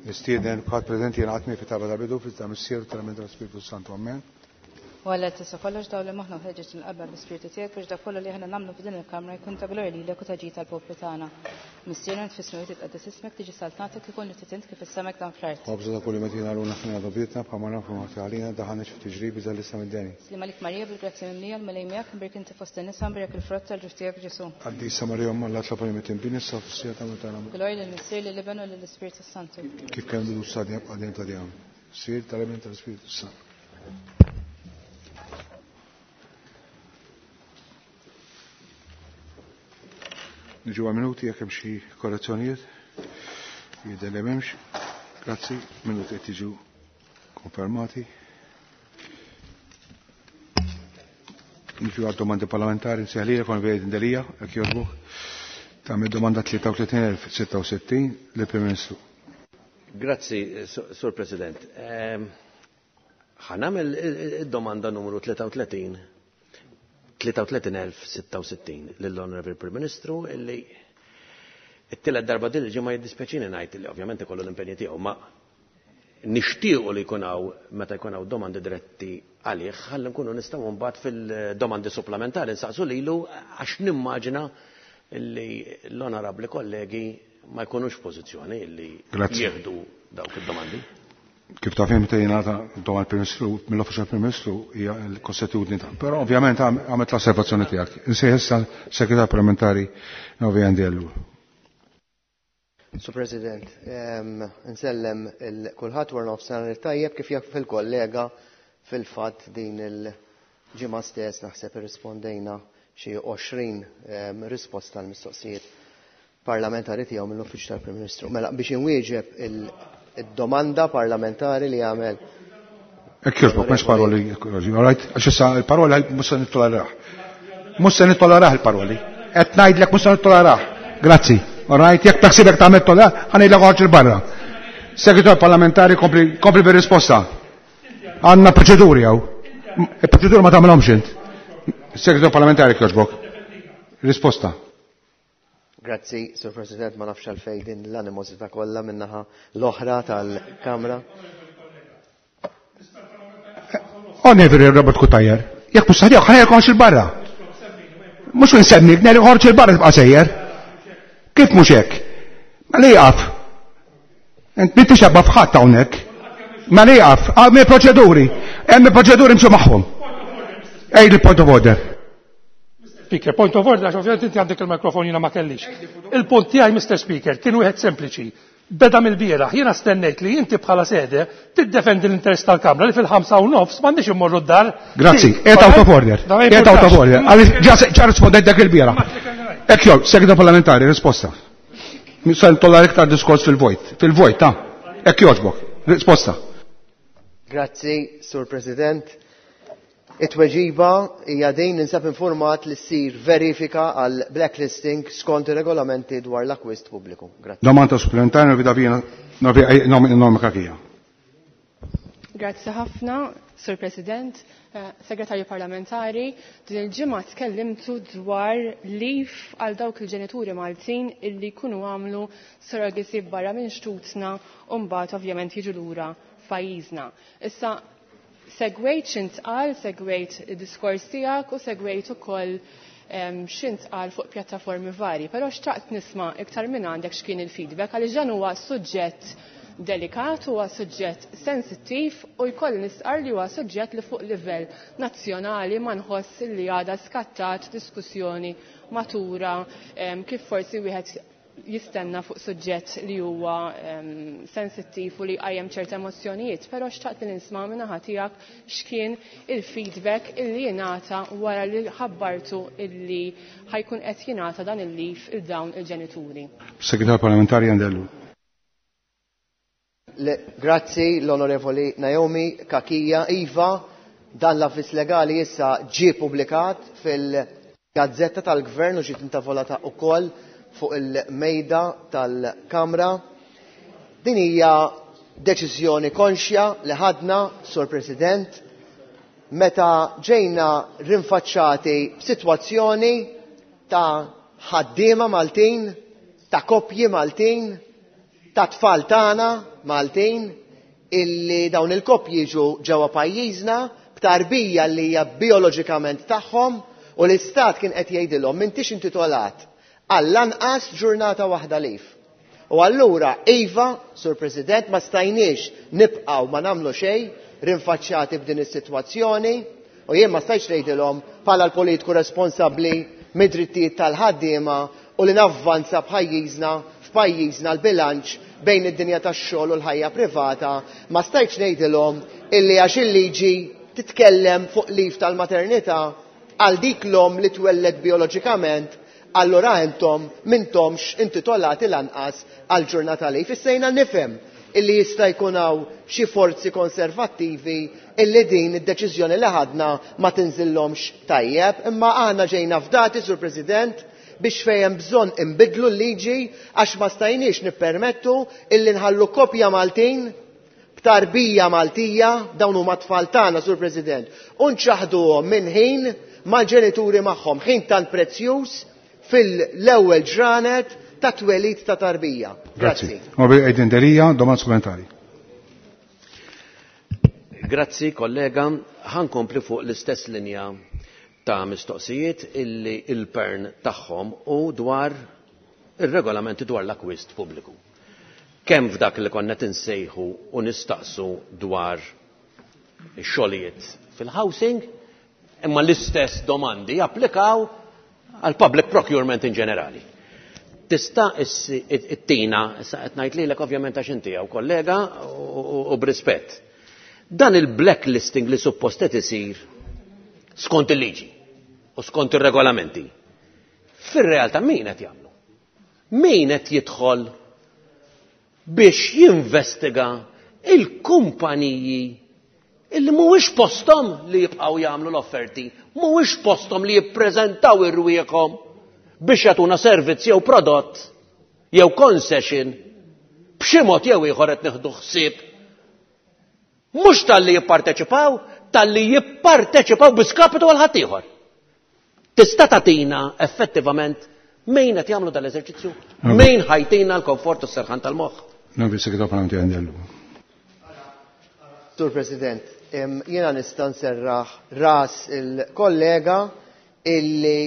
Nistieden kulħadd preżenti jingħaqad miegħi fit-talba tal-bidu fl-isem tal-Missier u tal-Iben tal-Ispirtu Santu. Amen. U Alla tista' kollox dawl li moħħna u ħeġġeġ il-qalba bl-Ispirtu tiegħek biex dak kollu li aħna nagħmlu f'din il-kamra jkun ta' glorja lilek u ta' ġid għall-poplu tagħna. Missierna int fis-smewwiet titqaddes ismek, tiġi saltnatek, ikun li trid int kif is-sema hekk dan fl-art. Ħobżna ta' kuljum agħtina llum aħfrilna dnubietna bħalma naħfru ħati għalina, daħħalniex f'tiġrib iżda ħlisna mid-deni. Sliem għalik Marija bil-grazzja mimlija, l-Mulej miegħek, imbierek inti fost in-nisa, imbierek il-frott tal-ġuf tiegħek Ġesù. Qaddisa Marija Omm Alla itlob għalina midinbin issa u fis-siegħa ta' mewt tagħna. Amen. Glorja lill-Missier, lill-Iben u lill-Ispirtu s-Santu. Kif kien bidu sa dejjem għal dejjem ta' dejjem. Missier, tal-Iben tal-Ispirtu s-Santu. Niġu għal minuti jekk hemm xi korrezzjonijiet. Jidher li m'hemmx. Grazzi, minuti qed jiġu konfermati. Niġu għal domandi parlamentari nsejħlilek Onorevoli Indelija, jekk jogħġbok. Tagħmel domanda 33.066 lill-Prim Ministru. Grazzi, Sur President. Ħa nagħmel id-domanda numru 33 33.066 lill-Honorable Prim Ministru illi it-tielet darba din il-ġimgħa jiddispjaċini ngħid li ovvjament ikollu l-impenji tiegħu ma nixtiequ li jkun hawn meta jkun hawn domandi diretti għalih ħalli nkunu nistgħu mbagħad fil-domandi supplementari nsaqsu lilu għax nimmaġina li l-onorabbli kollegi ma jkunux f'pożizzjoni li jieħdu dawk id-domandi. Kif taf meta jingħata domanda l-Prim Ministru mill-Uffiċċju tal-Prim Ministru hija l-kostitutni ta' però ovvjament għamilt l-osservazzjoni tiegħek. Insejħ issa Segretar Parlamentari Novi Andiellu. Sur President, nsellem il-kulħadd wara nofsinhar it-tajjeb kif jaf il-kollega fil-fatt din il-ġimgħa stess naħseb irrispondejna xi 20 risposta għal mistoqsijiet parlamentari tiegħu mill-Uffiċċju tal-Prim Ministru. Mela biex inwieġeb id-domanda parlamentari li għamel Hekk jogħġbok, m'hemmx paroli, all right? Għax issa il-paroli mhux se nittolerah. Mhux se nittolerah il-paroli. Qed ngħidlek mhux se nittolerah. Grazzi. All right? Jekk taħsibek tagħmel tolerah, ħa ngħidlek oħroġ 'il barra. Segretar parlamentari kompli kompli bir-risposta. Għandna proċeduri hawn. Il-proċeduri ma tagħmilhomx int. Segretar parlamentari jogħġbok. Risposta. Grazzi, Sur President, ma nafx għalfejn din l-animosità kollha min-naħa l-oħra tal-Kamra. Onorevoli Robert Cutajar, jekk mhux saħħiek ħa ngħidlek il barra. Mhux insemmik, ngħidlek oħroġ il barra tibqa' sejjer. Kif mhux hekk? Ma li jaqaf. Int m'intix abba f'ħadd hawnhekk. Ma li jaqaf, hemm il-proċeduri, hemm il-proċeduri mxu magħhom. Ej il-point of order. Speaker, point of order, għax ovvjament inti għandek il-mikrofon jiena ma kellix. Il-punt tiegħi, Mr. Speaker, kien wieħed sempliċi. Beda mill-bieraħ, jiena stennejt li inti bħala sede tiddefendi l-interess tal-Kamra li fil-5:30 m'għandniex immorru d-dar. Grazzi, qiegħed out of order. Qiegħed out of order. Għaliex ġa rispondejt dak il-bieraħ. Hekk jew, segretar parlamentari, risposta. Se ntolla iktar diskors fil-vojt. Fil-vojt, ta' hekk jogħġbok. Risposta. Grazzi, Sur President. It-tweġiba hija din ninsab informat li ssir verifika għal blacklisting skont ir-regolamenti dwar l-akkwist pubbliku. Grazzi. Domanda supplementari Novida Vina Norma Kakija. Grazzi ħafna, Sur President, Segretarju Parlamentari, din il-ġimgħa tkellimtu dwar leave għal dawk il-ġenituri Maltin illi jkunu għamlu surrogacy barra minn xtutna u mbagħad ovvjament jiġu lura f'pajjiżna. Issa segwejt x'intqal, segwejt id-diskors tiegħek u segwejt ukoll x'intqal fuq pjattaformi varji, però xtaqt nisma' iktar minn għandek x'kien il-feedback għaliex dan huwa suġġett delikat, huwa suġġett sensittiv u jkolli nistqar li huwa suġġett li fuq livell nazzjonali ma nħoss li għadha skattat diskussjoni matura kif forsi wieħed jistenna fuq suġġett li huwa sensittiv u li qajjem ċerta emozzjonijiet, però xtaqt li nisma' min-naħa tiegħek x'kien il-feedback illi jingħata wara li ħabbartu illi ħajkun qed jingħata dan il-leave il dawn il-ġenituri. Segretar Parlamentari Andellu. Grazzi l-Onorevoli Naomi Kakija. Iva, dan l-avviż legali issa ġie publikat fil-Gazzetta tal-Gvern u ġiet intavolata wkoll fuq il-mejda tal-Kamra. Din hija deċiżjoni konxja li ħadna, Sur President, meta ġejna rinfaċċati b'sitwazzjoni ta' ħaddiema Maltin, ta' koppji Maltin, Ta' tfal tagħna Maltin illi dawn il-koppji jiġu ġewwa pajjiżna b'tarbija li hija bijoloġikament tagħhom u l-istat kien qed jgħidilhom m'intix intitolat għall-anqas ġurnata waħda leave. U allura, iva, Sur President, ma stajniex nibqgħu ma nagħmlu xejn rinfaċċjati b'din is-sitwazzjoni u jien ma stajtx ngħidilhom bħala l-politiku responsabbli mid-drittijiet tal-ħaddiema u li navvanza b'pajjiżna f'pajjiżna l-bilanċ bejn id-dinja tax-xogħol u l-ħajja privata, ma stajtx ngħidilhom illi għax il-liġi titkellem fuq leave tal-maternità għal dik l-omm li twelled bijoloġikament, allura intom m'intomx intitolati lanqas għal ġurnata leave. Issa jiena nifhem illi jista' jkun hawn xi forzi konservattivi illi din id-deċiżjoni li ħadna ma tinżillhomx tajjeb, imma aħna ġejna fdati, Sur President, biex fejn hemm bżonn inbiddlu l-liġi għax ma stajniex nippermettu illi nħallu koppja Maltin b'tarbija Maltija, dawn huma tfal tagħna, Sur President, u nċaħħduhom minn ħin mal-ġenituri magħhom, ħin tant prezzjuż fil-ewwel ġranet ta' twelid ta' tarbija. Grazzi. Onorevoli Adrian Delia, domanda supplementari. Grazzi, kollega. Ħa nkompli fuq l-istess linja ta' mistoqsijiet illi il-pern tagħhom u dwar ir-regolamenti dwar l-akwist pubbliku. Kemm f'dak li konna tinsejħu u nistaqsu dwar ix-xogħlijiet fil-housing, imma l-istess domandi japplikaw għal public procurement in ġenerali. Tista' ittina, issa qed ngħid lilek ovvjament għax inti hawn kollega u b'rispett. Dan il-blacklisting li suppost qed isir skont il-liġi u skont ir-regolamenti. Fir-realtà min qed jagħmlu? Min qed jidħol biex jinvestiga il-kumpaniji illi mhuwiex posthom li jibqgħu jagħmlu l-offerti, mhuwiex posthom li jippreżentaw irwieħhom biex jagħtuna servizz jew prodott jew concession b'xi mod jew ieħor qed nieħdu ħsieb mhux talli jipparteċipaw, talli jipparteċipaw bi skapitu għal ħaddieħor. Tista' tagħtina effettivament min qed jagħmlu dal-eżerċizzju? Min ħa jtina l-komfort u s-serħan tal-moħħ? Onorevoli Segretarju Parlamentari Andellu. Sur President, jiena nista' nserraħ ras il-kollega illi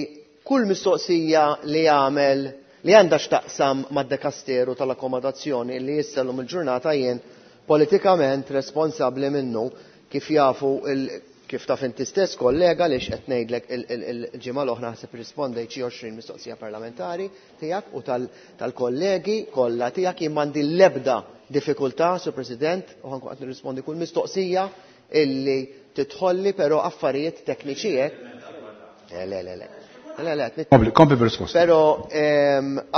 kull mistoqsija li għamel li għandha x'taqsam mad-dekasteru tal-akkomodazzjoni li issa llum il-ġurnata jien politikament responsabbli minnu, kif jafu kif taf inti stess kollega li qed ngħidlek il-ġimgħa l-oħra ħseb rispondejt xi 20 mistoqsija parlamentari tiegħek u tal-kollegi kollha tiegħek. Jien m'għandi l-ebda diffikultà, Sur President, u ħa nkun qed nirrispondi kull mistoqsija illi tidħolli, però affarijiet tekniċi hekk. Le, le, le, le. Le, le, Kompli bir-risposta. Però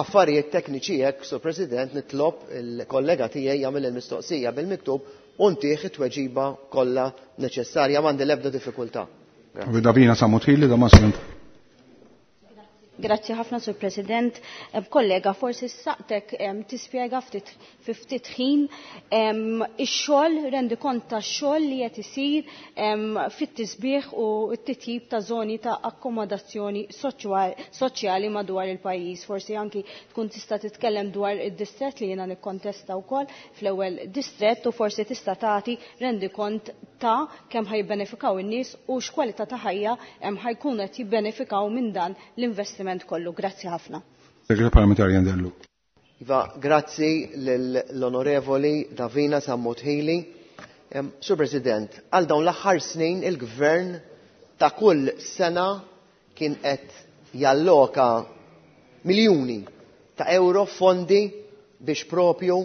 affarijiet tekniċi hekk, Sur President, nitlob il-kollega tiegħi jagħmel il-mistoqsija bil-miktub u ntih it-tweġiba kollha neċessarja, m'għandi l-ebda diffikultà. Davina Sammut Hili, domanda supplementari. Grazzi ħafna, Sur President. Kollega, forsi saqtek tispjega ftit fi ftit ħin ix-xogħol, rendi kont tax-xogħol li qed isir fit-tisbieħ u t-titjib ta' żoni ta' akkomodazzjoni soċjali madwar il-pajjiż. Forsi anki tkun tista' titkellem dwar id-distrett li jiena nikkontesta wkoll fl-ewwel distrett u forsi tista' tagħti rendi kont ta' kemm ħa jibbenefikaw in-nies u x'kwalità ta' ħajja ħa jkunu qed jibbenefikaw minn dan l-investiment kollu. Grazzi ħafna. Segretarju Parlamentari Andellu. Iva, grazzi l-Onorevoli Davina Sammut Hili. Sur President, għal dawn l-aħħar snin il-Gvern ta' kull sena kien qed jalloka miljuni ta' euro fondi biex propju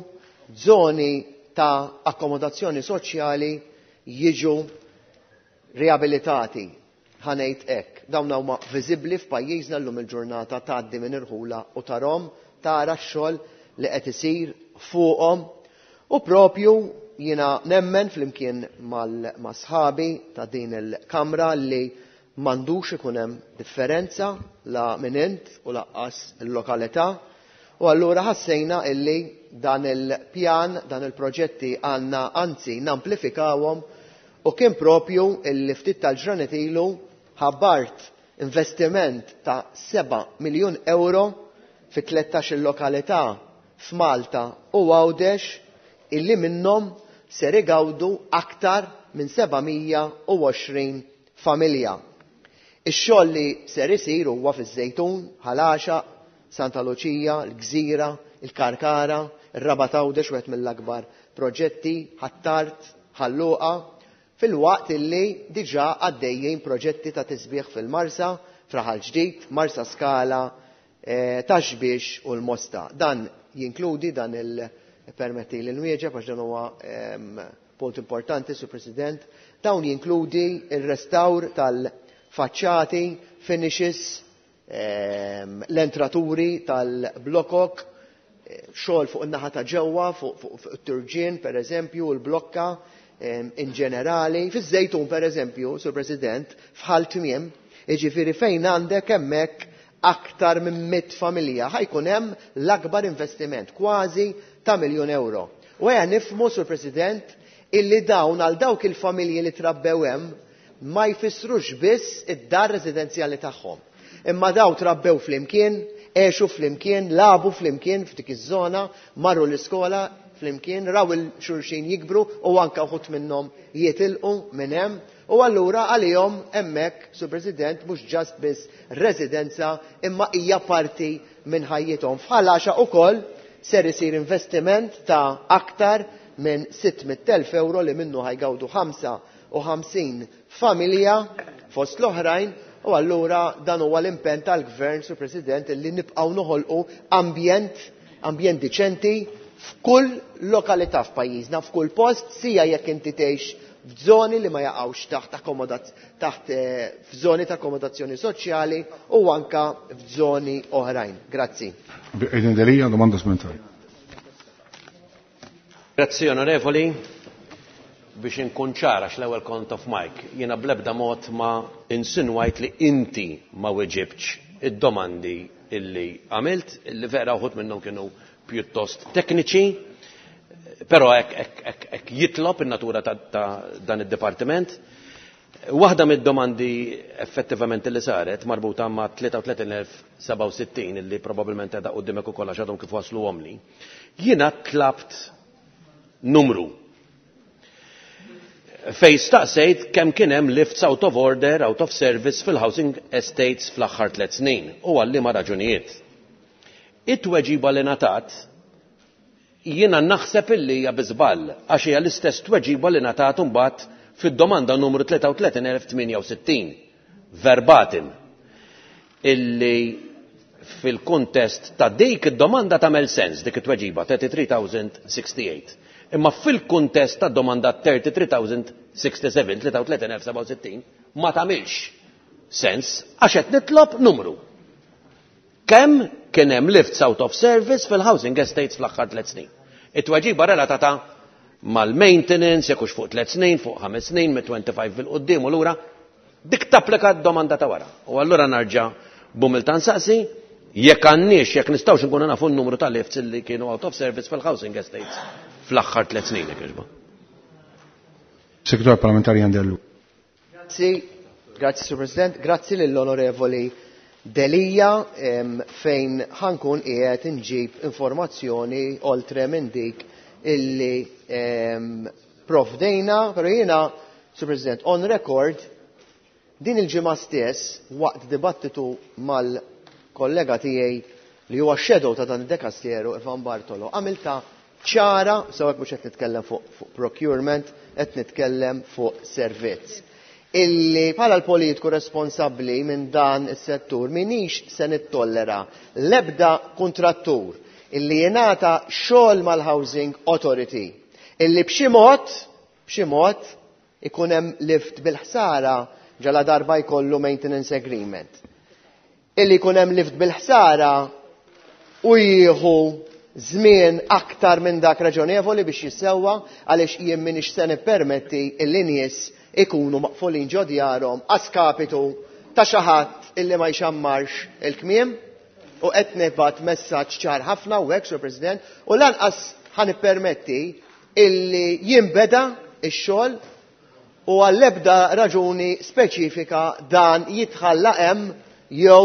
zoni ta' akkomodazzjoni soċjali jiġu riabilitati. Ħa ngħid hekk. Dawn huma viżibbli f'pajjiżna llum il-ġurnata, tgħaddi minn irħula u tarahom, tara x-xogħol li qed isir fuqhom. U propju jiena nemmen flimkien ma' sħabi ta' din il-Kamra li m'għandux ikun hemm differenza la minn int u lanqas il-lokalità. U allura ħassejna illi dan il-pjan, dan il-proġetti għandna anzi namplifikawhom u kien propju illi ftit tal-ġranet ilu ħabbart investiment ta' 7 miljun euro fi 13 lokalità f'Malta u Għawdex illi minnhom ser igawdu aktar minn 720 familja. Ix-xogħol li ser isir huwa fiż-Żejtun, Ħal Għaxaq, Santa Luċija, l-Gżira, il-Karkara, ir-Rabat Għawdex wieħed mill-akbar proġetti, Ħ'Attard, Ħal Luqa, filwaqt illi diġà għaddejjin proġetti ta' tisbiħ fil-Marsa, f'Raħal Ġdid, Marsaskala, Ta' Xbiex u l-Mosta. Dan jinkludi dan il permetti li nwieġeb għax dan huwa punt importanti, Sur President. Dawn jinkludi il-restawr tal-faċċati, finishes, l-entraturi tal-blokok, xogħol fuq in-naħa ta' ġewwa, fuq it-turġien pereżempju, u l-blokka in ġenerali. Fiż-Żejtun pereżempju, Sur President, f'Ħal Tmiem, jiġifieri fejn għandek hemmhekk aktar minn 100 familja, ħa jkun hemm l-akbar investiment, kważi ta' miljun ewro. U ejja nifhmu, Sur President, illi dawn għal dawk il-familji li trabbew hemm ma jfissrux biss id-dar residenzjali tagħhom. Imma daw trabbew flimkien, għexu flimkien, lagħbu flimkien f'dik iż-żona, marru l-iskola flimkien, raw il-xulxin jikbru u anke wħud minnhom jitilqu minn hemm. U allura għalihom hemmhekk, Sur President, mhux just biss residenza imma hija parti minn ħajjithom. F'Ħal Għaxaq ukoll ser isir investiment ta' aktar minn 600,000 ewro li minnu ħa jgawdu 55 familja fost l-oħrajn u allura dan huwa l-impenn tal-Gvern, Sur President, illi nibqgħu noħolqu ambjent ambjent diċenti f'kull lokalità f'pajjiżna, f'kull post, sija jekk inti tgħix f'żoni li ma jaqgħux taħt taħt f'żoni ta' akkomodazzjoni soċjali u anka f'żoni oħrajn. Grazzi. Adrian Delia, domanda supplementari. Grazzi onorevoli. Biex inkun ċar għax l-ewwel kont off mic, jiena bl-ebda mod ma insinwajt li inti ma weġibtx id-domandi illi għamilt, illi vera uħud minnhom kienu pjuttost tekniċi, però hekk jitlob in-natura ta' dan id-dipartiment. Waħda mid-domandi effettivament li saret marbuta ma' 33,067 illi probabbilment qiegħda quddiemek ukoll għax għadhom kif wasluhomli, jiena tlabt numru fej staqsejt kemm kien hemm lifts out of order, out of service fil-housing estates fl-aħħar 3 snin u għal liema raġunijiet. It-tweġiba li ngħatat jiena naħseb illi hija bi żball għax hija l-istess tweġiba li ngħatat imbagħad fid-domanda numru 33,068 verbatim illi fil-kuntest ta' dik id-domanda tagħmel sens dik it-tweġiba 33,068. Imma fil-kuntest ta' domanda 33,067, 33,067, ma tagħmilx sens għax qed nitlob numru. Kemm kien hemm lifts out of service fil-housing estates fl-aħħar 3 snin? It-tweġiba relatata mal-maintenance, jekk hux fuq 3 snin, fuq 5 snin, mit-25 fil-quddiem u lura, dik tapplika d-domanda ta' wara. U allura narġa' b'umiltà nsaqsi jekk għandniex, jekk nistgħux nkunu nafu n-numru ta' lifts li kienu out of service fil-housing estates fl-aħħar 3 snin, jekk jogħġbok. Segretarju Parlamentari Jandellu. Grazzi, grazzi Sur President, grazzi lill-Onorevoli Delia fejn ħankun qiegħed inġib informazzjoni oltre minn dik illi provdejna, però jiena, Sur President, on record, din il-ġimgħa stess waqt dibattitu mal-kollega tiegħi li huwa shadow ta' dan id-dekasteru Ivan Bartolo, għamilta ċara, sewwa mhux qed nitkellem fuq procurement, qed nitkellem fuq servizz. Illi bħala l-politiku responsabbli minn dan is-settur minix se nittollera l-ebda kuntrattur illi jingħata xogħol mal-Housing Authority illi b'xi mod, b'xi mod ikun hemm lift bil-ħsara ġala darba jkollu maintenance agreement. Illi jkun hemm lift bil-ħsara u jieħu żmien aktar minn dak raġonevoli biex jissewwa għaliex jien m'iniex se nippermetti illi nies ikunu maqfulin ġo djarhom għaskapitu ta' xi ħadd illi ma jxammarx il-kmiem u qed nibgħat messaġġ ċar ħafna u hekk, Sur President, u lanqas ħa nippermetti illi jinbeda x-xogħol u għall-ebda raġuni speċifika dan jitħalla hemm jew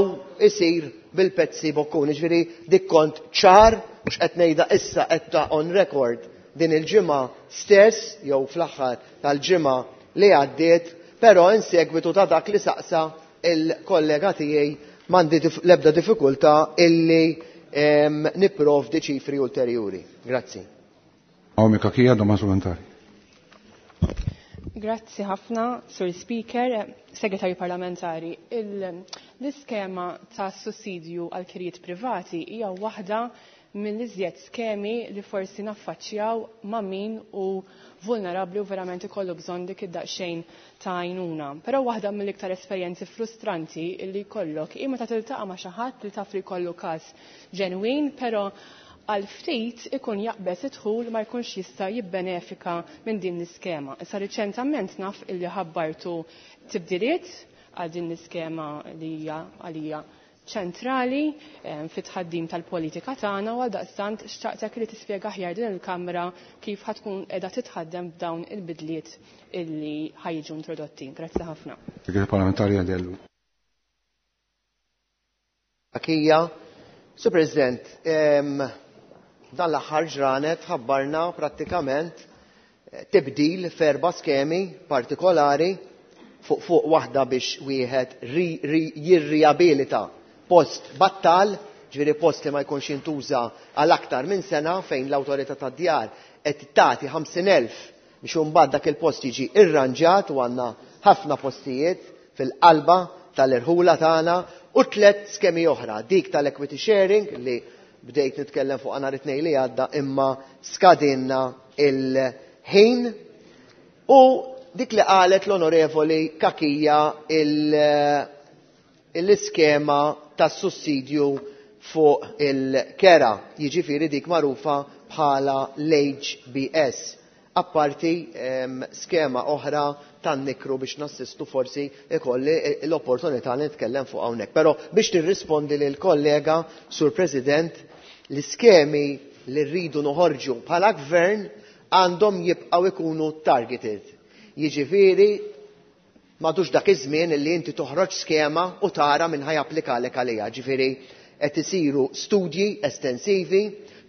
isir bil-pezzi bokkun. Jiġifieri dik kont ċar mhux qed ngħidha issa, qed on record din il-ġimgħa stess jew fl-aħħar tal-ġimgħa li għaddiet, però in segwitu ta' dak li saqsa il-kollega tiegħi m'għandi l-ebda diffikultà illi nipprovdi ċifri ulterjuri. Grazzi. Naomi Cachia, domanda supplementari. Grazzi ħafna, Sur Speaker, Segretarju Parlamentari. L-iskema ta' sussidju għal kirjiet privati hija waħda mill-iżjed skemi li forsi naffaċċjaw ma' min u vulnerabbli u verament ikollu bżonn dik id-daqsxejn ta' għajnuna. Però waħda mill-iktar esperjenzi frustranti li jkollok hi meta tiltaqa' ma' xi ħadd li taf li jkollu każ ġenwin, però għal ftit ikun jaqbeż id-dħul ma jkunx jista' jibbenefika minn din l-iskema. Issa riċentament naf illi ħabbartu tibdiliet għal din l-iskema li hija għalija ċentrali fit-tħaddim tal-politika tagħna, u għaldaqstant xtaqtek li tispjega aħjar din il-Kamra kif ħatkun qiegħda titħaddem b'dawn il-bidliet illi ħajġu introdotti. Grazzi ħafna. Segretarju Parlamentari Għadellu. Akija, Sur President, dan l-aħħar ġranet ħabbarna prattikament tibdil f'erba' skemi partikolari fuq waħda biex wieħed jirriabilita post battal, ġifieri post li ma jkunx jintuża għal aktar minn sena, fejn l-awtorità tad-djar qed tagħti 50,000 biex imbagħad dak il-post jiġi irranġat, u għandna ħafna postijiet fil-qalba tal-irħula tagħna, u 3 skemi oħra, dik tal-equity sharing li bdejt nitkellem fuq nhar it-tnejn li għadda imma skadinna il-ħin, u dik li qalet l-Onorevoli Cachia l-iskema tas-sussidju fuq il-kera, jiġifieri dik magħrufa bħala l-HBS. Apparti skema oħra tan-nikru biex nassistu, forsi ikolli l-opportunità li nitkellem fuq hawnhekk. Però biex nirrispondi lil kollega, Sur President, l-iskemi li rridu noħorġu bħala gvern għandhom jibqgħu ikunu targeted. Jiġifieri m'għadux dak iż-żmien li inti toħroġ skema u tara min ħajapplikalek għaliha. Ġifieri qed isiru studji estensivi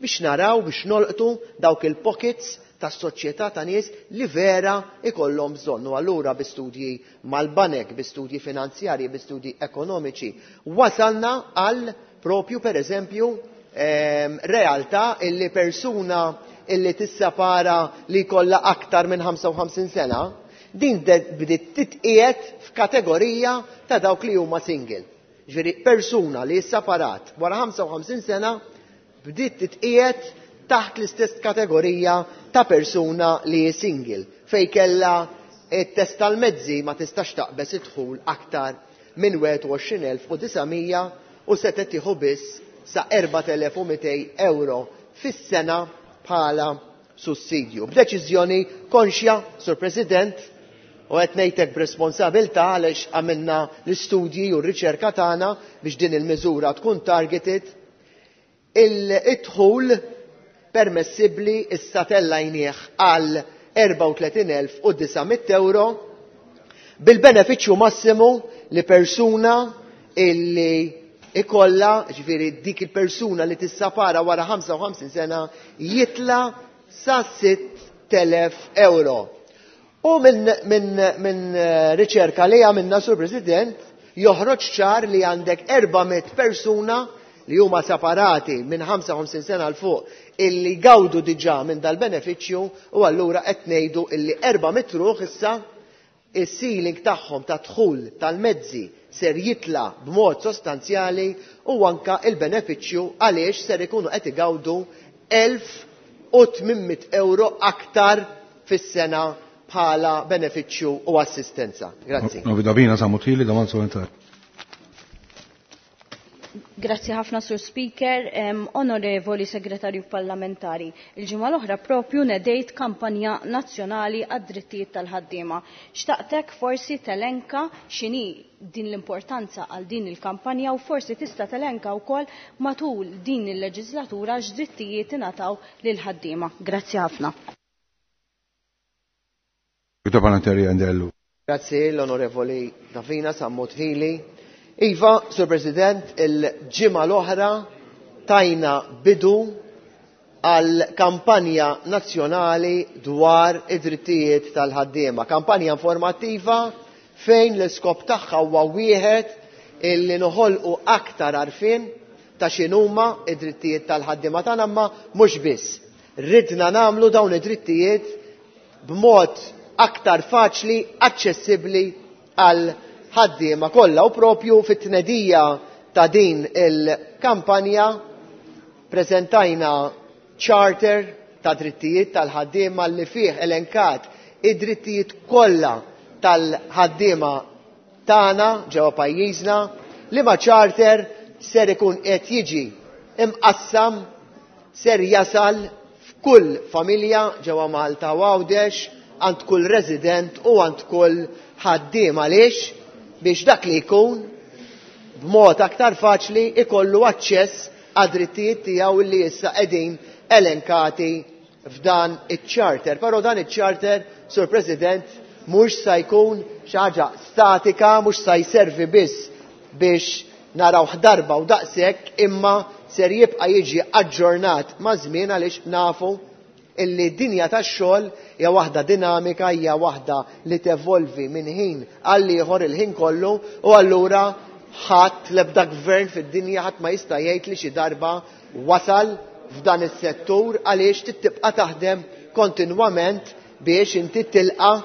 biex naraw, biex nolqtu dawk il-pockets tas-soċjetà ta' nies li vera ikollhom bżonn. U allura bi studji mal-banek, bi studji finanzjarji, bi studji ekonomiċi, wasalna għal propju per eżempju realtà illi persuna illi tissepara li jkollha aktar minn 55 sena, din bdiet titqiegħed f'kategorija ta' dawk li huma single. Ġifieri persuna li sseparat wara 55 sena bdiet titqiegħed taħt l-istess kategorija ta' persuna li hi single, fej kella it-test tal-mezzi ma tistax taqbeż idħul aktar minn 21,900 u setgħet tieħu biss sa 4,200 euro fis-sena bħala sussidju. B'deċiżjoni konxja, Sur President, u qed ngħidlek b'responsabilità għaliex għamilna l-istudji u r-riċerka tagħna biex din il-miżura tkun targeted, il-idħul permessibbli issa tellajnieh għal 34,900 euro bil-benefiċċju massimu li persuna illi ikolla, ġifieri dik il-persuna li tissapara wara 55 sena, jitla sa 6,000 euro. U minn riċerka li għamilna, Sur President, joħroġ ċar li għandek 400 persuna li huma separati minn 55 sena l fuq illi gawdu diġà minn dal-benefiċċju, u allura qed ngħidu illi 400 ruħ issa is-ceiling tagħhom ta' dħul tal-mezzi ser jitla b'mod sostanzjali, u anka il-benefiċċju għaliex ser ikunu qed igawdu 1,800 euro aktar fis-sena bħala benefiċċju u assistenza. Grazzi. Novi Davina Sammut Hili, domanda supplementari. Grazzi ħafna, Sur Speaker. Onorevoli Segretarju Parlamentari, il-ġimgħa l-oħra propju nedejt kampanja nazzjonali għad-drittijiet tal-ħaddiema. Xtaqtek forsi telenka x'inhi din l-importanza għal din il-kampanja u forsi tista' telenka wkoll matul din il-leġislatura x'drittijiet ingħataw lil ħaddiema. Grazzi ħafna. Parlamentari Andellu. Grazzi l-Onorevoli Davina Sammut Hili. Iva, Sur President, il-ġimgħa l-oħra tajna bidu għal kampanja nazzjonali dwar id-drittijiet tal-ħaddiema. Kampanja informattiva fejn l-iskop tagħha huwa wieħed illi noħolqu aktar għarfien ta' x'inhuma id-drittijiet tal-ħaddiema tagħna imma mhux biss. Ridna nagħmlu dawn id-drittijiet b'mod aktar faċli, aċċessibbli għal ħaddiema kollha u propju fit-tnedija ta' din il-kampanja preżentajna charter ta' drittijiet tal-ħaddiema li fih elenkat id-drittijiet kollha tal-ħaddiema tagħna ġewwa pajjiżna li ma' charter ser ikun qed jiġi imqassam ser jasal f'kull familja ġewwa Malta u Għawdex għand kull resident u għand kull ħaddiem għaliex biex dak li jkun b'mod aktar faċli ikollu aċċess għad-drittijiet tiegħu li issa qegħdin elenkati f'dan iċ-charter. Però dan iċ-charter, Sur President, mhux sa jkun xi ħaġa statika, mhux sa jservi biss biex naraw darba u daqshekk, imma ser jibqa' jiġi aġġornat ma' żmien għaliex nafu illi dinja tax-xogħol hija waħda dinamika, hija waħda li tevolvi minn ħin għal ieħor il-ħin kollu u allura ħadd l-ebda gvern fid-dinja ħadd ma jista' jgħid li xi darba wasal f'dan is-settur għaliex tibqa' taħdem kontinwament biex inti tilqa'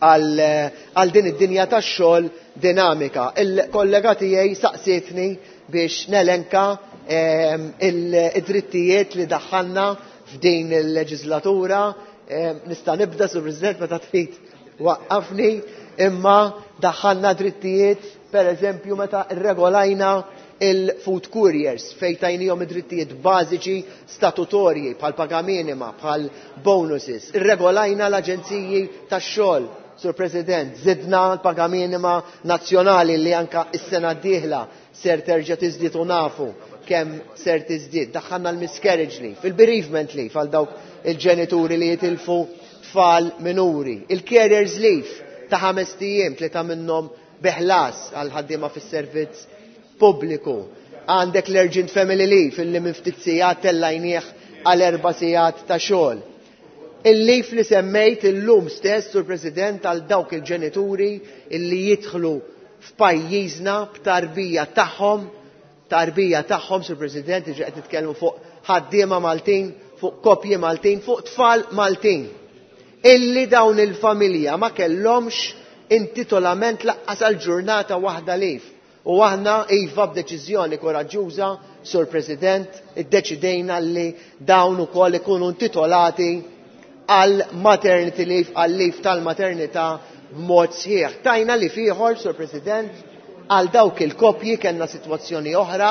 għal din id-dinja tax-xogħol dinamika. Il-kollega tiegħi saqsietni biex nelenka id-drittijiet li daħħalna f'din il-leġislatura. Nista' nibda, Sur President, meta trid waqqafni, imma daħħalna drittijiet, per eżempju, meta rregolajna il-food couriers fejn tajnihom id-drittijiet bażiċi statutorji bħal paga minima, bħal bonuses. Irregolajna l-aġenziji tax-xogħol, Sur President, zidna l-paga minima nazzjonali li anka is-sena d-dieħla ser terġa' tiżdied u nafu kemm ser tiżdied. Daħħalna l-miscarriage leave, il-bereavement leave għal dawk il-ġenituri li jitilfu tfal minuri, il-carers leave ta' 5 ijiem, 3 minnhom bi ħlas għal ħaddiema fis-servizz pubbliku. Għandek l-urgent family leave illi minn ftit sigħat tellajnieh għal 4 sigħat ta' xogħol. Il-leave li semmejt illum stess, Sur President, għal dawk il-ġenituri illi jidħlu f'pajjiżna b'tarbija tagħhom, tarbija tagħhom, Sur President, iġi qed nitkellmu fuq ħaddiema Maltin, fuq koppji Maltin, fuq tfal Maltin. Illi dawn il-familja ma kellhomx intitolament laqqas għal ġurnata waħda leave. U aħna iva b'deċiżjoni koraġġuża, Sur President, iddeċidejna li dawn ukoll ikunu intitolati għal maternity leave, għal leave tal-maternità b'mod sħiħ. Tajna li ieħor, Sur President, għal dawk il-koppji kellna sitwazzjoni oħra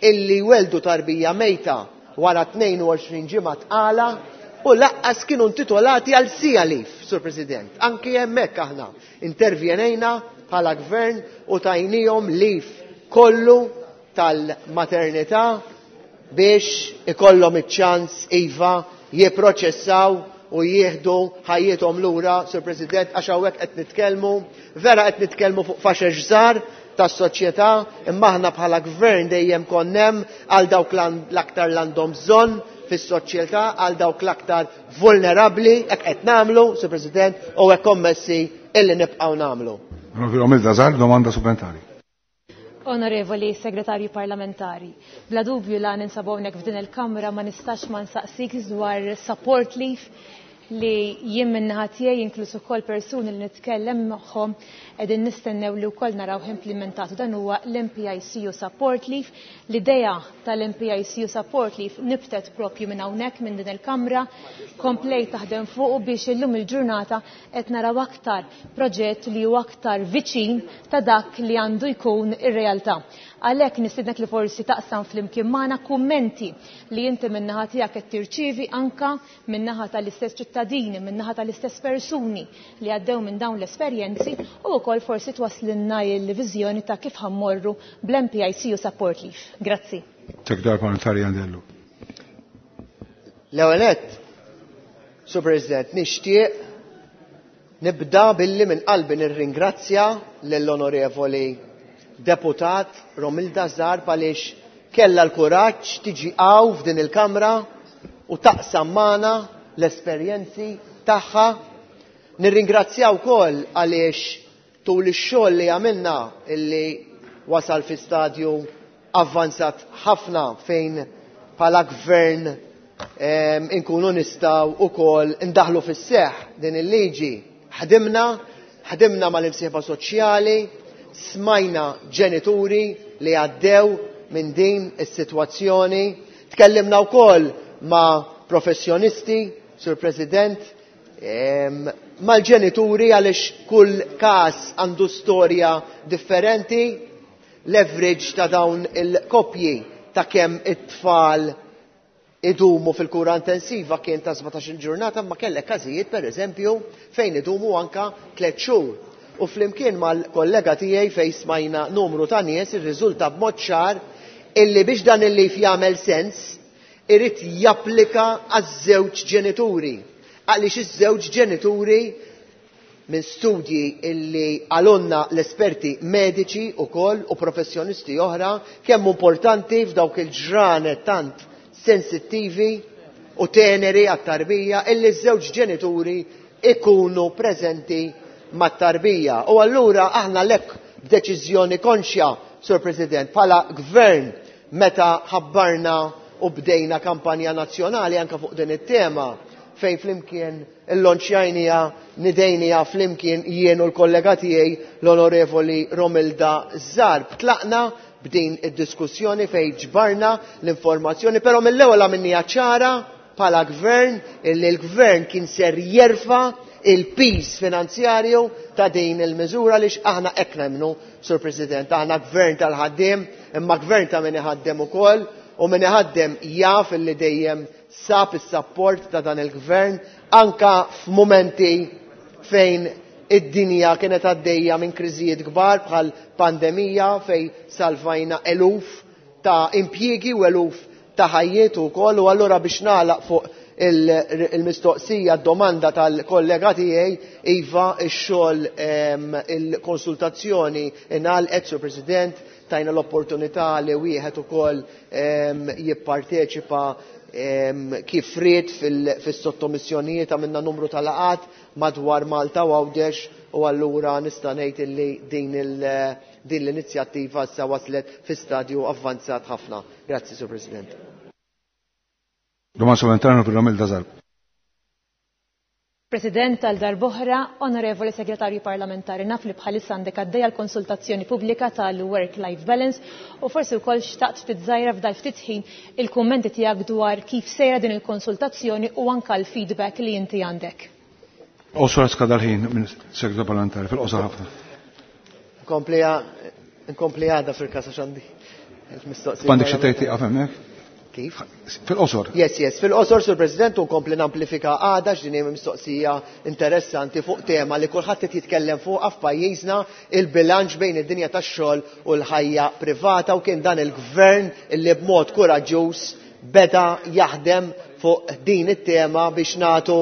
illi weldu tarbija mejta wara 22 ġimgħa tqala u laqqas kienu intitolati għal siegħa leave, Sur President. Anki hemmhekk aħna intervjenejna bħala gvern u tajnihom leave kollu tal-maternità biex ikollhom iċ-ċans iva jipproċessaw u jieħdu ħajjithom lura, Sur President, għax hawnhekk qed nitkellmu, vera qed nitkellmu fuq faxex żgħar tas-soċjetà, imma aħna bħala gvern dejjem konnem għal dawk l-aktar l-għandhom bżonn fis-soċjetà, għal dawk l-aktar vulnerabbli, hekk qed nagħmlu, Sur President, u hekk kommessi illi nibqgħu nagħmlu. Onorevoli Zarb, domanda supplementari. Onorevoli Segretarju Parlamentari, bla dubju la ninsabu hawnhekk f'din il-Kamra ma nistax ma nsaqsik dwar support leave li jien min-naħa tiegħi inkluż ukoll persuni li nitkellem magħhom qegħdin nistennew li wkoll naraw implementatu. Dan huwa l-MPICU support leave. L-idea tal-MPICU support leave nibtet propju minn hawnhekk minn din il-Kamra, komplejt taħdem fuq biex illum il-ġurnata qed naraw aktar proġett li huwa aktar viċin ta' dak li għandu jkun ir-realtà. Għalhekk nistiednek li forsi taqsam flimkien magħna kummenti li inti min-naħa tiegħek qed tirċievi anka min-naħa tal-istess ċittadini, min-naħa tal-istess persuni li għaddew minn dawn l-esperjenzi u wkoll forsi twaslinna l-viżjoni ta' kif ħammorru bl-MPICU support leave. Grazzi. Segretarju Parlamentari Andellu. L-ewwel nett, Sur President, nixtieq nibda billi minn qalbi nirringrazzja lill-Onorevoli Deputat Romilda Zarb għaliex kellha l-kuraġġ tiġi hawn f'din il-Kamra u taqsam magħna l-esperjenzi tagħha. Nirringrazzja wkoll għaliex tul ix-xogħol li għamilna illi wasal fi stadju avvanzat ħafna fejn bħala gvern inkunu nistgħu ukoll indaħlu fis-seħħ din il-liġi. Ħdimna, ħdimna mal-imsieħba soċjali, smajna ġenituri li għaddew minn din is-sitwazzjoni, tkellimna wkoll ma' professjonisti, Sur President, mal-ġenituri għaliex kull każ għandu storja differenti, l-average ta' dawn il-koppji ta' kemm it-tfal idumu fil-kura intensiva kien ta' 17 ġurnata, ma kellek każijiet pereżempju fejn idumu anka 3 xhur. U flimkien mal-kollega tiegħi fejn smajna numru ta' nies irriżulta b'mod ċar illi biex dan il-leave jagħmel sens irid japplika għaż-żewġ ġenituri. Għaliex iż-żewġ ġenituri minn studji illi għalunna l-esperti mediċi ukoll u professjonisti oħra kemm importanti f'dawk il-ġranet tant sensittivi u teneri għat-tarbija illi ż-żewġ ġenituri ikunu preżenti mat-tarbija. U allura aħna lek b'deċiżjoni konxja, Sur President, bħala gvern meta ħabbarna u bdejna kampanja nazzjonali anka fuq din it-tema fejn flimkien illonċjajnija nidejnija flimkien jien u l-kollega tiegħi l-Onorevoli Romilda Zarb. Tlaqna b'din id-diskussjoni fejn ġbarna l-informazzjoni, però mill-ewwel għamilniha ċara bħala gvern illi l-gvern kien ser jerfa' il-pis finanzjarju ta' din il-miżura li aħna hekk nemmnu, Sur President, aħna gvern tal-ħaddiem, imma gvern ta' min iħaddem ukoll, u min iħaddem jaf illi dejjem sab is-sapport ta' dan il-gvern anka f'mumenti fejn id-dinja kienet għaddejja minn kriżijiet kbar bħal pandemija fejn salvajna eluf ta' impjiegi u eluf ta' ħajjiet ukoll. U allura biex nagħlaq fuq il-mistoqsija, domanda tal-kollega tiegħi, iva, ix-xogħol, il-konsultazzjoni ingħalqet, Sur President, tajna l-opportunità li wieħed ukoll jipparteċipa kif ried fis-sottomissjonijiet, għamilna numru ta' laqgħat madwar Malta u Għawdex, u allura nista' ngħid illi din l-inizjattiva issa waslet fi stadju avvanzat ħafna. Grazzi, Sur President. Domanda supplementari per Romilda Zarb. President, tal darb'oħra, Onorevoli Segretarju Parlamentari, naf li bħalissa għandek għaddejja l-konsultazzjoni pubblika tal-Work-Life Balance u forsi wkoll xtaqt ftit żgħira f'dal ftit ħin il-kummenti tiegħek dwar kif sejra din il-konsultazzjoni u anka l-feedback li inti għandek. Qosor skada l-ħin minn Segretarju Parlamentari, fil-qosor ħafna. Nkompli għada fil-kasa xandi. Il-mistoqsija. Għandek xi tgħid tieqaf hemmhekk? Kif? Fil-qosor. Yes, yes, fil-qosor, Sur President, u nkompli namplifika għada x'din hija mistoqsija interessanti fuq tema li kulħadd qed jitkellem fuqha f'pajjiżna, il-bilanċ bejn id-dinja tax-xogħol u l-ħajja privata, u kien dan il-gvern illi b'mod kuraġġuż beda jaħdem fuq din it-tema biex nagħtu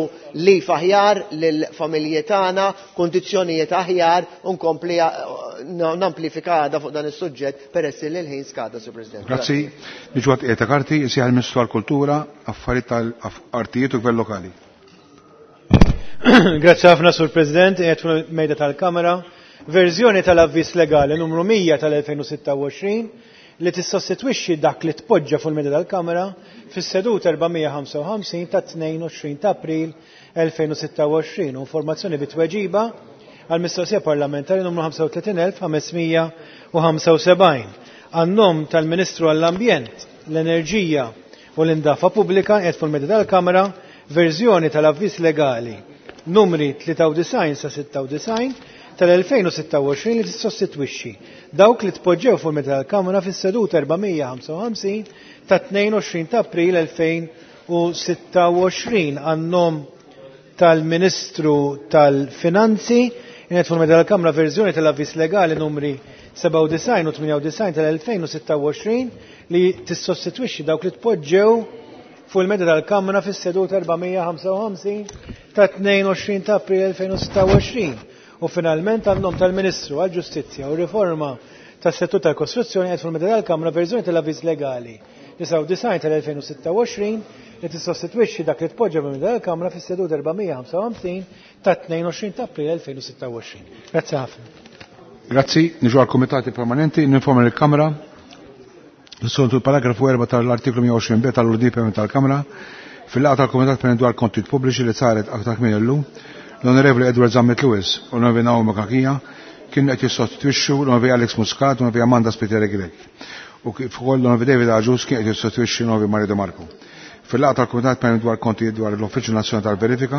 lif aħjar lill-familji tagħna, kundizzjonijiet aħjar, u nkompli namplifika għada fuq dan is-suġġett peress li l-ħin skada, Sur President. Grazzi. Niġu għat qiegħed ta' karti, isejjaħ il-Ministru għall-Kultura, Affarijiet tal-Artijiet u Gvern Lokali. Grazzi ħafna, Sur President, qiegħed fuq mejda tal-Kamra. Verżjoni tal-avviż legali numru 100 tal-2026 li tissostitwixxi dak li tpoġġa fuq il-mejda tal-Kamra fis-seduta 455 ta' 22 ta' April 2026 u informazzjoni bit-tweġiba għal mistoqsija parlamentari numru 35575 għan-nom tal-Ministru għall-Ambjent, l-Enerġija u l-Indafa Pubblika qiegħed fuq il-mejda tal-Kamra verżjoni tal-avviż legali numri 93 sa 96 tal-2026 li tissostitwixxi dawk li tpoġġew fuq il-mejda tal-Kamra fis-seduta 455 ta' 22 ta' April 2026 għan-nom tal-Ministru tal-Finanzi qiegħed fuq il-mejda tal-Kamra verżjoni tal-avviż legali numri 97 u 98 tal-2026 li tissostitwixxi dawk li tpoġġew fuq il-mejda tal-Kamra fis-seduta 455 ta' 22 ta' April 2026. U finalment għan-nom tal-Ministru għall-Ġustizzja u Riforma tas-Settur tal-Kostruzzjoni qed fuq il-mejda tal-Kamra verżjoni tal-avviż legali 99 tal-2026 li tissostitwixxi dak li tpoġġa minn dan il-Kamra fis-seduta 455 ta' 22 ta' April 2026. Grazzi ħafna. Grazzi, niġu għal komitati permanenti, ninforma l-Kamra. Soltu il-paragrafu 4 tal-artiklu 120b tal-UDP tal-Kamra fil-laqgħa tal-Kumitat Permanenti dwar Kontijiet Pubbliċi li saret aktar kmieni llum, l-Onorevoli Edward Zammit Lewis u l-Onorevoli Naomi Kakija kienu qed jissostitwixxu l-Onorevoli Alex Muscat u l-Onorevoli Amanda Spiteri Grech. U kif ukoll l-Onorevoli David Agius kien qed jissostitwixxi l-Onorevoli Mario De Marco. Fil-laqgħa tal-Kumitat Permanenti dwar Kontijiet dwar l-Uffiċċju Nazzjonali tal-Verifika,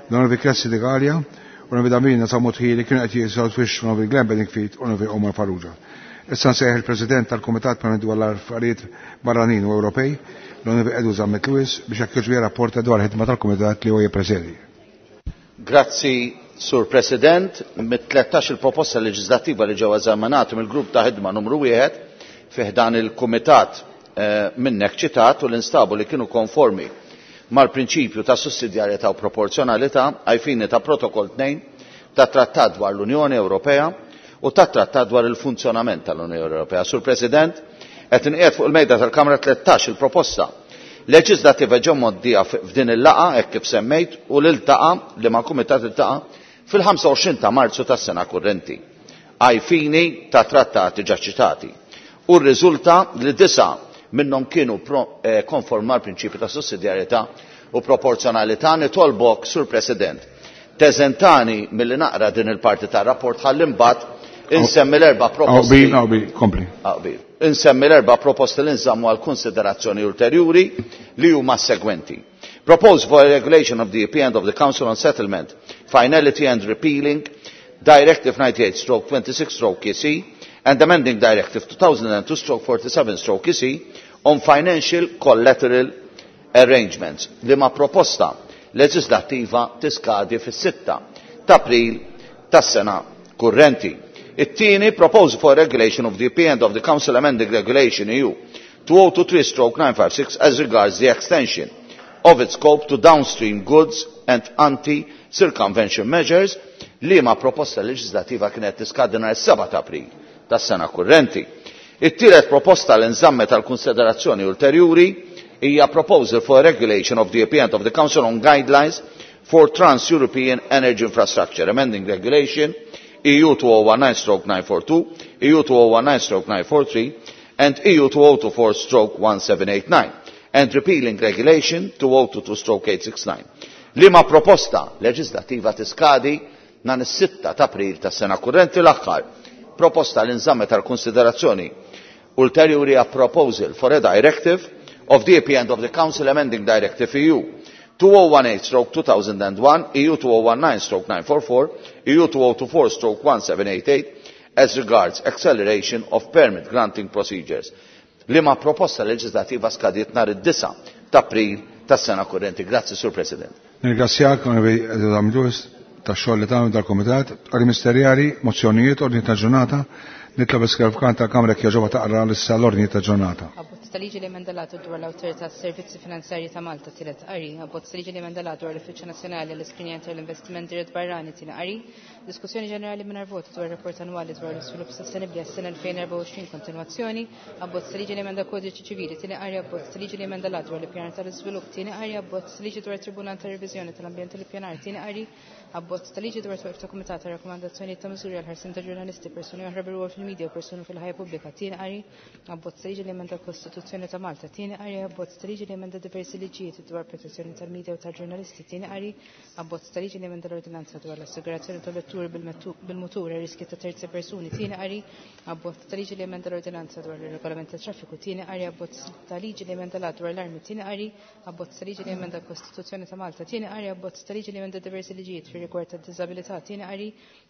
l-Onorevoli Cressi De Galea u l-Onorevoli Damina Sammut Hili kienu qed jissostitwixxu l-Onorevoli Glenn Bedingfield u l-Onorevoli Omar Farrugia. Issa nsejjaħ il-President tal-Kumitat Permanenti dwar l-Affarijiet Barranin u Ewropej, l-Onorevoli Edu Zammit Lewis, biex jekk jogħġbu jirrapporta dwar il-ħidma tal-Kumitat li huwa jippresedi. Grazzi, Sur President. Mit-13 il-proposta leġislattiva li ġew eżaminati mill-grupp ta' ħidma numru 1 fi ħdan il-Kumitat minnek ċitat u l-instabu li kienu konformi mal-prinċipju ta' sussidjarjetà u proporzjonalità ai fini ta' Protokoll 2 ta' Trattat dwar l-Unjoni Ewropea u ta' Trattat dwar il-funzjonament tal-Unjoni Ewropea. Sur President, qed inqiegħed fuq il-mejda tal-Kamra 13 il-proposta leġislattiva ġew mgħoddija f'din il-laqgħa hekk kif semmejt u l-iltaqa' li ma' kumitat iltaqa' fil-25 ta' Marzu tas-sena kurrenti ai fini ta' trattati ġa ċitati. U rriżulta li 9 minnhom kienu konform mal-prinċipju ta' sussidjarjetà u proporzjonalità. Nitolbok, Sur President, teżentani milli naqra din il-parti tar-rapport ħalli mbagħad insemmi l-erba' proposti. Qbil, qbil, kompli. Qbil. Insemmi l-erba' proposti li nżammu għal konsiderazzjoni ulterjuri li huma s-segwenti. Proposed for a regulation of the EP and of the Council on Settlement, Finality and Repealing, Directive 98/26/EC and amending Directive 2002/47/EC on Financial Collateral Arrangements, li ma proposta leġislattiva tiskadi fis-6 ta' April tas-sena kurrenti. It-tieni, proposal for regulation of the EP and of the Council amending Regulation EU 2023/956 as regards the extension of its scope to downstream goods and anti-circumvention measures, li ma proposta leġislativa kienet tiskadi nhar is-7 ta' April tas-sena kurrenti. It-tielet proposta li nżammet għal konsiderazzjoni ulterjuri hija proposal for regulation of the EP and of the Council on Guidelines for Trans-European Energy Infrastructure, amending Regulation EU 2019/942, EU 2019/943 and EU 2024/1789, and repealing Regulation 2022/869. Liema proposta leġislativa tiskadi nhar is-6 ta' April tas-sena kurrenti. L-aħħar proposta li nżammet għal konsiderazzjoni ulterjuri a proposal for a directive of the EP and of the Council amending Directive EU 2018/2001, EU 2019/944, EU 2024/1788 as regards acceleration of permit granting procedures. Liema proposta leġislativa skadiet nhar id-9 ta' April tas-sena kurrenti. Grazzi, Sur President. Nirringrazzjak, Onorevoli Edu Zammit Lewis, tax-xogħol li tagħmel dal-Kumitat. Qari Ministerjali, mozzjonijiet, ordni ta' ġurnata. Nitlob is-Segretarju tal-Kamra jekk jogħġobha taqra issa l-ordni ta' ġurnata. Abbozz ta' liġi li emenda l-att dwar l-Awtorità tas-Servizzi Finanzjarji ta' Malta, tielet qari. Abbozz ta' liġi li emenda l-att dwar l-Uffiċċju Nazzjonali għall-Iskrinjar tal-Investiment Dirett Barrani, tieni qari. Diskussjoni ġenerali mingħajr voti dwar rapport annwali dwar l-iżvilupp sostenibbli għas-sena 2024, kontinwazzjoni. Abbozz ta' liġi li emenda kodiċi ċivili, tieni qari. Abbozz ta' liġi li emenda l-att dwar l-ippjanar tal-iżvilupp, tieni qari. Abbozz ta' liġi dwar Tribunal ta' Reviżjoni tal-Ambjent u l-Ippjanar, tieni qari. Abbozz ta' liġi dwar twaqif ta' Kumitat ta' Rakkomandazzjonijiet ta' Miżuri għal ħarsien ta' ġurnalisti, persuni oħra bil-rwol fil-medja u persuni fil-ħajja pubblika, tieni qari. Abbozz ta' liġi li emenda l-Kostituzzjoni ta' Malta, tieni qari. Abbozz ta' liġi li emenda diversi liġijiet dwar protezzjoni tal-medja u tal-ġurnalisti, tieni qari. Abbozz ta' liġi li emenda l-ordinanza dwar l-assigurazzjoni ta' vetturi bil-mutur e riski ta' terzi persuni, tieni qari. Abbozz ta' liġi li emenda l-ordinanza dwar ir-regolament tat traffiku, tieni qari. Abbozz ta' liġi li emenda l-att dwar l-armi, tieni qari. Abbozz ta' liġi li emenda l-Kostituzzjoni ta' Malta, tieni qari. Abbozz ta' liġi li emenda diversi liġijiet fir-rigward tad-diżabilità, tieni qari.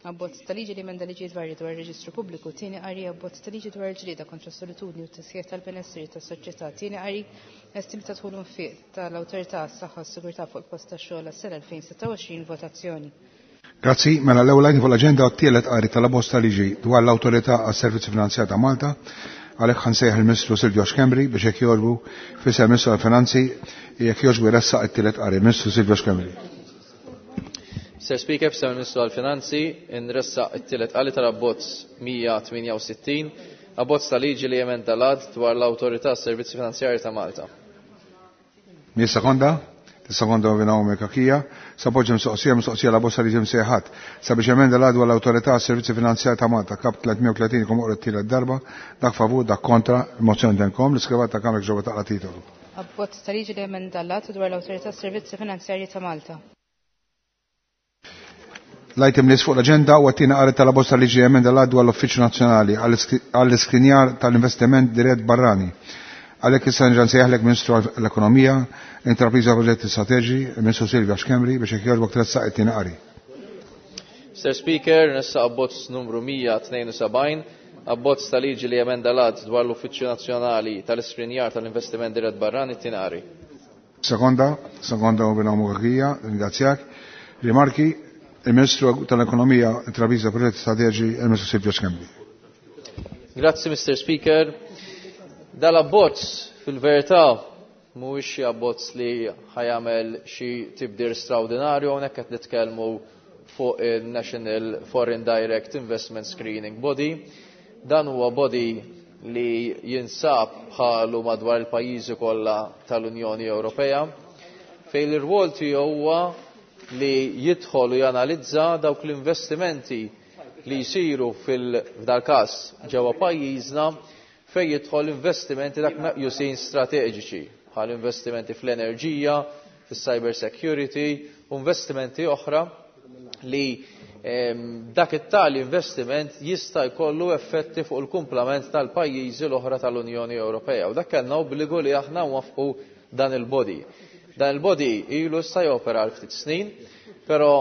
Abbozz ta' liġi li emenda liġijiet varji dwar ir-reġistru pubbliku, tieni qari. Abbozz ta' liġi dwar il-ġlieda kontra s-solitudni u t-tisħiħ tal-benessri tas-soċjetà, tieni qari. Estim ta' dħul infiq tal-Awtorità għas-Saħħa u s-Sigurtà fuq il-post tax-xogħol għas-sena 2026, votazzjoni. Grazzi, mela l-ewwel għajn fuq l-aġenda t-tielet qari tal-abbozz ta' liġi dwar l-Awtorità għas-Servizzi Finanzjari ta' Malta. Għalhekk ħansejjaħ il-Ministru Silvio Schembri biex jekk jogħġbu fisem il-Ministru tal-Finanzi jekk jogħġbu jressaq it-tielet qari. Ministru Silvio Schembri. Sir Speaker, fisem il-Ministru tal-Finanzi, nressaq it-tielet qari tal-abbozz 168 Abbozz ta' liġi li jemenda l-Att dwar l-Awtorità Servizzi Finanzjarji ta' Malta. Mi sekonda? Sekonda Naomi Kakija. Sapoġġi mistoqsija mistoqsija la bosta liġi msejħat. Sabiex emenda l dwar l-Awtorità Servizzi Finanzjarji ta' Malta kap 330 kum oqra t-tielet darba, dak favur, dak kontra, il-mozzjoni denkom, l-iskrivat ta' kamra ġewwa taqra titolu. Abbozz ta' liġi li jemenda l-Att dwar l-Awtorità Servizzi Finanzjarji ta' Malta. L-item li fuq l-agenda u għattina għarri tal-bosta liġi emenda l dwar l-Uffiċċju Nazzjonali għall-iskrinjar tal-investiment dirett barrani. Għalhekk issa nġan sejjaħlek Ministru l-Ekonomija, Intrapriża Proġetti Strateġi, Ministru Silvia Schembri biex jekk jogħġbok tressaq it-tieni qari. Mr. Speaker, nessa abbozz numru 172, abbozz ta' liġi li jemenda l-Att dwar l-Uffiċċju Nazzjonali tal-Iskrinjar tal-Investiment Dirett Barrani t-tieni qari. Sekonda, sekonda u binomu Kakija, ringrazzjak. Rimarki, il-Ministru tal-Ekonomija, Intrapriża Proġetti Strateġi, il-Ministru Silvio Schembri. Grazzi, Mr. Speaker. Dal-abbozz fil-verità mhuwiex xi abbozz li ħajamel xi tibdir straordinarju, hawnhekk qed nitkellmu fuq il-National Foreign Direct Investment Screening Body. Dan huwa body li jinsab bħalu madwar il-pajjiżi kollha tal-Unjoni Ewropea, fejn l-irwol tiegħu huwa li jidħol u janalizza dawk l-investimenti li jsiru fil-dal każ ġewwa pajjiżna fejn jidħol investimenti dak meqjusin strateġiċi bħal investimenti fl-enerġija, fis-cyber security u investimenti oħra li dak it-tali investiment jista' jkollu effetti fuq il-kumplament tal-pajjiżi l-oħra tal-Unjoni Ewropea. U dak kellna obbligu li aħna nwafqu dan il-body. Dan il-body ilu issa jopera għal ftit snin, però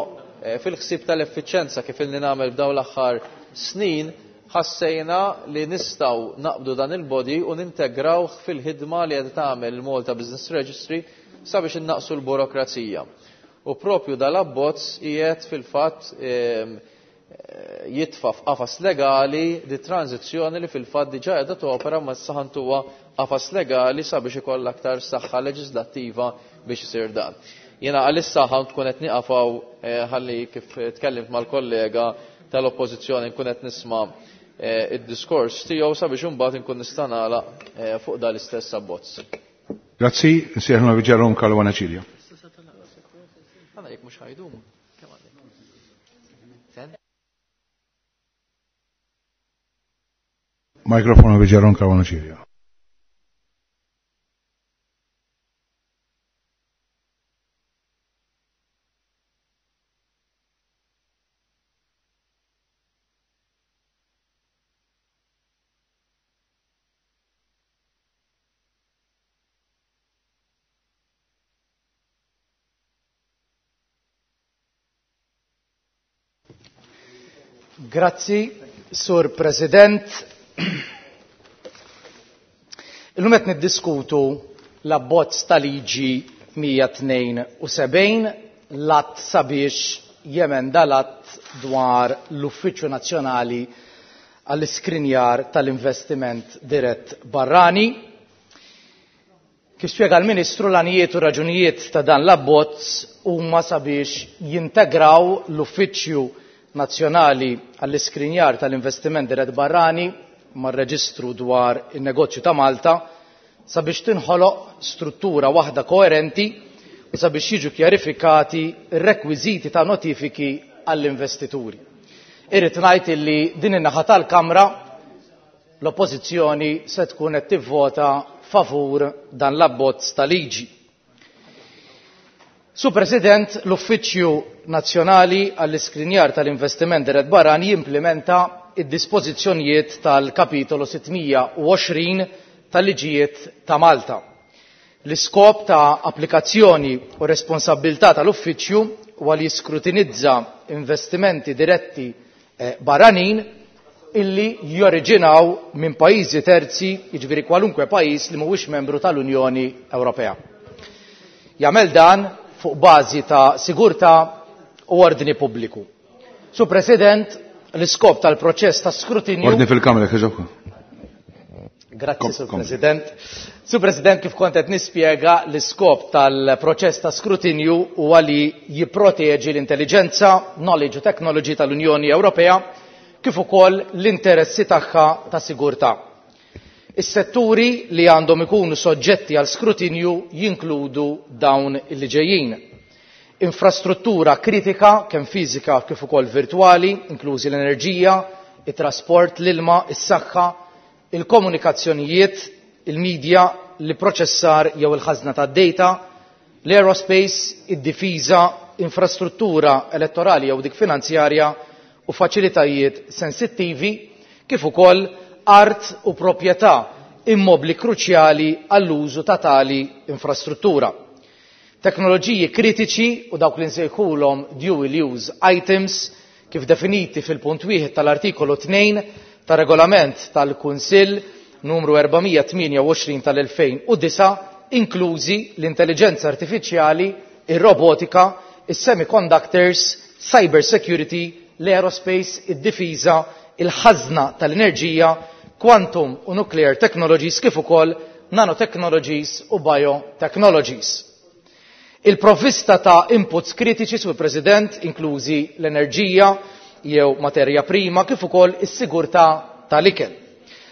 fil-ħsieb tal-effiċenza kif ilni nagħmel b'dawn l-aħħar snin ħassejna li nistgħu naqbdu dan il-body u nintegrawh fil-ħidma li qed tagħmel il-Malta Business Registry sabiex innaqsu l-burokrazija. U propju dal-abbozz qiegħed fil-fatt jitfa' f'qafas legali di tranzizzjoni li fil-fatt diġà qiegħda topera ma saħantuha qafas legali sabiex ikollha aktar saħħa leġislattiva biex isir dan. Jiena għalissa ħa tkun qed nieqafaw ħalli kif tkellimt mal-kollega tal-Oppożizzjoni nkun qed nisma' id-diskors tiegħu sabiex imbagħad inkun nista' nagħlaq fuq dan l-istess abbozz. Grazzi, nsejħlu Ġerom Caruana Cilia. Għana jekk mhux ħajdum, kemm għandek? Sen? Mikrofonu Ġerom Caruana Cilia. Grazzi, Sur President. Illum qed niddiskutu l-abbozz ta' liġi 172 l-att sabiex jemenda l-att dwar l-Uffiċċju Nazzjonali għall-Iskrinjar tal-Investiment Dirett Barrani. Kif spjega l-Ministru, l-għanijiet u raġunijiet ta' dan l-abbozz huma sabiex jintegraw l-Uffiċċju Nazzjonali għall-Iskrinjar tal-Investiment Dirett Barrani mar-Reġistru dwar in-Negozju ta' Malta sabiex tinħoloq struttura waħda koerenti u sabiex jiġu kjarifikati r-rekwiżiti ta' notifiki għall-investituri. Irrid ngħid illi din in-naħa tal-Kamra l-Oppożizzjoni se tkun qed tivvota favur dan l-abbozz ta' liġi. Su President, l-Uffiċċju Nazzjonali għall-Iskrinjar tal-Investiment Dirett Barrani jimplementa id-dispożizzjonijiet tal-kapitolu 620 tal-liġijiet ta' Malta. L-iskop ta' applikazzjoni u responsabilità tal-Uffiċċju huwa li jiskrutinizza investimenti diretti barranin illi joriġinaw minn pajjiżi terzi, jiġifieri kwalunkwe pajjiż li mhuwiex membru tal-Unjoni Ewropea. Jagħmel dan fuq bażi ta' sigurtà u ordni pubbliku. Su President, l-iskop tal-proċess ta' skrutinju... Ordni fil-Kamra, kħiġobku. Grazzi, Sur President. Sur President, kif kont qed nispjega, l-iskop tal-proċess ta' skrutinju huwa li jipproteġi l-intelligenza, knowledge u technology tal-Unjoni Ewropea, kif ukoll l-interessi tagħha ta' sigurtà. Is-setturi li għandhom ikunu soġġetti għal skrutinju jinkludu dawn li ġejjin. Infrastruttura kritika kemm fiżika kif ukoll virtwali, inklużi l-enerġija, it-trasport, l-ilma, is-saħħa, il-komunikazzjonijiet, il-medja, l-proċessar jew il-ħażna tad-data, l-aerospace, id-difiża, infrastruttura elettorali jew dik finanzjarja u faċilitajiet sensittivi, kif ukoll art u proprjetà immobli kruċjali għall-użu ta' tali infrastruttura. Teknoloġiji kritiċi u dawk li nsejħulhom dual use items kif definiti fil-punt wieħed tal-artikolu 2 tar-regolament tal-Kunsill numru 428 tal-2009 inklużi l-intelligenza artifiċjali, ir-robotika, is-semiconductors, cyber security, l-aerospace, id-difiża, il-ħażna tal-enerġija, quantum u nuclear technologies kif ukoll nanotechnologies u biotechnologies. Il-provvista ta' inputs kritiċi sur President inklużi l-enerġija jew materja prima kif ukoll is-sigurtà tal-ikel.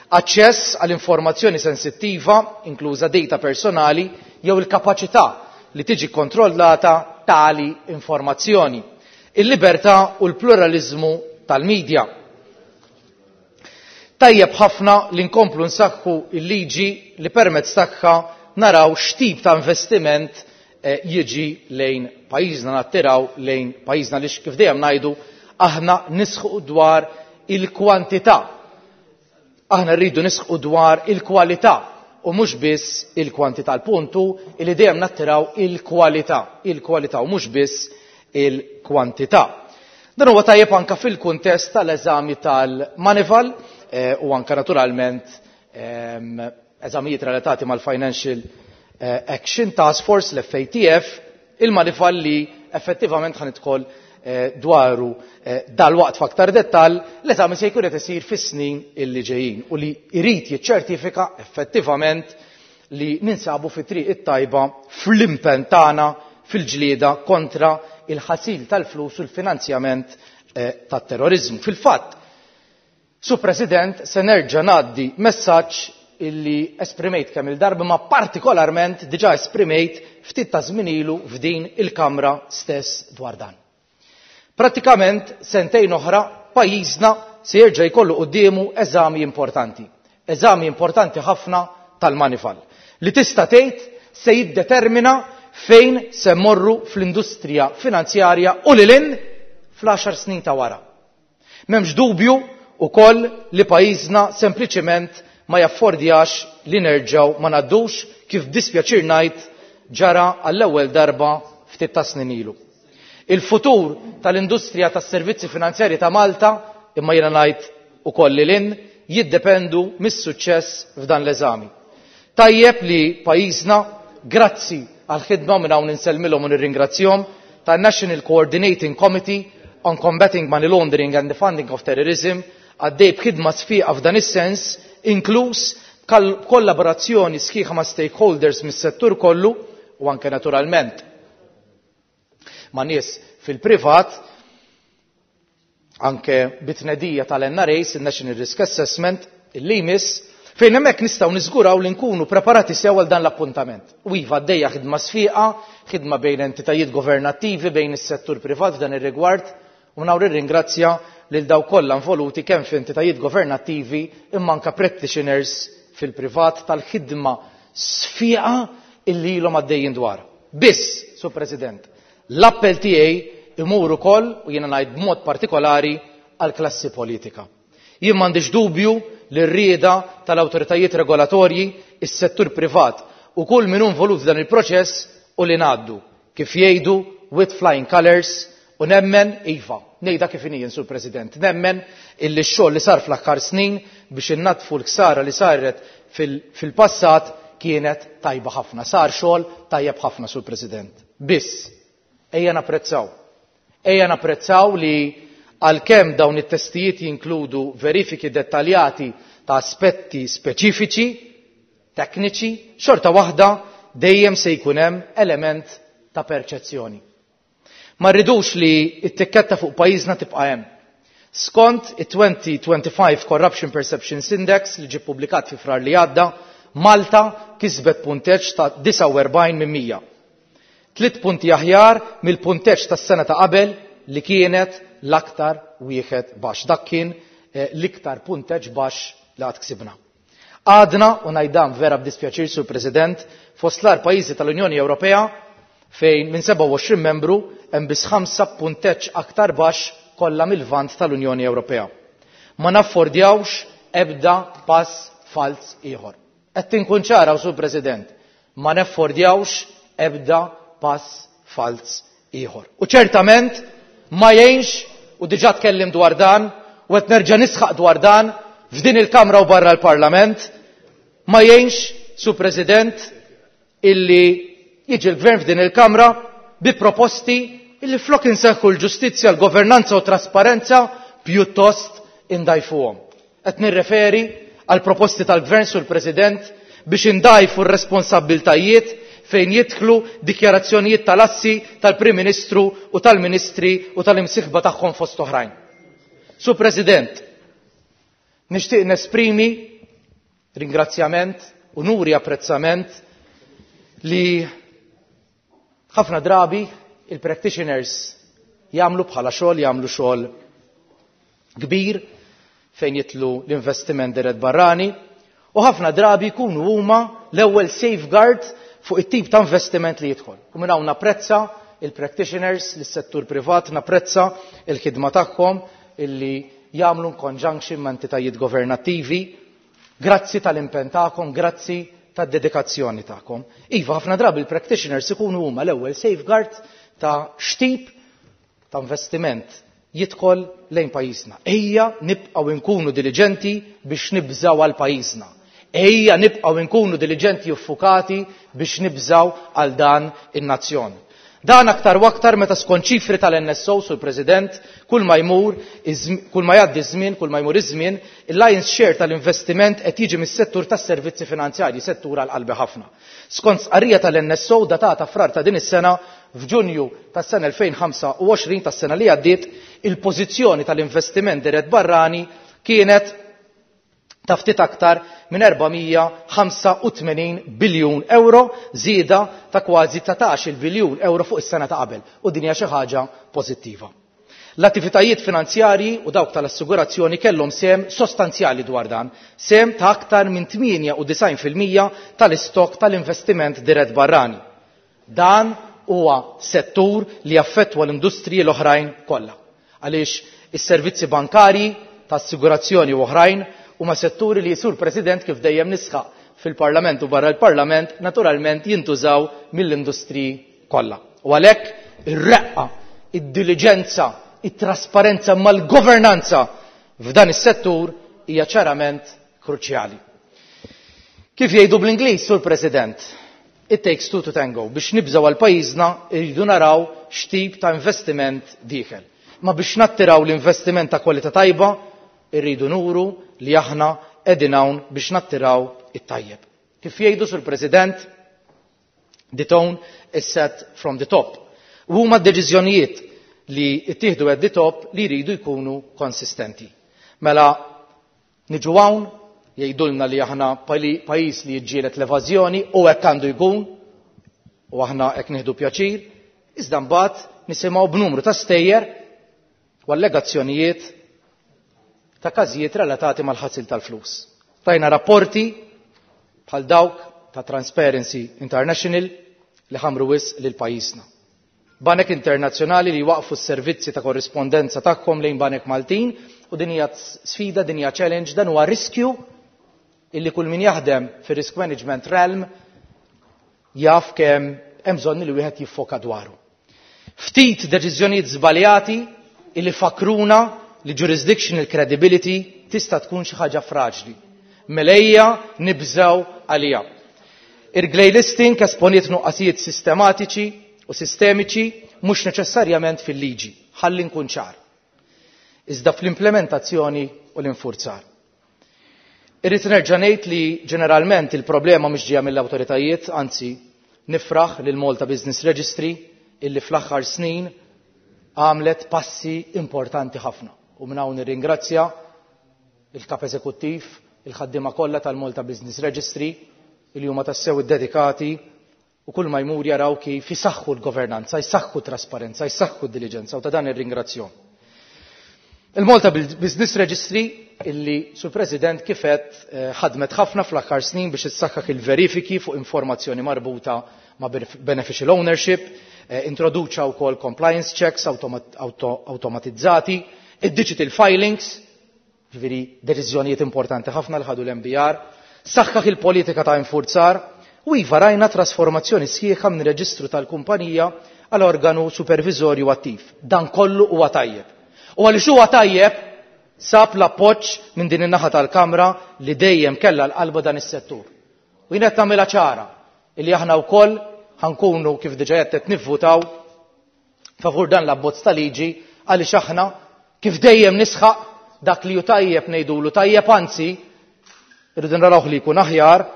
Aċċess għal informazzjoni sensittiva, inkluża data personali, jew il-kapaċità li tiġi kontrollata tali informazzjoni. Il-libertà u l-pluralizmu tal-medja. Tajjeb ħafna li nkomplu nsaħħu il-liġi li permezz tagħha naraw x'tip ta' investiment jiġi lejn pajjiżna, nattiraw lejn pajjiżna li kif dejjem ngħidu aħna nisħu dwar il-kwantità. Aħna rridu nisħu dwar il-kwalità u mhux biss il-kwantità. L-puntu li dejjem nattiraw il-kwalità, il-kwalità u mhux biss il-kwantità. Dan huwa tajjeb anka fil-kuntest tal-eżami tal-Manival u anka naturalment eżamijiet relatati mal-Financial Action Task Force, l-FATF, il-Manival li effettivament ħanidħol dwaru dal-waqt f'aktar dettal, l-eżami se jkun qed isir fis-snin illi ġejjin u li jrid jiċċertifika effettivament li ninsabu fi triq it-tajba fl-impenn tagħna fil-ġlieda kontra il-ħasil tal-flus u l-finanzjament tat-terrorizmu. Fil-fatt, Su President, se nerġa' ngħaddi messaġġ illi esprimejt kemm il-darba ma partikolarment diġà esprimejt ftit ta' żmien ilu f'din il-Kamra stess dwar dan. Pratikament sentejn oħra pajjiżna se jerġa' jkollu quddiemu eżami importanti. Eżami importanti ħafna tal-Manival li tista' tgħid se jiddetermina fejn se mmorru fl-industrija finanzjarja u lil hinn fl-10 snin ta' wara. M'hemmx dubju ukoll li pajjiżna sempliċement ma jaffordjax li nerġgħu ma ngħaddux kif dispjaċir ngħid ġara għall-ewwel darba ftit ta' snin ilu. Il-futur tal-industrija tas-servizzi finanzjarji ta' Malta, imma jiena ngħid ukoll lil hinn, jiddependu mis-suċċess f'dan l-eżami. Tajjeb li pajjiżna, grazzi għal-ħidma minn hawn insellmilhom u nirringrazzjahom, tan-National Coordinating Committee on Combating Money Laundering and the Funding of Terrorism, għaddej b'ħidma sfiqa f'dan is-sens, inkluż kollaborazzjoni sħiħa ma' stakeholders mis-settur kollu u anke naturalment ma' nies fil-privat, anke bit-tnedija tal-NRA, il-National Risk Assessment, il jmiss, fejn hemmhekk nistgħu niżguraw li nkunu preparati sew għal dan l-appuntament. U iva għaddejja ħidma sfiqa, ħidma bejn entitajiet governattivi, bejn is-settur privat f'dan ir-rigward, u nawr irringrazzja lil daw kollha involuti kemm f'entitajiet governattivi imma anke practitioners fil-privat tal-ħidma sfiqa illi ilhom għaddejjin dwar. Biss, Sur President, l-appell tiegħi imur ukoll u jiena ngħid b'mod partikolari għall-klassi politika. Jien m'għandix dubju li r-rieda tal-awtoritajiet regolatorji, is-settur privat u kull min hu involut f'dan il-proċess u li ngħaddu, kif jgħidu with flying colors, u nemmen, iva, ngħidha kif inhi, Sur President, nemmen illi x-xogħol li sar fl-aħħar snin biex innatfu l-ksara li saret fil-passat kienet tajba ħafna. Sar xogħol tajjeb ħafna, Sur President. Biss, ejja napprezzaw. Ejja napprezzaw li għalkemm dawn it-testijiet jinkludu verifiki dettaljati ta' aspetti speċifiċi, tekniċi, xorta waħda dejjem se jkun hemm element ta' perċezzjoni. Ma rridux li t-tikketta fuq pajjiżna tibqa' hemm. Skont it-2025 Corruption Perceptions Index li ġie ppubblikat fi Frar li għadda, Malta kisbet punteġġ ta' 49 minn 100. Tliet punti aħjar mill-punteġġ tas-sena ta' qabel li kienet l-aktar wieħed baxx. Dak kien eh, l-iktar punteġġ baxx li għad ksibna. Għadna, u ngħid dan vera b'dispjaċir Sur President, fost l-agħar pajjiżi tal-Unjoni Ewropea fejn minn 27 membru hemm biss ħamsa b'punteġġ aktar baxx kollha mil-Lvant tal-Unjoni Ewropea. Ma naffordjawx ebda pass falz ieħor. Qed inkun ċara Sur President, ma neffordjawx ebda pass falz ieħor. U ċertament ma jgħinx, u diġà tkellim dwar dan, u qed nerġa' nisħaq dwar dan f'din il-Kamra u barra l-Parlament, ma jgħinx, Sur President, illi jiġi l-Gvern f'din il-Kamra bi proposti illi flok inseħħu l-ġustizzja, l-governanza u trasparenza pjuttost indajfuhom. Qed nirreferi għal proposti tal-Gvern Sur President biex indajfu r-responsabbiltajiet fejn jidħlu dikjarazzjonijiet tal-assi tal-Prim Ministru u tal-Ministri u tal-imsieħba tagħhom fost oħrajn. Sur President, nixtieq nesprimi ringrazzjament u nuri apprezzament li ħafna drabi il-practitioners jagħmlu bħala xogħol jagħmlu xogħol kbir fejn jitlu l-investiment dirett barrani u ħafna drabi jkunu huma l-ewwel safeguard fuq it-tip ta' investiment li jidħol. U minn hawn napprezza il-practitioners, lis-settur privat, napprezza il-ħidma tagħhom illi jagħmlu conjunction ma' entitajiet governattivi. Grazzi tal-impenn tagħkom, grazzi tad-dedikazzjoni tagħkom. Iva, ħafna drabi il-practitioners ikunu huma l-ewwel safeguard ta' x'tip ta' investiment jidħol lejn pajjiżna. Ejja nibqgħu nkunu diliġenti biex nibżgħu għal pajjiżna. Ejja nibqgħu nkunu diliġenti u ffukati biex nibżgħu għal dan in-nazzjon. Dan aktar u aktar meta skont ċifri tal-NSO, Sur President, kull ma jmur, kull ma jgħaddi żmien, kull ma jmur iż-żmien, il-lion's share tal-investiment qed jiġi mis-settur tas-servizzi finanzjarji, settur għal qalbi ħafna. Skont stqarrija tal-NSO datata frar ta' din is-sena, f'Ġunju tas-sena 2025 tas-sena li għaddiet, il-pożizzjoni tal-investiment dirett barrani kienet ta' ftit aktar minn 485 biljun euro, żieda ta' kważi 19-il biljun euro fuq is-sena ta' qabel, u din hija xi ħaġa pożittiva. L-attivitajiet finanzjarji u dawk tal-assigurazzjoni kellhom sehem sostanzjali dwar dan, sehem ta' aktar minn 98% tal-istokk tal-investiment dirett barrani. Dan huwa settur li jaffettwa l-industriji l-oħrajn kollha, għaliex is-servizzi bankarji, ta' assigurazzjoni u oħrajn huma setturi li, Sur President, kif dejjem nisħaq fil-Parlament u barra l-Parlament, naturalment jintużaw mill-industriji kollha. U għalhekk ir-reqqa, id-diliġenza, it-trasparenza mal-governanza f'dan is-settur hija ċarament kruċjali. Kif jgħidu bl-Ingliż, Sur President, it takes two to tango. Biex nibżgħu għal pajjiżna irridu naraw x'tip ta' investiment dieħel. Ma biex nattiraw l-investiment ta' kwalità tajba, irridu nuru li aħna qegħdin hawn biex nattiraw it-tajjeb. Kif jgħidu, Sur President, the tone is set from the top. U huma d-deċiżjonijiet li ttieħdu at the top li jridu jkunu konsistenti. Mela niġu hawn jgħidulna li aħna pajjiż li jiġġieled l-evażjoni u hekk għandu jkun u aħna hekk nieħdu pjaċir, iżda mbagħad nisimgħu b'numru ta' stejjer u allegazzjonijiet ta' każijiet relatati mal-ħasil tal-flus. Tajna rapporti bħal dawk ta' Transparency International li ħamru wisq lil pajjiżna. Banek internazzjonali li waqfu s-servizzi ta' korrispondenza tagħhom lejn banek Maltin u din hija sfida, din hija challenge, dan huwa riskju illi kull min jaħdem fir-risk management realm jaf kemm hemm bżonn li wieħed jiffoka dwaru. Ftit deċiżjonijiet żbaljati illi fakruna li jurisdictional credibility tista' tkun xi ħaġa fraġli. Mela ejja nibżgħu għaliha. Il-grey listing esponiet nuqqasijiet sistematiċi u sistemiċi mhux neċessarjament fil-liġi, ħalli nkun ċar. Iżda fl-implementazzjoni u l-infurzar. Irrid nerġa' ngħid li ġeneralment il-problema mhux ġejja mill-awtoritajiet, anzi nifraħ lil Malta Business Registry illi fl-aħħar snin għamlet passi importanti ħafna. U minn hawn nirringrazzja il-Kap Eżekuttiv, il-ħaddiema kollha tal-Malta Business Registry li huma tassew iddedikati u kull ma jmur jaraw kif isaħħu l-governanza, jsaħħu t-trasparenza, jsaħħu d-diliġenza u ta' dan nirringrazzjahom. Il-Malta Business Registry illi, Sur President, kif għedt ħadmet ħafna fl-aħħar snin biex issaħħaħ il-verifiki fuq informazzjoni marbuta ma' beneficial ownership, introduċa wkoll compliance checks automatizzati, id-digital filings, ġifieri deċiżjonijiet importanti ħafna li ħadu l-MBR, saħħaħ il-politika ta' infurzar u iva rajna trasformazzjoni sħiħa minn reġistru tal-kumpanija għal organu supervizorju attiv. Dan kollu huwa tajjeb. U għaliex huwa tajjeb sab l-appoġġ minn din in-naħa tal-Kamra li dejjem kellha l-qalba dan is-settur. U jien qed nagħmilha ċara illi aħna wkoll ħankunu kif diġà qed qed nivvutaw favur dan l-abbozz ta' liġi għaliex aħna kif dejjem nisħaq dak li hu tajjeb ngħidulu tajjeb, anzi irridu narawh li jkun aħjar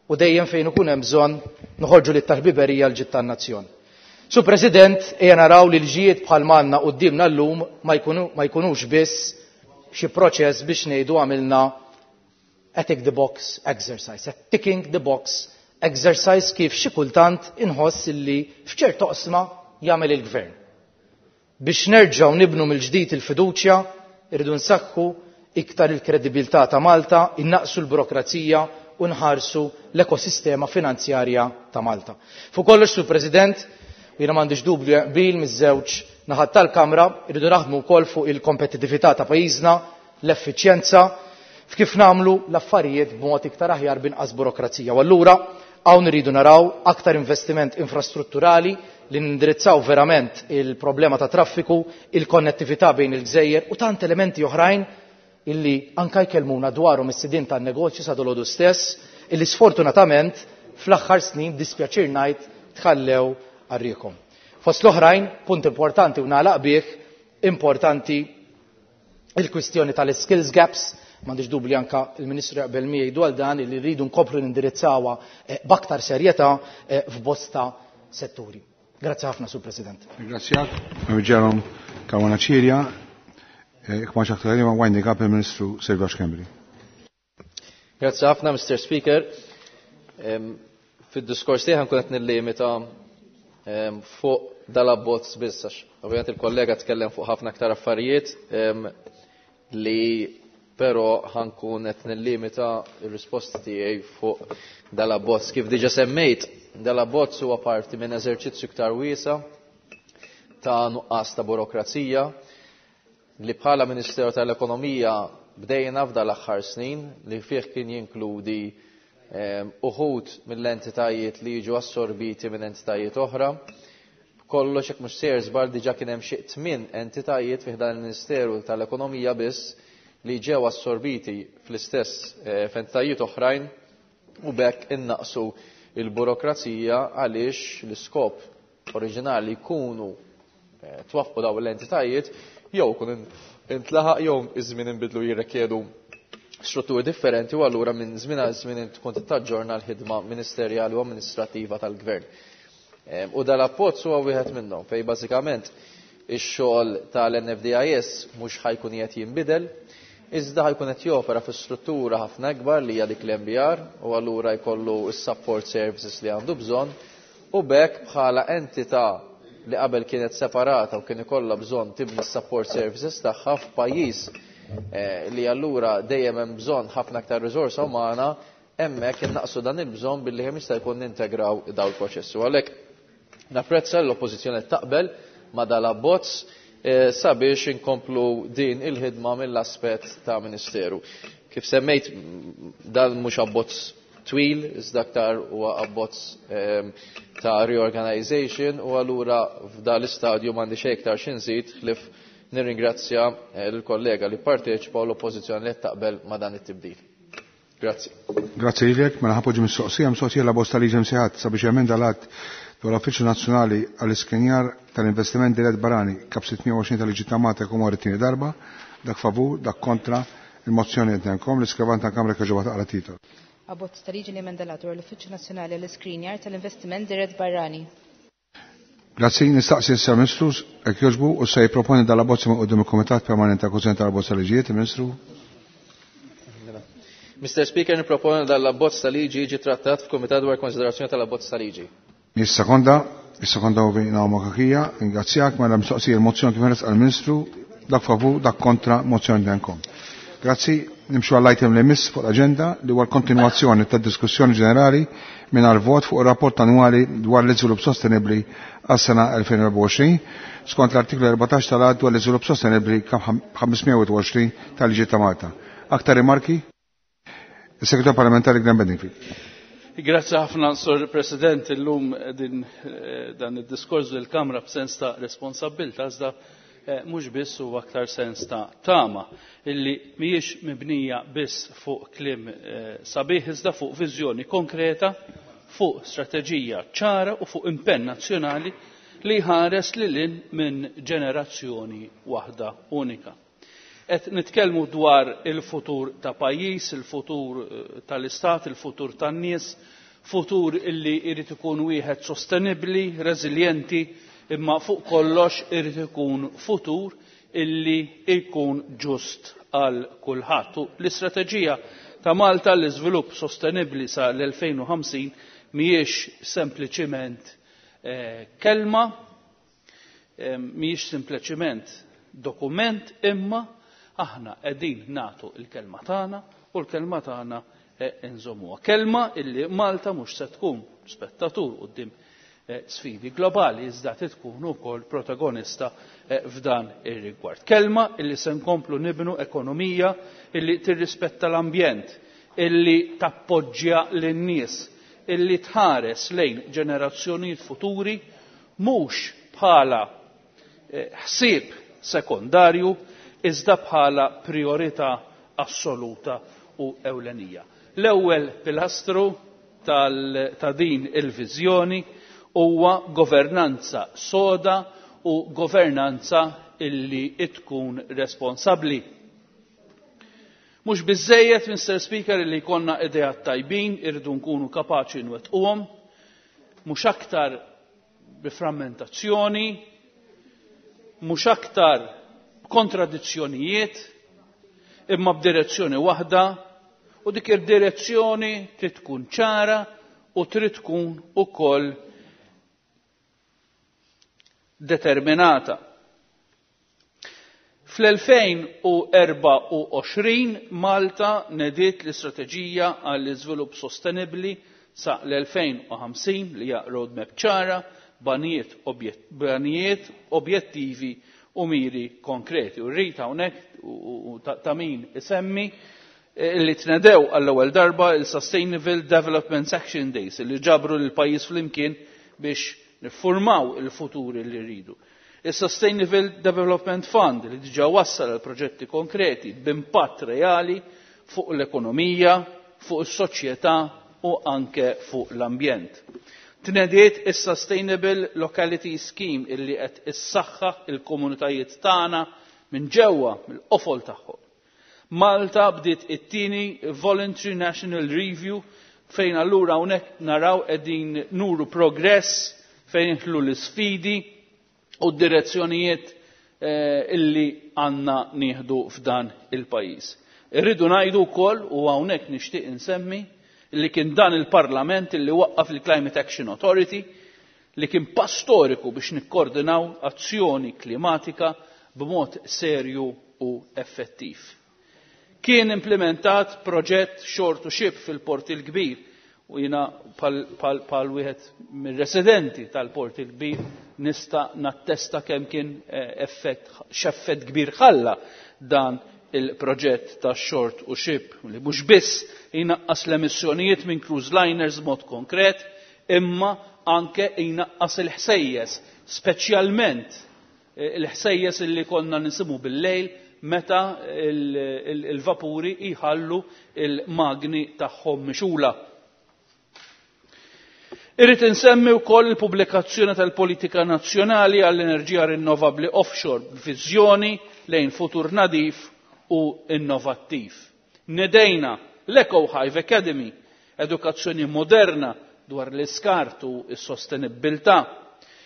u dejjem fejn ikun hemm bżonn noħorġu lit tal-ħbiberija l-ġid tan-nazzjon. Sur President, ejja naraw li l-ġijiet bħal m'għandna quddiemna llum ma jkunux biss xi proċess biex ngħidu għamilna a tick the box exercise, a ticking the box exercise kif xi kultant inħoss illi f'ċertu oqsma jagħmel il-gvern. Biex nerġgħu nibnu mill-ġdid il-fiduċja, irridu nsaħħu iktar il-kredibilità ta' Malta, innaqsu l-burokrazija u nħarsu l-ekosistema finanzjarja ta' Malta. Fuq kollox, Sur President, u jiena m'għandix dubju qbil miż-żewġ naħat tal-Kamra, irridu naħdmu wkoll fuq il-kompetittività ta' pajjiżna, l-effiċjenza, f'kif nagħmlu l-affarijiet b'mod iktar aħjar b'inqas burokrazija. U allura hawn irridu naraw aktar investiment infrastrutturali li nindirizzaw verament il-problema ta' traffiku, il-konnettività bejn il-gżejjer u tant elementi oħrajn illi anka jkellmuna dwarhom is-sidien tan-negozju sa dolodu stess, illi sfortunatament fl-aħħar snin dispjaċir ngħid tħallew għarriekom. Fost l-oħrajn, punt importanti u nagħlaq bih, importanti il-kwistjoni tal-skills gaps, m'għandix dubju anka il-Ministru jaqbel miegħi dwar dan illi rridu nkomplu nindirizzawha b'aktar serjetà f'bosta setturi. Grazzi ħafna, Sur President. Ringrazzjak, Jerome Caruana Cilia, Jekk ma xaħtar ma winding up il-Ministru Silvio Schembri. Grazzi ħafna, Mr. Speaker. Fid-diskors tiegħi nkun qed nillimita fuq dal-abbozz biss għax ovvjament il-kollega tkellem fuq ħafna aktar affarijiet li però ħankun qed nillimita r-risposta tiegħi fuq dal-abbozz. Kif diġà semmejt, dal-abbozz huwa parti minn eżerċizzju iktar wiesa' ta' nuqqas ta' burokrazija li bħala Ministeru tal-Ekonomija bdejna f'dal-aħħar snin li fih kien jinkludi uħud mill-entitajiet li jiġu assorbiti minn entitajiet oħra. Kollox jekk mhux sejjer żball diġà kien hemm xi 8 entitajiet fih dan il-Ministeru tal-Ekonomija biss li ġew assorbiti fl-istess f'entitajiet oħrajn u b'hekk innaqsu il-burokrazija għaliex l-iskop oriġinali jkunu twaffqu dawn l-entitajiet jew kun intlaħaq jew iż-żmien inbidlu jirrikjedu strutturi differenti u allura minn żmien għal żmien tkun taġġorna l-ħidma ministerjali u amministrattiva tal-gvern. U dal-appozz huwa wieħed minnhom fejn bażikament ix-xogħol tal-NFDIS mhux ħajkun qed jinbidel, iżda ħajkun qed jopera fi struttura ħafna akbar li hija dik l-MBR u allura jkollu s-support services li għandu bżonn u b'hekk bħala entità li qabel kienet separata u kien ikollha bżonn tibni s-support services tagħha f'pajjiż li allura dejjem hemm bżonn ħafna aktar riżorsa umana, hemmhekk innaqsu dan il-bżonn billi kemm jista' jkun nintegraw dawn il-proċessi. U għalhekk napprezza l-oppożizzjoni taqbel ma' dal-abbozz sabiex inkomplu din il-ħidma mill-aspett ta' Ministeru. Kif semmejt, dan mhux abbozz twil, iżda aktar huwa abbozz ta' reorganization u allura f'dan l-istadju m'għandi xejn iktar xi nżid ħlief nirringrazzja l-kollega li parteċipa u l-oppożizzjoni li taqbel ma' dan it-tibdil. Grazzi. Grazzi lilek, mela ħapoġġi mistoqsija, mistoqsija la bosta liġi msejħat sabiex jemenda l-att dwar l-Uffiċċju Nazzjonali għall-Iskrinjar tal-Investiment Dirett Barani kap 620 tal-Liġi ta' Malta jkun wara t-tieni darba, dak favur, dak kontra, il-mozzjoni qed nagħmilkom, l-iskrivan tal-Kamra kieġoba taqra titol. Abbozz ta' liġi li emenda l-att dwar l-Uffiċċju Nazzjonali għall-Iskrinjar tal-Investiment Dirett Barrani. Grazzi, nistaqsi issa Ministru, jekk jogħġbu, u se jipproponi dal-abbozz minn quddiem il-Kumitat Permanenti ta' Kwistjoni tal-Abbozz Liġijiet, il-Ministru. Mr. Speaker, niproponi dal-abbozz ta' liġi jiġi trattat f'Kumitat dwar konsiderazzjoni tal-abbozz ta' liġi. Is-sekonda, is-sekonda u Naoma Kakija, ringrazzjak mela mistoqsija il-mozzjoni kif għal ministru dak favur, dak kontra, mozzjoni denkom. Grazzi, nimxu għall-item li jmiss fuq l-agenda li huwa l-kontinwazzjoni tad-diskussjoni ġenerali mingħajr vot fuq ir-rapport annwali dwar l-iżvilupp sostenibbli għas-sena 2024 skont l-artiklu 14 tal-Att dwar l-iżvilupp sostenibbli 520 tal-Liġi ta' Malta. Aktar rimarki? Is-Segretar Parlamentari Glenn Bedingfield. Grazzi ħafna, Sur President, illum din dan id-diskors lill-Kamra b'sens ta' responsabbilta iżda mhux biss huwa aktar sens ta' tama illi mhijiex mibnija biss fuq kliem sabiħ iżda fuq viżjoni konkreta, fuq strateġija ċara u fuq impenn nazzjonali li jħares lil hinn minn ġenerazzjoni waħda unika. Qed nitkellmu dwar il-futur ta' pajjiż, il-futur tal-istat, il-futur tan-nies, futur illi jrid ikun wieħed sostenibbli, reżiljenti, imma fuq kollox irid ikun futur illi jkun ġust għal kulħadd. U l-istrateġija ta' Malta l-iżvilupp sostenibbli sa l-2050 mhijiex sempliċiment kelma, mhijiex sempliċiment dokument, imma aħna qegħdin nagħtu l-kelma tagħna u l-kelma tagħna nżommuha. Kelma illi Malta mhux se tkun spettatur quddiem sfidi globali, iżda tkun ukoll protagonista f'dan ir-rigward. Kelma illi se nkomplu nibnu ekonomija illi tirrispetta l-ambjent, illi tappoġġja lin-nies, illi tħares lejn ġenerazzjonijiet futuri mhux bħala ħsieb sekondarju iżda bħala priorità assoluta u ewlenija. L-ewwel pilastru ta' din il-viżjoni huwa governanza soda u governanza illi tkun responsabbli. Mhux biżejjed, Mr. Speaker, illi jkollna ideat tajbin, irridu nkunu kapaċi nwettquhom, mhux aktar bi frammentazzjoni, mhux aktar kontradizzjonijiet, imma b'direzzjoni waħda, u dik id-direzzjoni trid tkun ċara u trid tkun ukoll determinata. Fl-2024 Malta nediet l-istrateġija għall-iżvilupp sostenibbli sa l-2050 li hija roadmap ċara, banijiet, objettivi u miri konkreti. U rrid hawnhekk u ta' min isemmi li tnedew għall-ewwel darba il-Sustainable Development Action Days li ġabru lil pajjiż flimkien biex niffurmaw il-futur li rridu. Il-Sustainable Development Fund li diġà wassal għal proġetti konkreti b'impatt reali fuq l-ekonomija, fuq is-soċjetà u anke fuq l-ambjent. Tnediet is-Sustainable Locality Scheme illi qed issaħħaħ il-komunitajiet tagħna minn ġewwa mill-qofol tagħhom. Malta bdiet it-tieni Voluntary National Review fejn allura hawnhekk naraw qegħdin nuru progress fejn inħlu l-isfidi u d-direzzjonijiet illi għandna nieħdu f'dan il-pajjiż. Irridu ngħidu wkoll u hawnhekk nixtieq insemmi li kien dan il-Parlament illi waqqaf il-Climate Action Authority li kien pass storiku biex nikkoordinaw azzjoni klimatika b'mod serju u effettiv. Kien implementat proġett shore to ship fil-Port il-Kbir u jiena pal wieħed mir-residenti tal-Port il-Kbir nista' nattesta kemm kien effett x'effett kbir ħalla dan il-proġett ta' shore to ship li mhux biss jnaqqas l-emissjonijiet minn cruise liners mod konkret, imma anke jnaqqas il-ħsejjes, speċjalment il-ħsejjes illi konna nisimu bil-lejl meta il-vapuri jħallu il-magni tagħhom mixula. Irrid insemmi wkoll il-pubblikazzjoni tal-politika nazzjonali għall-enerġija rinnovabbli offshore b'viżjoni lejn futur nadif u innovattiv. Nedejna l-Eco Hive Academy, edukazzjoni moderna dwar l-iskart u s-sostenibbiltà.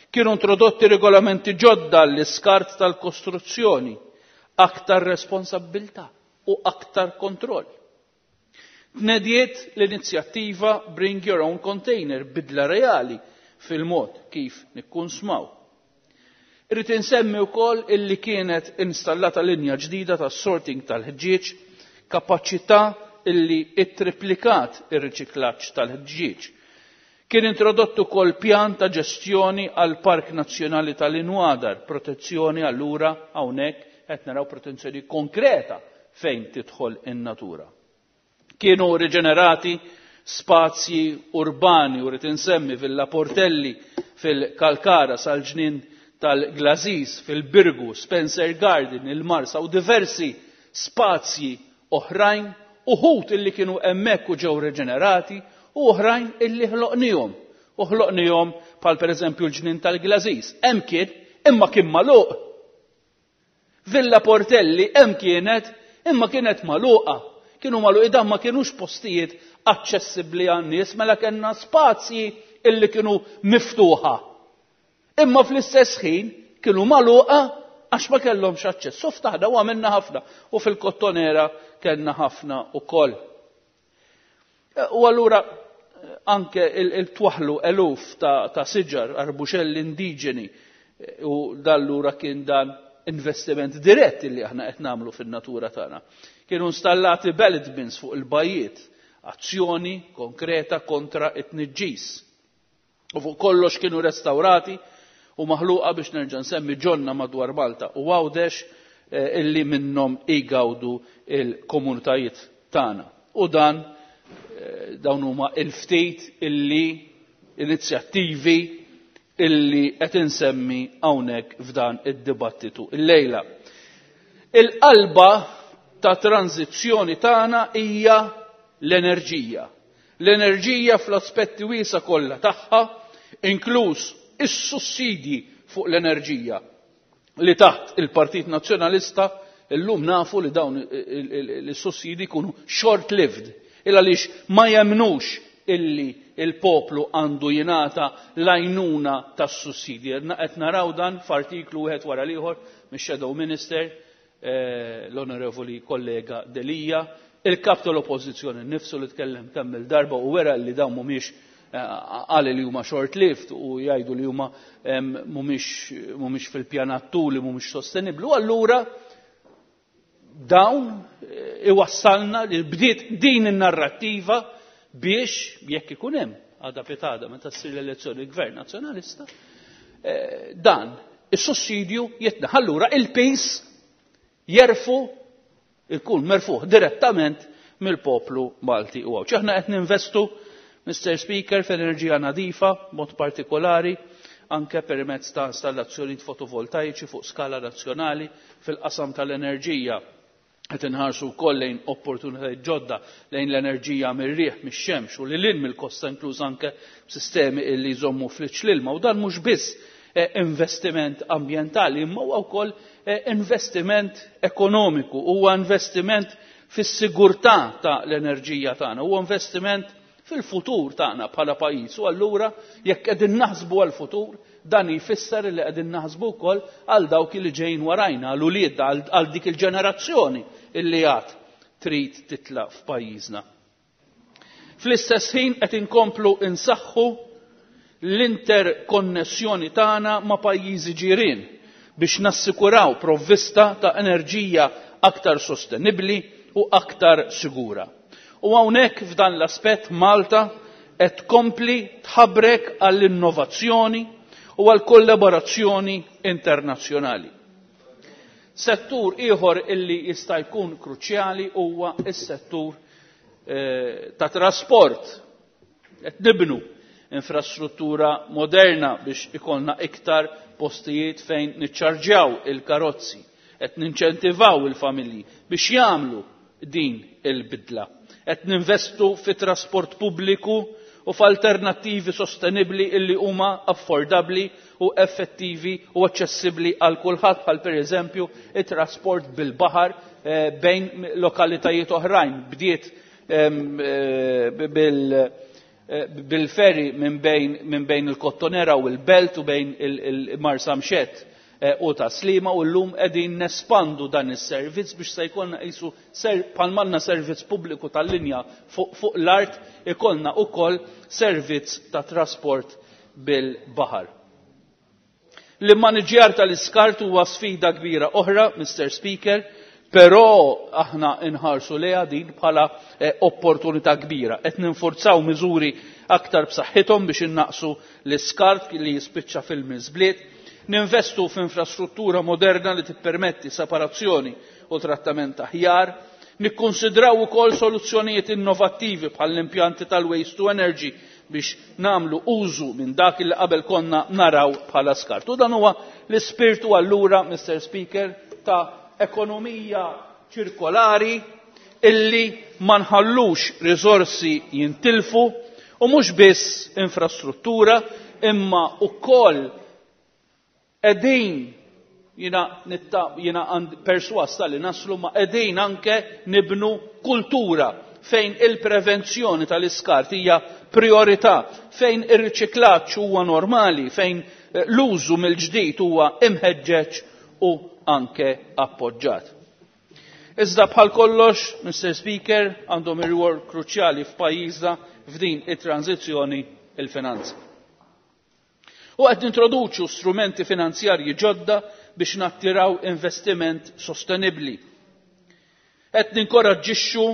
Kienu introdotti regolamenti ġodda l-iskart tal-kostruzzjoni, aktar responsabbiltà u aktar kontroll. Tnediet l-inizjattiva Bring Your Own Container, bidla reali fil-mod kif nikkunsmaw. Irrid insemmi wkoll illi kienet installata linja ġdida tas-sorting tal-ħġieġ, kapaċità illi ittriplikat ir-riċiklaġġ tal-ħġieġ. Kien introdott ukoll pjan ta' ġestjoni għal Park Nazzjonali tal-Inwadar, protezzjoni allura hawnhekk qed naraw protezzjoni konkreta fejn tidħol in-natura. Kienu riġenerati spazji urbani u rrid insemmi Villa Portelli fil-Kalkara sal-ġnien tal-Glażiż fil-Birgu, Spencer Garden, il-Marsa u diversi spazji oħrajn, uħud illi kienu hemmhekk u ġew riġenerati u oħrajn illi ħloqnihom. U ħloqnihom bħal pereżempju l-ġnien tal-Glażiż. Hemm kien, imma kien magħluq. Villa Portelli hemm kienet, imma kienet magħluqa. Kienu magħluqi dan ma kienux postijiet aċċessibbli għan-nies, mela kellna spazji illi kienu miftuħa. Imma fl-istess ħin kienu magħluqa għax ma kellhomx aċċess. U ftaħna u għamilna ħafna. U fil-Kottonera kellna ħafna ukoll. U allura anke il-twaħlu eluf ta' siġar, arbuxelli indiġeni, u dallura kien dan investiment dirett li aħna qed nagħmlu fin-natura tagħna. Kienu installati ballot bins fuq il-bajjiet, azzjoni konkreta kontra it-tniġġis. U fuq kollox kienu restaurati u maħluqa biex nerġa' nsemmi ġonna madwar Malta u Għawdex illi minnhom igawdu il-komunitajiet tagħna. U dan dawn huma il-ftit illi inizjattivi illi qed insemmi hawnhekk f'dan id-dibattitu illejla. Il-qalba ta' tranzizzjoni tagħna hija l-enerġija. L-enerġija fl-aspetti wiesa kollha tagħha, inkluż is-sussidji fuq l-enerġija li taħt il-Partit Nazzjonalista illum nafu li dawn is-sussidji jkunu short-lived, il għaliex ma jemnux illi il-poplu għandu jingħata l-għajnuna tas-sussidji. Qed naraw dan f'artiklu wieħed wara l-ieħor mix-Shadow Minister, l-Onorevoli Kollega Delia, il-kap tal-Oppożizzjoni nnifsu li tkellem kemm il-darba u wera li dawn mhumiex qal li huma short-lived u jgħidu li huma mhumiex fil-pjanattu li mhumiex sostenibbli. U allura dawn iwassalna li bdiet din in-narrattiva biex jekk ikun hemm għada pitada meta ssir l-elezzjoni l-Gvern Nazzjonalista, dan is-sussidju jitneħ. Allura il-pis jerfu ikun merfuħ direttament mill-poplu Malti u Għawdxi. Aħna qed ninvestu, Mr. Speaker, f'enerġija nadifa, mod partikolari, anke permezz ta' installazzjonijiet fotovoltaiċi fuq skala nazzjonali fil-qasam tal-enerġija. Qed inħarsu wkoll lejn opportunitajiet ġodda lejn l-enerġija mir-riħ, mix-xemx u lil hinn mill-kosta, inkluż anke sistemi illi jżommu fliċ l-ilma. U dan mhux biss investiment ambjentali, imma huwa wkoll investiment ekonomiku, huwa investiment fis-sigurtà ta' l-enerġija tagħna, huwa investiment fil-futur tagħna bħala pajjiż. U allura jekk qegħdin naħsbu għall-futur, dan jfisser li qegħdin naħsbu wkoll għal dawk li ġejjin warajna, għal ulied, għal dik il-ġenerazzjoni illi għad trid titla' f'pajjiżna. Fl-istess ħin qed inkomplu insaħħu l-interkonnessjoni tagħna ma' pajjiżi ġirien biex nassikuraw provvista ta' enerġija aktar sostenibbli u aktar sigura. U hawnhekk f'dan l-aspett Malta qed tkompli tħabrek għall-innovazzjoni u għall-kollaborazzjoni internazzjonali. Settur ieħor illi jista' jkun kruċjali huwa s-settur ta' trasport. Qed nibnu infrastruttura moderna biex ikollna iktar postijiet fejn niċċarġjaw il-karozzi. Qed ninċentivaw il-familji biex jagħmlu din il-bidla. Qed ninvestu fi trasport pubbliku u f'alternattivi sostenibbli illi huma affordabbli u effettivi u aċċessibbli għal kulħadd, bħal pereżempju it-trasport bil-baħar bejn lokalitajiet oħrajn. Bdiet bil-ferry minn bejn il-Kottonera u l-Belt u bejn il-Marsamxett u ta' Slima, u llum qegħdin nespandu dan is-servizz biex se jkollna qisu bħal servizz pubbliku tal-linja fuq l-art, ikollna wkoll servizz ta' trasport bil-baħar. L-immaniġjar tal-iskart huwa sfida kbira oħra, Mr. Speaker, però aħna nħarsu lejha din bħala opportunità kbira. Qed ninforzaw miżuri aktar b'saħħithom biex innaqsu l-iskart li jispiċċa fil-miżbliet, ninvestu f'infrastruttura moderna li tippermetti separazzjoni u trattament aħjar, nikkonsidraw ukoll soluzzjonijiet innovattivi bħal l-impjanti tal-waste to energy biex namlu użu minn dak li qabel konna naraw bħala skart. U dan huwa l-ispirtu allura, Mr. Speaker, ta' ekonomija ċirkolari illi ma nħallux riżorsi jintilfu, u mhux biss infrastruttura imma wkoll qegħdin jiena perswas li naslu ma qegħdin anke nibnu kultura fejn il-prevenzjoni tal-iskart hija priorità, fejn ir-riċiklaġġ huwa normali, fejn l-użu mill-ġdid huwa imħeġġeġ u anke appoġġat. Iżda bħal kollox, Mr. Speaker, għandhom ir-rwol kruċjali f'pajjiżna f'din it-tranzizzjoni il-finanzi. U qed nintroduċu strumenti finanzjarji ġodda biex nattiraw investiment sostenibbli. Qed ninkoraġġixxu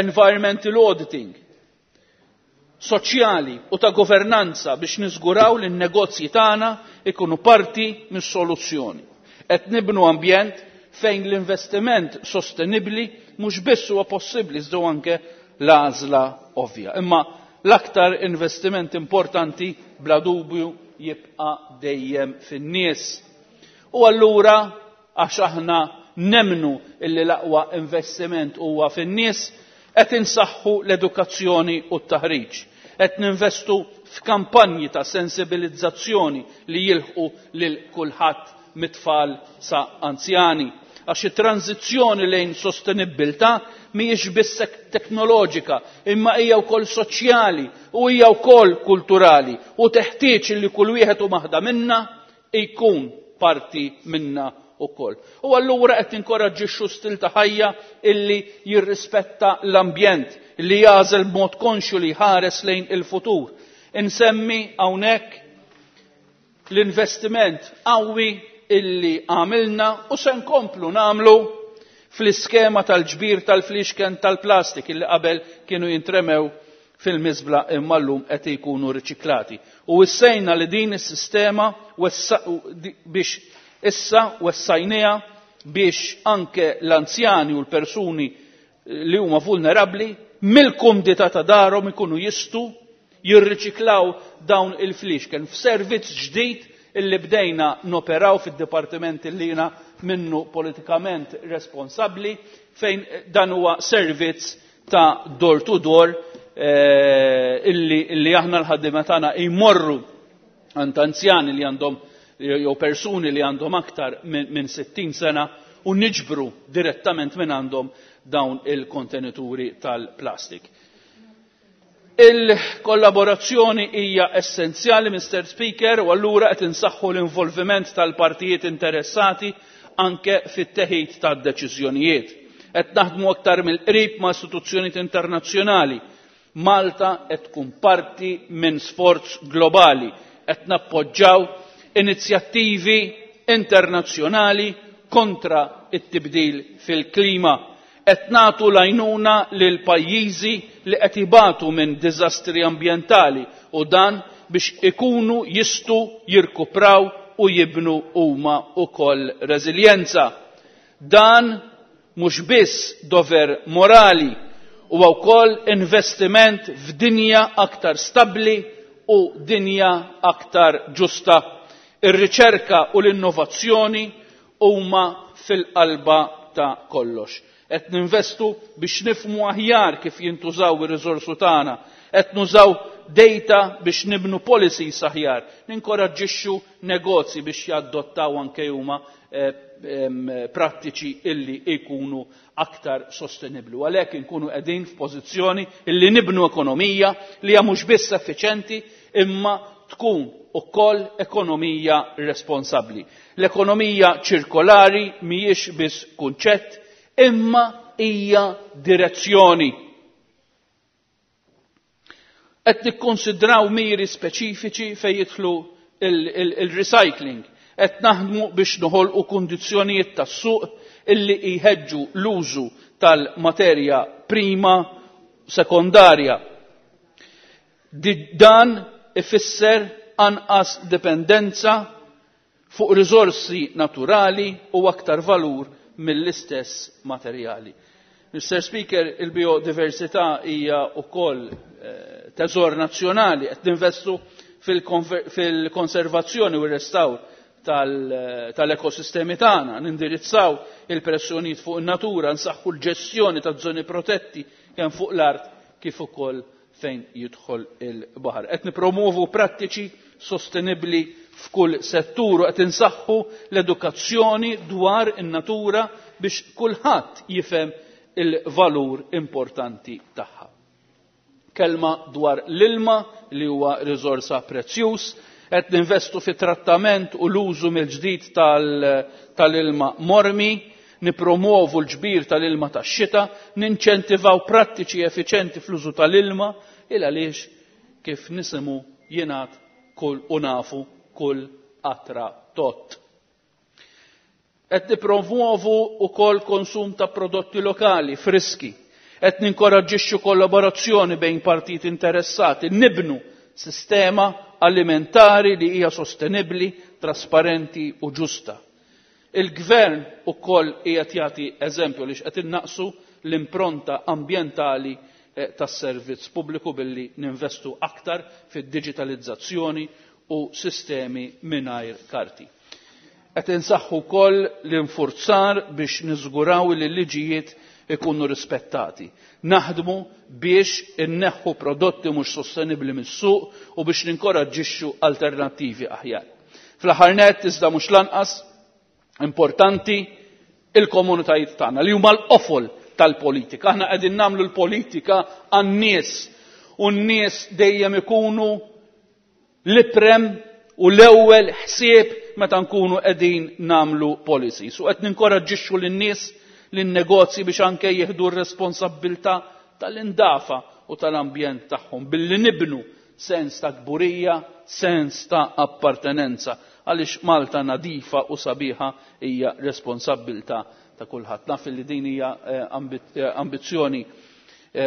environmental auditing, soċjali u ta' governanza biex niżguraw li n-negozji tagħna ikunu parti mis-soluzzjoni. Qed nibnu ambjent fejn l-investiment sostenibbli mhux biss huwa possibbli iżda anke l-għażla ovvja. Imma l-aktar investiment importanti bla dubju jibqa' dejjem fin-nies. U allura għax aħna nemnu illi l-aqwa investiment huwa fin-nies, qed insaħħu l-edukazzjoni u t-taħriġ. Qed ninvestu f'kampanji ta' sensibilizzazzjoni li jilħqu lil kulħadd mit-tfal sa anzjani. Għax it-tranzizzjoni lejn sostenibbiltà mhijiex biss teknoloġika, imma hija wkoll soċjali u hija wkoll kulturali, u teħtieġ li kull wieħed u maħda minna jkun parti minna wkoll. U allura qed inkoraġġixxu stil ta' ħajja illi jirrispetta l-ambjent, illi jagħżel b'mod konxju li jħares lejn il-futur. Insemmi hawnhekk l-investiment qawwi illi għamilna u se nkomplu nagħmlu fl-iskema tal-ġbir tal-flixken tal-plastik illi qabel kienu jintremew fil-miżbla imma llum qed ikunu riċiklati. U issejna li din is-sistema biex issa wessajniha biex anke l-anzjani u l-persuni li huma vulnerabbli mill-kumdità ta' darhom ikunu jistgħu jirriċiklaw dawn il-flixken f'servizz ġdid illi bdejna noperaw fid-dipartiment illi jiena minnu politikament responsabbli, fejn dan huwa servizz ta' door to door illi aħna l-ħaddiema tagħna jmorru għand anzjani li għandhom jew persuni li għandhom aktar minn 60 sena u niġbru direttament minn għandhom dawn il-kontenituri tal-plastik. Il-kollaborazzjoni hija essenzjali, Mr. Speaker, u allura qed insaħħu l-involviment tal-partijiet interessati anke fit-teħid tad-deċiżjonijiet. Qed naħdmu aktar mill-qrib ma' istituzzjonijiet internazzjonali. Malta qed tkun parti minn sforz globali. Qed nappoġġaw inizjattivi internazzjonali kontra it-tibdil fil-klima. Qed nagħtu l-għajnuna lil pajjiżi li qed ibatu minn diżastri ambjentali u dan biex ikunu jistgħu jirkupraw u jibnu huma wkoll reżiljenza. Dan mhux biss dover morali, huwa wkoll investiment f'dinja aktar stabbli u dinja aktar ġusta. Ir-riċerka u l-innovazzjoni huma fil-qalba ta' kollox. Qed ninvestu biex nifhmu aħjar kif jintużaw ir-riżorsu tagħna, qed nużaw data biex nibnu policies aħjar, ninkoraġġixxu negozji biex jaddottaw anke huma prattiċi illi jkunu aktar sostenibbli. U għalhekk inkunu qegħdin f'pożizzjoni illi nibnu ekonomija li hija mhux biss effiċenti imma tkun ukoll ekonomija responsabbli. L-ekonomija ċirkolari mhijiex biss kunċett imma hija direzzjoni. Qed nikkonsidraw miri speċifiċi fejn jidħlu il-recycling. Qed naħdmu biex noħolqu kundizzjonijiet tas-suq illi jħeġġu l-użu tal-materja prima sekondarja. Dan ifisser anqas dipendenza fuq riżorsi naturali u aktar valur mill-istess materjali. Mr. Speaker, il-biodiversità hija wkoll teżor nazzjonali qed ninvestu fil-konservazzjoni u r-restawr tal-ekosistemi tagħna, nindirizzaw il-pressjonijiet fuq in-natura, nsaħħu l-ġestjoni taż-żoni protetti kemm fuq l-art kif ukoll fejn jidħol il-baħar. Qed nippromovu prattiċi sostenibbli f'kull settur u qed insaħħu l-edukazzjoni dwar in-natura biex kulħadd jifhem il-valur importanti tagħha. Kelma dwar l-ilma li huwa riżorsa prezzjuż, qed ninvestu fi trattament u l-użu mill-ġdid tal-ilma mormi, nipromuovu l-ġbir tal-ilma tax-xita, ninċentivaw prattiċi effiċenti fl-użu tal-ilma, il għaliex kif nisimu jingħad kull u nafu kull qatra tot. Qed nippromuovu wkoll konsum ta' prodotti lokali, friski. Qed ninkoraġġixxu kollaborazzjoni bejn partit interessati, nibnu sistema alimentari li hija sostenibbli, trasparenti u ġusta. Il-gvern ukoll qiegħed jagħti eżempju li qed innaqsu l-impronta ambjentali tas-servizz pubbliku billi ninvestu aktar fid-diġitalizzazzjoni u sistemi mingħajr karti. Qed insaħħu wkoll l-infurzar biex niżguraw li l-liġijiet ikunu rispettati. Naħdmu biex inneħħu prodotti mhux sostenibbli mis-suq u biex ninkoraġġixxu alternattivi aħjar. Fl-aħħar nett iżda mhux lanqas importanti il-komunitajiet tagħna li huma l-qofol tal-politika. Aħna qegħdin nagħmlu l-politika għan-nies u n-nies dejjem ikunu l-iprem u l-ewwel ħsieb meta nkunu qegħdin nagħmlu policies. U qed ninkoraġġixxu lin-nies lin-negozji biex anke jieħdu r-responsabbiltà tal-indafa u tal-ambjent tagħhom billi nibnu sens ta' kburija, sens ta' appartenenza, għaliex Malta nadifa u sabiħa hija responsabbiltà ta' kulħadd. Naf li din hija ambizzjoni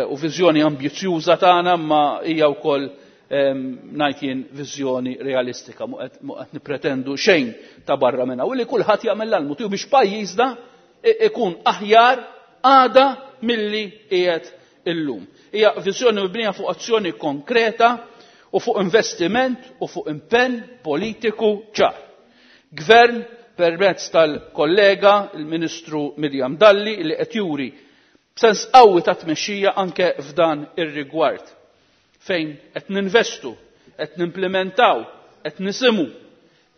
u viżjoni ambizzjuża tagħna, ma hija wkoll ngħid jien viżjoni realistika, mhu qed nippretendu xejn ta' barra minnha. U li kulħadd jagħmel l-almu tiegħu biex pajjiżna ikun aħjar għada milli qiegħed illum. Hija viżjoni mibnija fuq azzjoni konkreta u fuq investiment u fuq impenn politiku ċar. Gvern permezz tal-kollega il-Ministru Miriam Dalli li qed juri b'sens qawwi ta' tmexxija anke f'dan ir-rigward fejn qed ninvestu, qed nimplementaw, qed nisimu.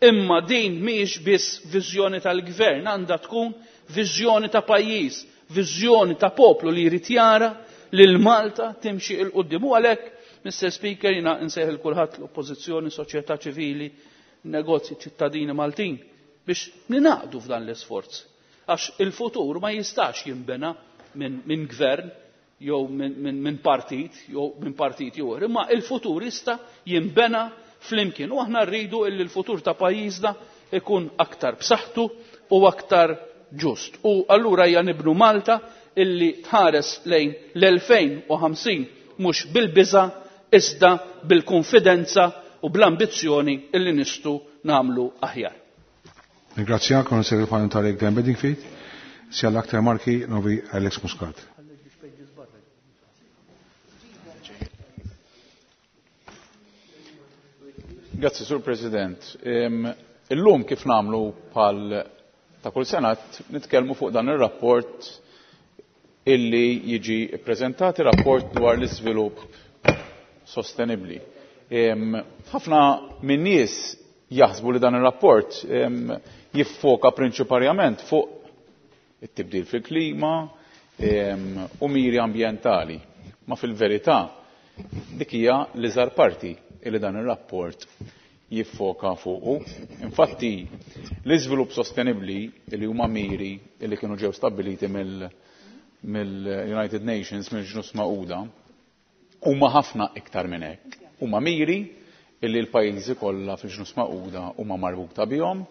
Imma din mhijiex biss viżjoni tal-gvern, għandha tkun viżjoni ta' pajjiż, viżjoni ta' poplu li jrid jara lil Malta timxi 'l quddiem. U għalhekk, Mr. Speaker, jiena nsejħ il kulħadd l-oppożizzjoni, soċjetà ċivili, negozji, ċittadini Maltin biex ninaqdu f'dan l-isforz. Għax il-futur ma jistax jinbena minn gvern jew minn partit jew minn partit ieħor, imma il-futur jista' jinbena flimkien. U aħna rridu illi l-futur ta' pajjiżna ikun aktar b'saħħtu u aktar ġust. U allura hija nibnu Malta illi tħares lejn l-2050 mhux bil-biża' iżda bil-konfidenza u bl-ambizzjoni illi nistgħu nagħmlu aħjar. Ringrazzjak, Onorevoli Parlamentari Glenn Bedingfield, sia l-aktar marki novi Alex Muscat. Grazzi, Sur President. Illum kif nagħmlu bħal ta' kull sena nitkellmu fuq dan ir-rapport illi jiġi ppreżentat, rapport dwar l-iżvilupp sostenibbli. Ħafna min-nies jaħsbu li dan ir-rapport jiffoka prinċiparjament fuq it-tibdil fil-klima u miri ambjentali. Ma fil-verità dik hija l-iżgħar parti li dan ir-rapport jiffoka fuqu. Infatti, l-iżvilupp sostenibbli li huma miri li kienu ġew stabbiliti mill-United Nations, mill-Ġnus Magħquda, huma ħafna iktar minn hekk. Huma miri illi l-pajjiżi kollha fil-Ġnus Magħquda huma marbuta bihom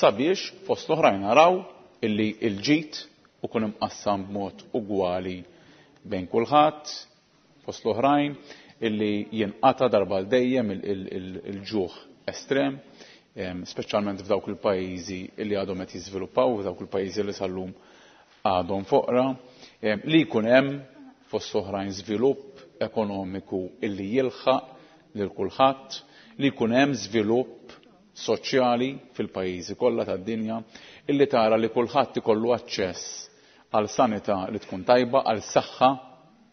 sabiex fost l-oħrajn naraw illi l-ġid ikun imqassam b'mod ugwali bejn kulħadd, fost l-oħrajn illi jinqata' darba għal dejjem il-ġuħ estrem, speċjalment f'dawk il-pajjiżi illi għadhom qed jiżviluppaw, f'dawk il-pajjiżi li sal-lum għadhom foqra, li jkun hemm fost oħrajn żvilupp ekonomiku illi jilħaq lil kulħadd, li jkun hemm żvilupp soċjali fil-pajjiżi kollha tad-dinja, illi tara li kulħadd ikollu aċċess għal sanità li tkun tajba, għal saħħa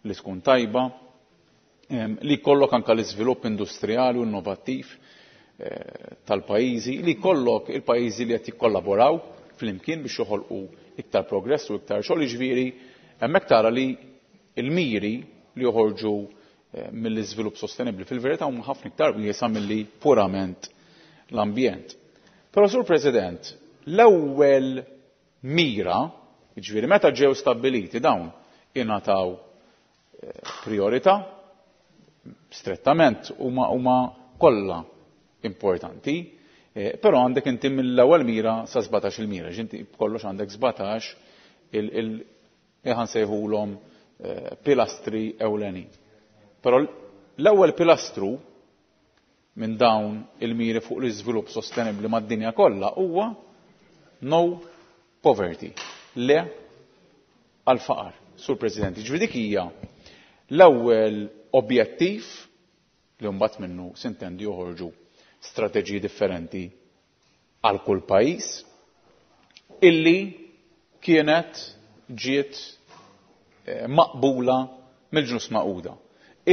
li tkun tajba, li jkollok anke l-iżvilupp industrijali u innovattiv tal-pajjiżi, li jkollok il-pajjiżi li qed jikkollaboraw flimkien biex joħolqu iktar progress u iktar xogħol. Jiġifieri hemmhekk tara li l-miri li joħorġu mill-iżvilupp sostenibbli fil-verità huma ħafna iktar wiesa' milli purament l-ambjent. Però Sur President, l-ewwel mira, jiġifieri meta ġew stabbiliti dawn ingħataw priorità, strettament huma kollha importanti, però għandek inti mill-ewwel mira sa 17 il-mira, ġinti b'kollox għandek 17 il ħansejħulhom pilastri ewlenin. Però l-ewwel pilastru minn dawn il-miri fuq l-iżvilupp sostenibbli mad-dinja kollha huwa no poverty, le għal-faqar. Sur President, jiġifieri dik hija l-ewwel objettiv li mbagħad minnu sintendi joħorġu strateġiji differenti għal kull pajjiż illi kienet ġiet maqbula mill-Ġnus Magħquda,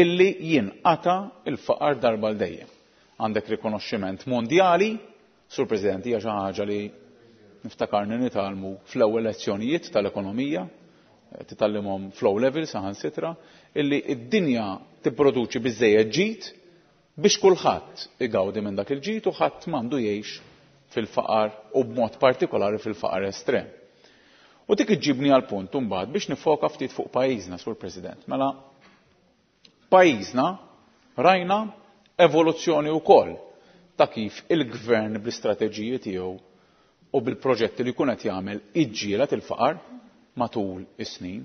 illi jinqata' il-faqar darba l dejjem. Għandek rikonoxximent mondjali, Sur President, hija xi ħaġa li niftakarni nitgħallmu fl-ewwel lezzjonijiet tal-ekonomija, titgħallimhom fl-O level saħansitra, illi d-dinja tipproduċi biżżejjed ġid biex kulħadd igawdi minn dak il-ġid u ħadd m'għandu jgħix fil-faqar u b'mod partikolari fil-faqar estrem. U dik iġġibni għal punt imbagħad biex nifoka ftit fuq pajjiżna, Sur President. Mela pajjiżna rajna evoluzzjoni wkoll ta' kif il-gvern bl-istrateġiji tiegħu u bil-proġetti li jkun qed jagħmel iġġieled il-faqar matul is-snin.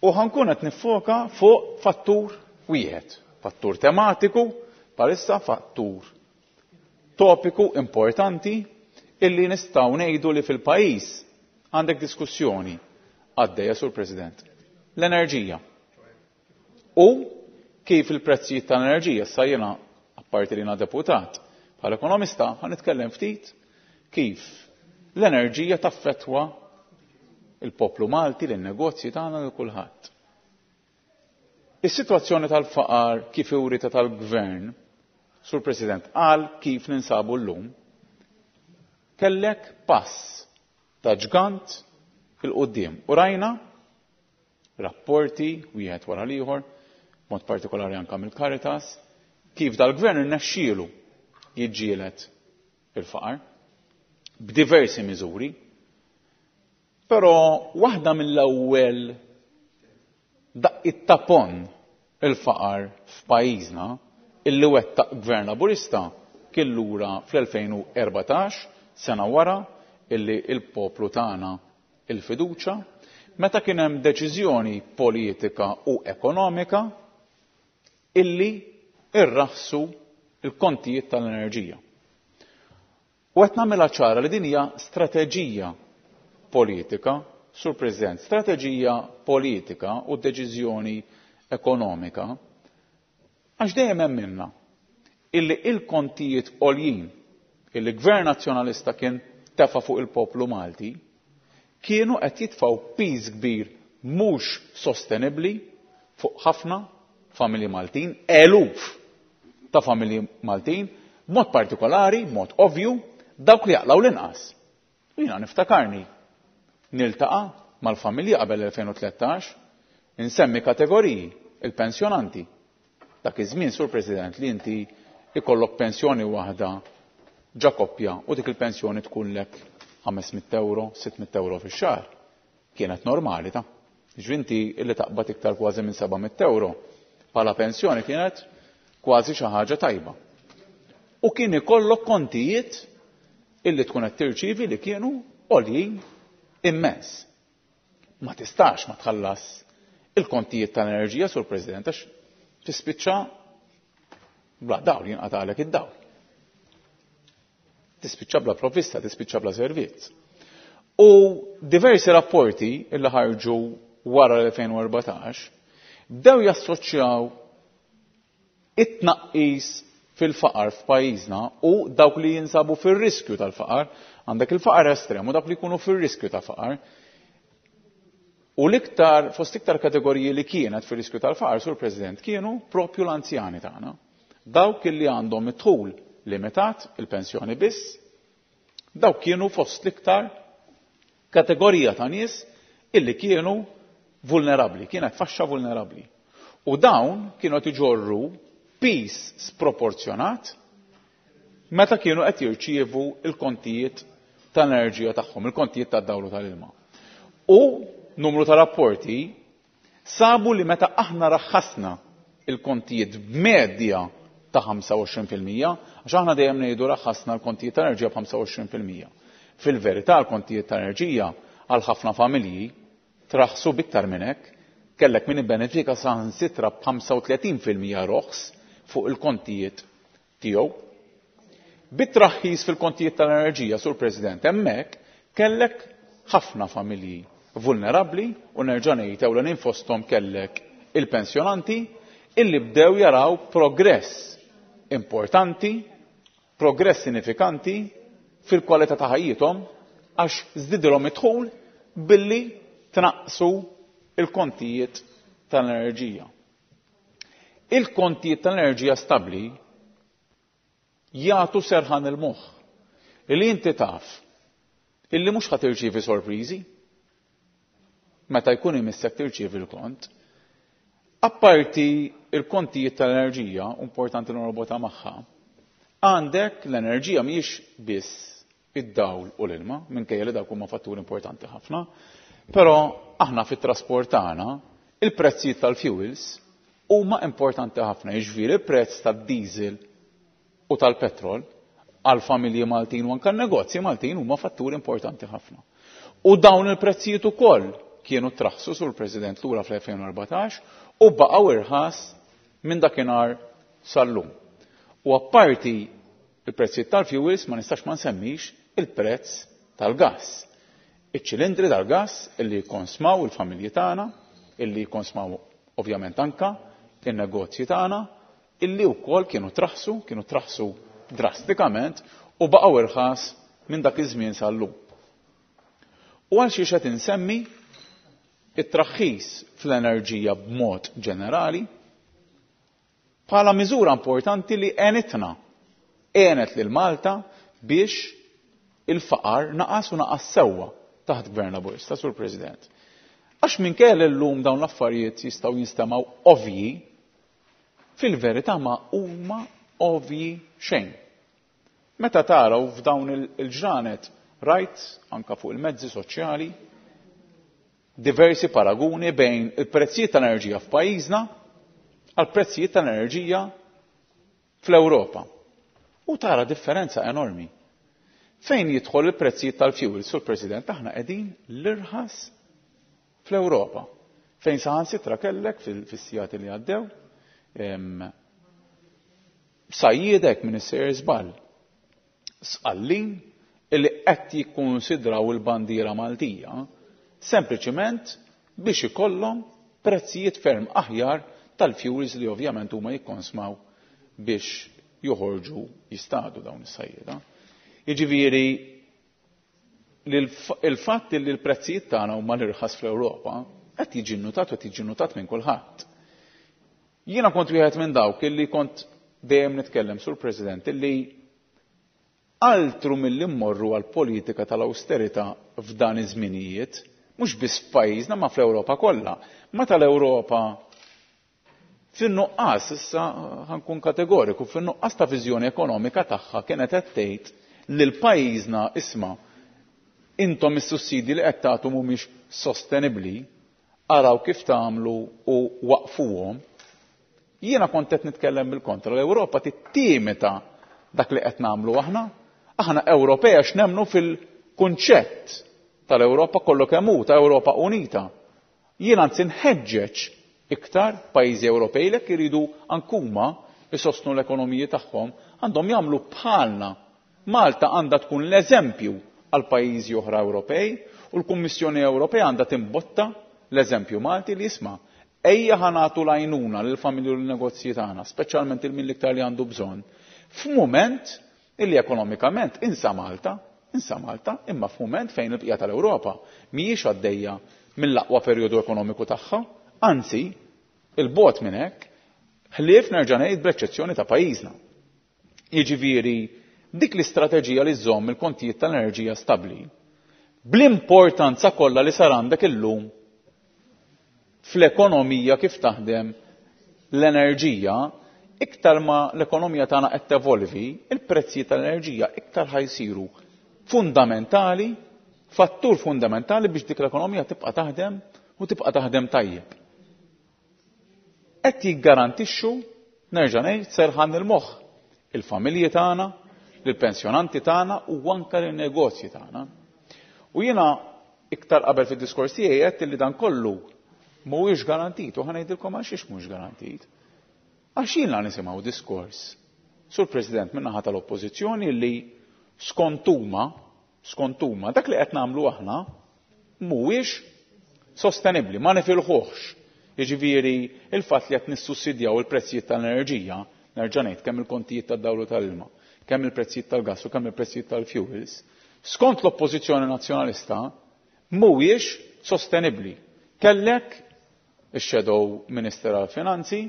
U ħankun qed nifoka fuq fattur wieħed, fattur tematiku, bħalissa fattur topiku importanti illi nistgħu ngħidu li fil-pajjiż għandek diskussjoni għaddejja, Sur President. L-enerġija. U kif il-prezzijiet tal-enerġija, issa jiena apparti li jiena deputat, bħala ekonomista ħa nitkellem ftit kif l-enerġija taffettwa il-poplu Malti, lin-negozji tagħna, lil kulħadd. Is-sitwazzjoni tal-faqar kif urita tal-gvern, Sur President, għal kif ninsabu llum, kellek pass ta' ġgant fil-qudiem. U rajna rapporti wieħed wara l-ieħor, mod partikolari anke mill-Caritas, kif dal-gvern irnexxielu jiġġieled il-faqar b'diversi miżuri, però waħda mill-ewwel daqqiet ta' pon il-faqar f'pajjiżna illi wettaq gvern Laburista kien lura fl-2014, sena wara illi il-poplu tagħna il-fiduċa, meta kien hemm deċiżjoni politika u ekonomika illi irraħsu il-kontijiet tal-enerġija. U qed nagħmilha ċara li din hija strateġija politika, Sur President, strateġija politika u deċiżjoni ekonomika, għax dejjem hemm minna illi il-kontijiet għoljin illi gvern nazzjonalista kien tefa' fuq il-poplu Malti kienu qed jitfgħu piż kbir mhux sostenibbli fuq ħafna familji Maltin, eluf ta' familji Maltin, B'mod partikolari, b'mod ovvju, dawk li jaqlgħu l-inqas. U jiena niftakarni niltaqa' mal-familji qabel 2013, insemmi kategoriji, il-pensjonanti. Dak iż-żmien, Sur President, li inti ikollok pensjoni waħda ġa koppja u dik il-pensjoni tkunlek 500 euro, 600 euro fix-xahar. Kienet normali ta'. Jiġifieri inti illi taqbad iktar kważi minn 700 euro bħala pensjoni kienet kważi xi ħaġa tajba. U kien ikollok kontijiet illi tkun qed tirċievi li kienu għoljin immens. Ma tistax ma tħallas il-kontijiet tal-enerġija, Sur President, għax tispiċċa bla dawl, jinqatagħlek id-dawl. Tispiċċa bla provvista, tispiċċa bla servizz. U diversi rapporti illi ħarġu wara l-2014 bdew jassoċjaw it-tnaqqis fil-faqar f'pajjiżna u dawk li jinsabu fir-riskju tal-faqar, għandek il-faqar estrem u dawk li jkunu fir-riskju ta' faqar. U l-iktar, fost iktar kategoriji li kienet fir-riskju tal-faqar, Sur President, kienu propju l-anzjani tagħna. Dawk li għandhom id-dħul limitat, il-pensjoni biss, dawk kienu fost l-iktar kategorija ta' nies illi kienu vulnerabbli, kienet faxxa vulnerabbli. U dawn kienu qed iġorru piż sproporzjonat meta kienu qed jirċievu l-kontijiet tal-enerġija tagħhom, il-kontijiet tad-dawl u tal-ilma. U numru ta' rapporti sabu li meta aħna raħħasna il-kontijiet b'medja ta' 25%, għax aħna dejjem ngħidu raħħasna l-kontijiet tal-enerġija b'25%. Fil-verità l-kontijiet tal-enerġija għal ħafna familji traħsu biktar minn hekk, kellek min ibbenefika saħansitra b'35% roħs fuq il-kontijiet tiegħu. Bit-traħħis fil-kontijiet tal-enerġija, Sur President, hemmhekk kellek ħafna familji vulnerabbli u nerġa' ngħid ewlenin fosthom kellek il-pensjonanti illi bdew jaraw progress importanti, progress sinifikanti fil-kwalità ta' ħajjithom għax żdidilhom id-dħul billi tnaqqsu il-kontijiet tal-enerġija. Il-kontijiet tal-enerġija stabbli jagħtu serħan il-moħħ li inti taf illi mhux ħa tirċievi sorpriżi meta jkun imissek tirċievi l-kont. Apparti il-kontijiet tal-enerġija, importanti norbota magħha, għandek l-enerġija mhijiex biss id-dawl u l-ilma, minkejja li dawk huma fatturi importanti ħafna, però aħna fit-trasport tagħna il-prezzijiet tal-fuels huma importanti ħafna, jiġifieri il-prezz tad-diesel u tal-petrol għal familji Maltin u anke negozji Maltin huma fatturi importanti ħafna. U dawn il-prezzijiet ukoll kienu traħsu sur President lura fl-2014 u baqgħu irħas minn dakinhar sal-lum. U apparti il-prezzijiet tal-fuels ma nistax ma nsemmix il-prezz tal-gass. Iċ-ċilindri tal-gass illi jkonsmaw il-familji tagħna, illi jkonsmaw ovvjament anka in-negozji tagħna, illi wkoll kienu traħsu, kienu traħsu drastikament u baqgħu irħas minn dak iż-żmien sal-lum. U għal xiex qed insemmi it-traħħis fl-enerġija b'mod ġenerali bħala miżura importanti li għenitna, għenet lil Malta biex il-faqar naqas u naqas sewwa taħt Gvern Laburista, Sur President. Għax minkejja li llum dawn l-affarijiet jistgħu jinstemgħu ovvji, fil-verità ma huma ovvji xejn. Meta taraw f'dawn il-ġranet rajt anka fuq il-mezzi soċjali diversi paraguni bejn il-prezzijiet tal-enerġija f'pajjiżna għal prezzijiet tal-enerġija fl-Ewropa. U tara differenza enormi. Fejn jidħol il-prezzijiet tal-fuel, Sur President, aħna qegħdin l-irħas fl-Ewropa. Fejn saħansitra kellek fis-sigħat li għaddew, sajjiedek minn is-sejjer żball. Sqallin illi qed jikkunsidraw il-bandiera Maltija sempliċiment biex ikollhom prezzijiet ferm aħjar tal-fuels li ovvjament huma jikkonsmaw biex joħorġu jistadu dawn is-sajjieda. Jiġifieri il-fatt li l-prezzijiet tagħna huma l-irħas fl-Ewropa qed jiġi nnutat u qed jiġi nnutat minn kulħadd. Jiena kont wieħed minn dawk illi kont dejjem nitkellem, Sur President, illi altru milli mmorru għal politika tal-awsterità f'dan iż-żminijiet, mhux biss f'pajjiżna ma fl-Ewropa kollha. Meta l-Ewropa fin-nuqqas, issa ħa nkun kategoriku, fin-nuqqas ta' viżjoni ekonomika tagħha kienet qed tgħid lil pajjiżna isma' intom is-sussidji li qed tagħtu mhumiex sostenibbli, araw kif tagħmlu u waqfuhom. Jiena kont qed nitkellem bil-kontra, l-Ewropa tittimita dak li qed nagħmlu aħna. Aħna Ewropej għax nemmnu fil-kunċett tal-Ewropa kollu kemm hu, ta' Ewropa Unita. Jien anzi nħeġġeġ iktar pajjiżi Ewropej li jekk iridu anke huma jsostnu l-ekonomiji tagħhom għandhom jagħmlu bħalna. Malta għandha tkun l-eżempju għal pajjiżi oħra Ewropej u l-Kummissjoni Ewropea għandha timbotta l-eżempju Malti li jisma' ejja ħa nagħtu l-għajnuna lill-familji u lin-negozji tagħna, speċjalment il min l-iktar li għandu bżonn, f'mument illi ekonomikament insa Malta, insa Malta, imma f'mument fejn il-bqija tal-Ewropa mhijiex għaddejja mill-aqwa perjodu ekonomiku tagħha, anzi, 'il bogħod minn hekk, ħlief nerġa' ngħid bl-eċċezzjoni ta' pajjiżna. Jiġifieri dik l-istrateġija li żżomm il-kontijiet tal-enerġija stabbli, bl-importanza kollha li sar għandek illum fl-ekonomija kif taħdem l-enerġija, iktar ma l-ekonomija tagħna qed tevolvi, il-prezzijiet tal-enerġija iktar ħa jsiru fundamentali, fattur fundamentali biex dik l-ekonomija tibqa' taħdem u tibqa' taħdem tajjeb. Qed jiggarantixxu, nerġa' ngħid, serħan il-moħħ il-familji tagħna, lill-pensjonanti tagħna u anke lin-negozji tagħna. U jiena iktar qabel fid-diskors tiegħi għedt li dan kollu mhuwiex garantit u ħa ngħidilkom għal xiex mhux garantit. Għax jiena nisimgħu diskors, Sur President, min-naħa tal-Oppożizzjoni li skont huma, skont huma, dak li qed nagħmlu aħna mhuwiex sostenibbli, ma nifilħuhx. Jiġifieri il-fatt li qed nissussidjaw il-prezzijiet tal-enerġija, nerġa' ngħid kemm il-kontijiet tad-dawl u tal-ilma, kemm il-prezzijiet tal-gass u kemm il-prezzijiet tal-fuels, skont l-Oppożizzjoni Nazzjonalista mhuwiex sostenibbli. Kellek ix-Shadow Minister għall-Finanzi,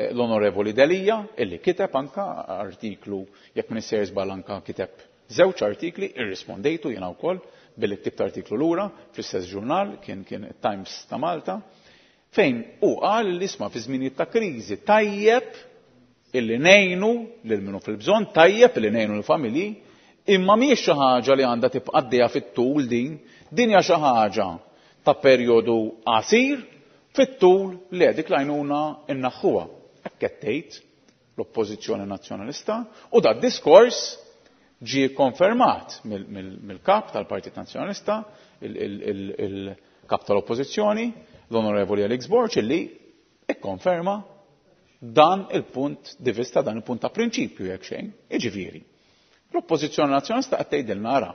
l-Onorevoli Delia, illi kiteb anka artiklu, jekk m'iniex sejjer żball anka kiteb żewġ artikli, irrispondejtu jiena wkoll billi ktibt artiklu lura fl-istess ġurnal, kien kien Times ta' Malta, fejn hu qal li isma' fi żminijiet ta' kriżi tajjeb illi ngħinu lil min hu fil-bżonn, tajjeb illi ngħinu lill-familji, imma mhijiex xi ħaġa li għandha tibqa' għaddejja fit-tul din, din hija xi ħaġa ta' perjodu qasir, fit-tul le dik l-għajnuna nnaħħuha. Hekk qed tgħid l-Oppożizzjoni Nazzjonalista u da diskors ġie konfermat mill-kap tal-Partit Nazzjonalista, il-kap tal-Oppożizzjoni, l-Onorevoli Alex Borg, illi ikkonferma dan il-punt di vista, dan il-punt ta' prinċipju jekk xejn. Jiġifieri, l-Oppożizzjoni Nazzjonalista qed tgħidilna ara,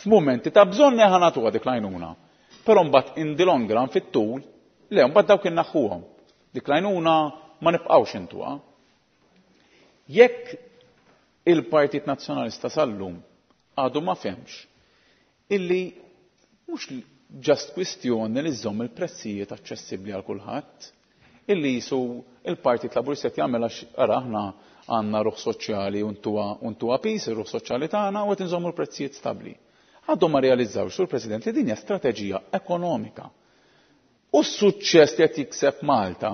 f'mumenti ta' bżonn ħa nagħtuha dik l-għajnuna, però mbagħad in the long run fit-tul, le mbagħad dawk innaħħuhom. Dik l-għajnuna ma nibqgħux intuha. Jekk il-Partit Nazzjonalista sal-lum għadu ma fehmx illi mhux ġast kwistjoni li żżomm il-prezzijiet aċċessibbli għal kulħadd, illi jisu il-Partit Laburista qed jagħmel għax ara aħna għandna ruħ soċjali u ntuha pis ir-ruħ soċjali tagħna u qed inżommu l-prezzijiet stabbli. Għadhom ma realizzawx, Sur President, li din hija strateġija ekonomika. U s-suċċess li qed jikseb Malta,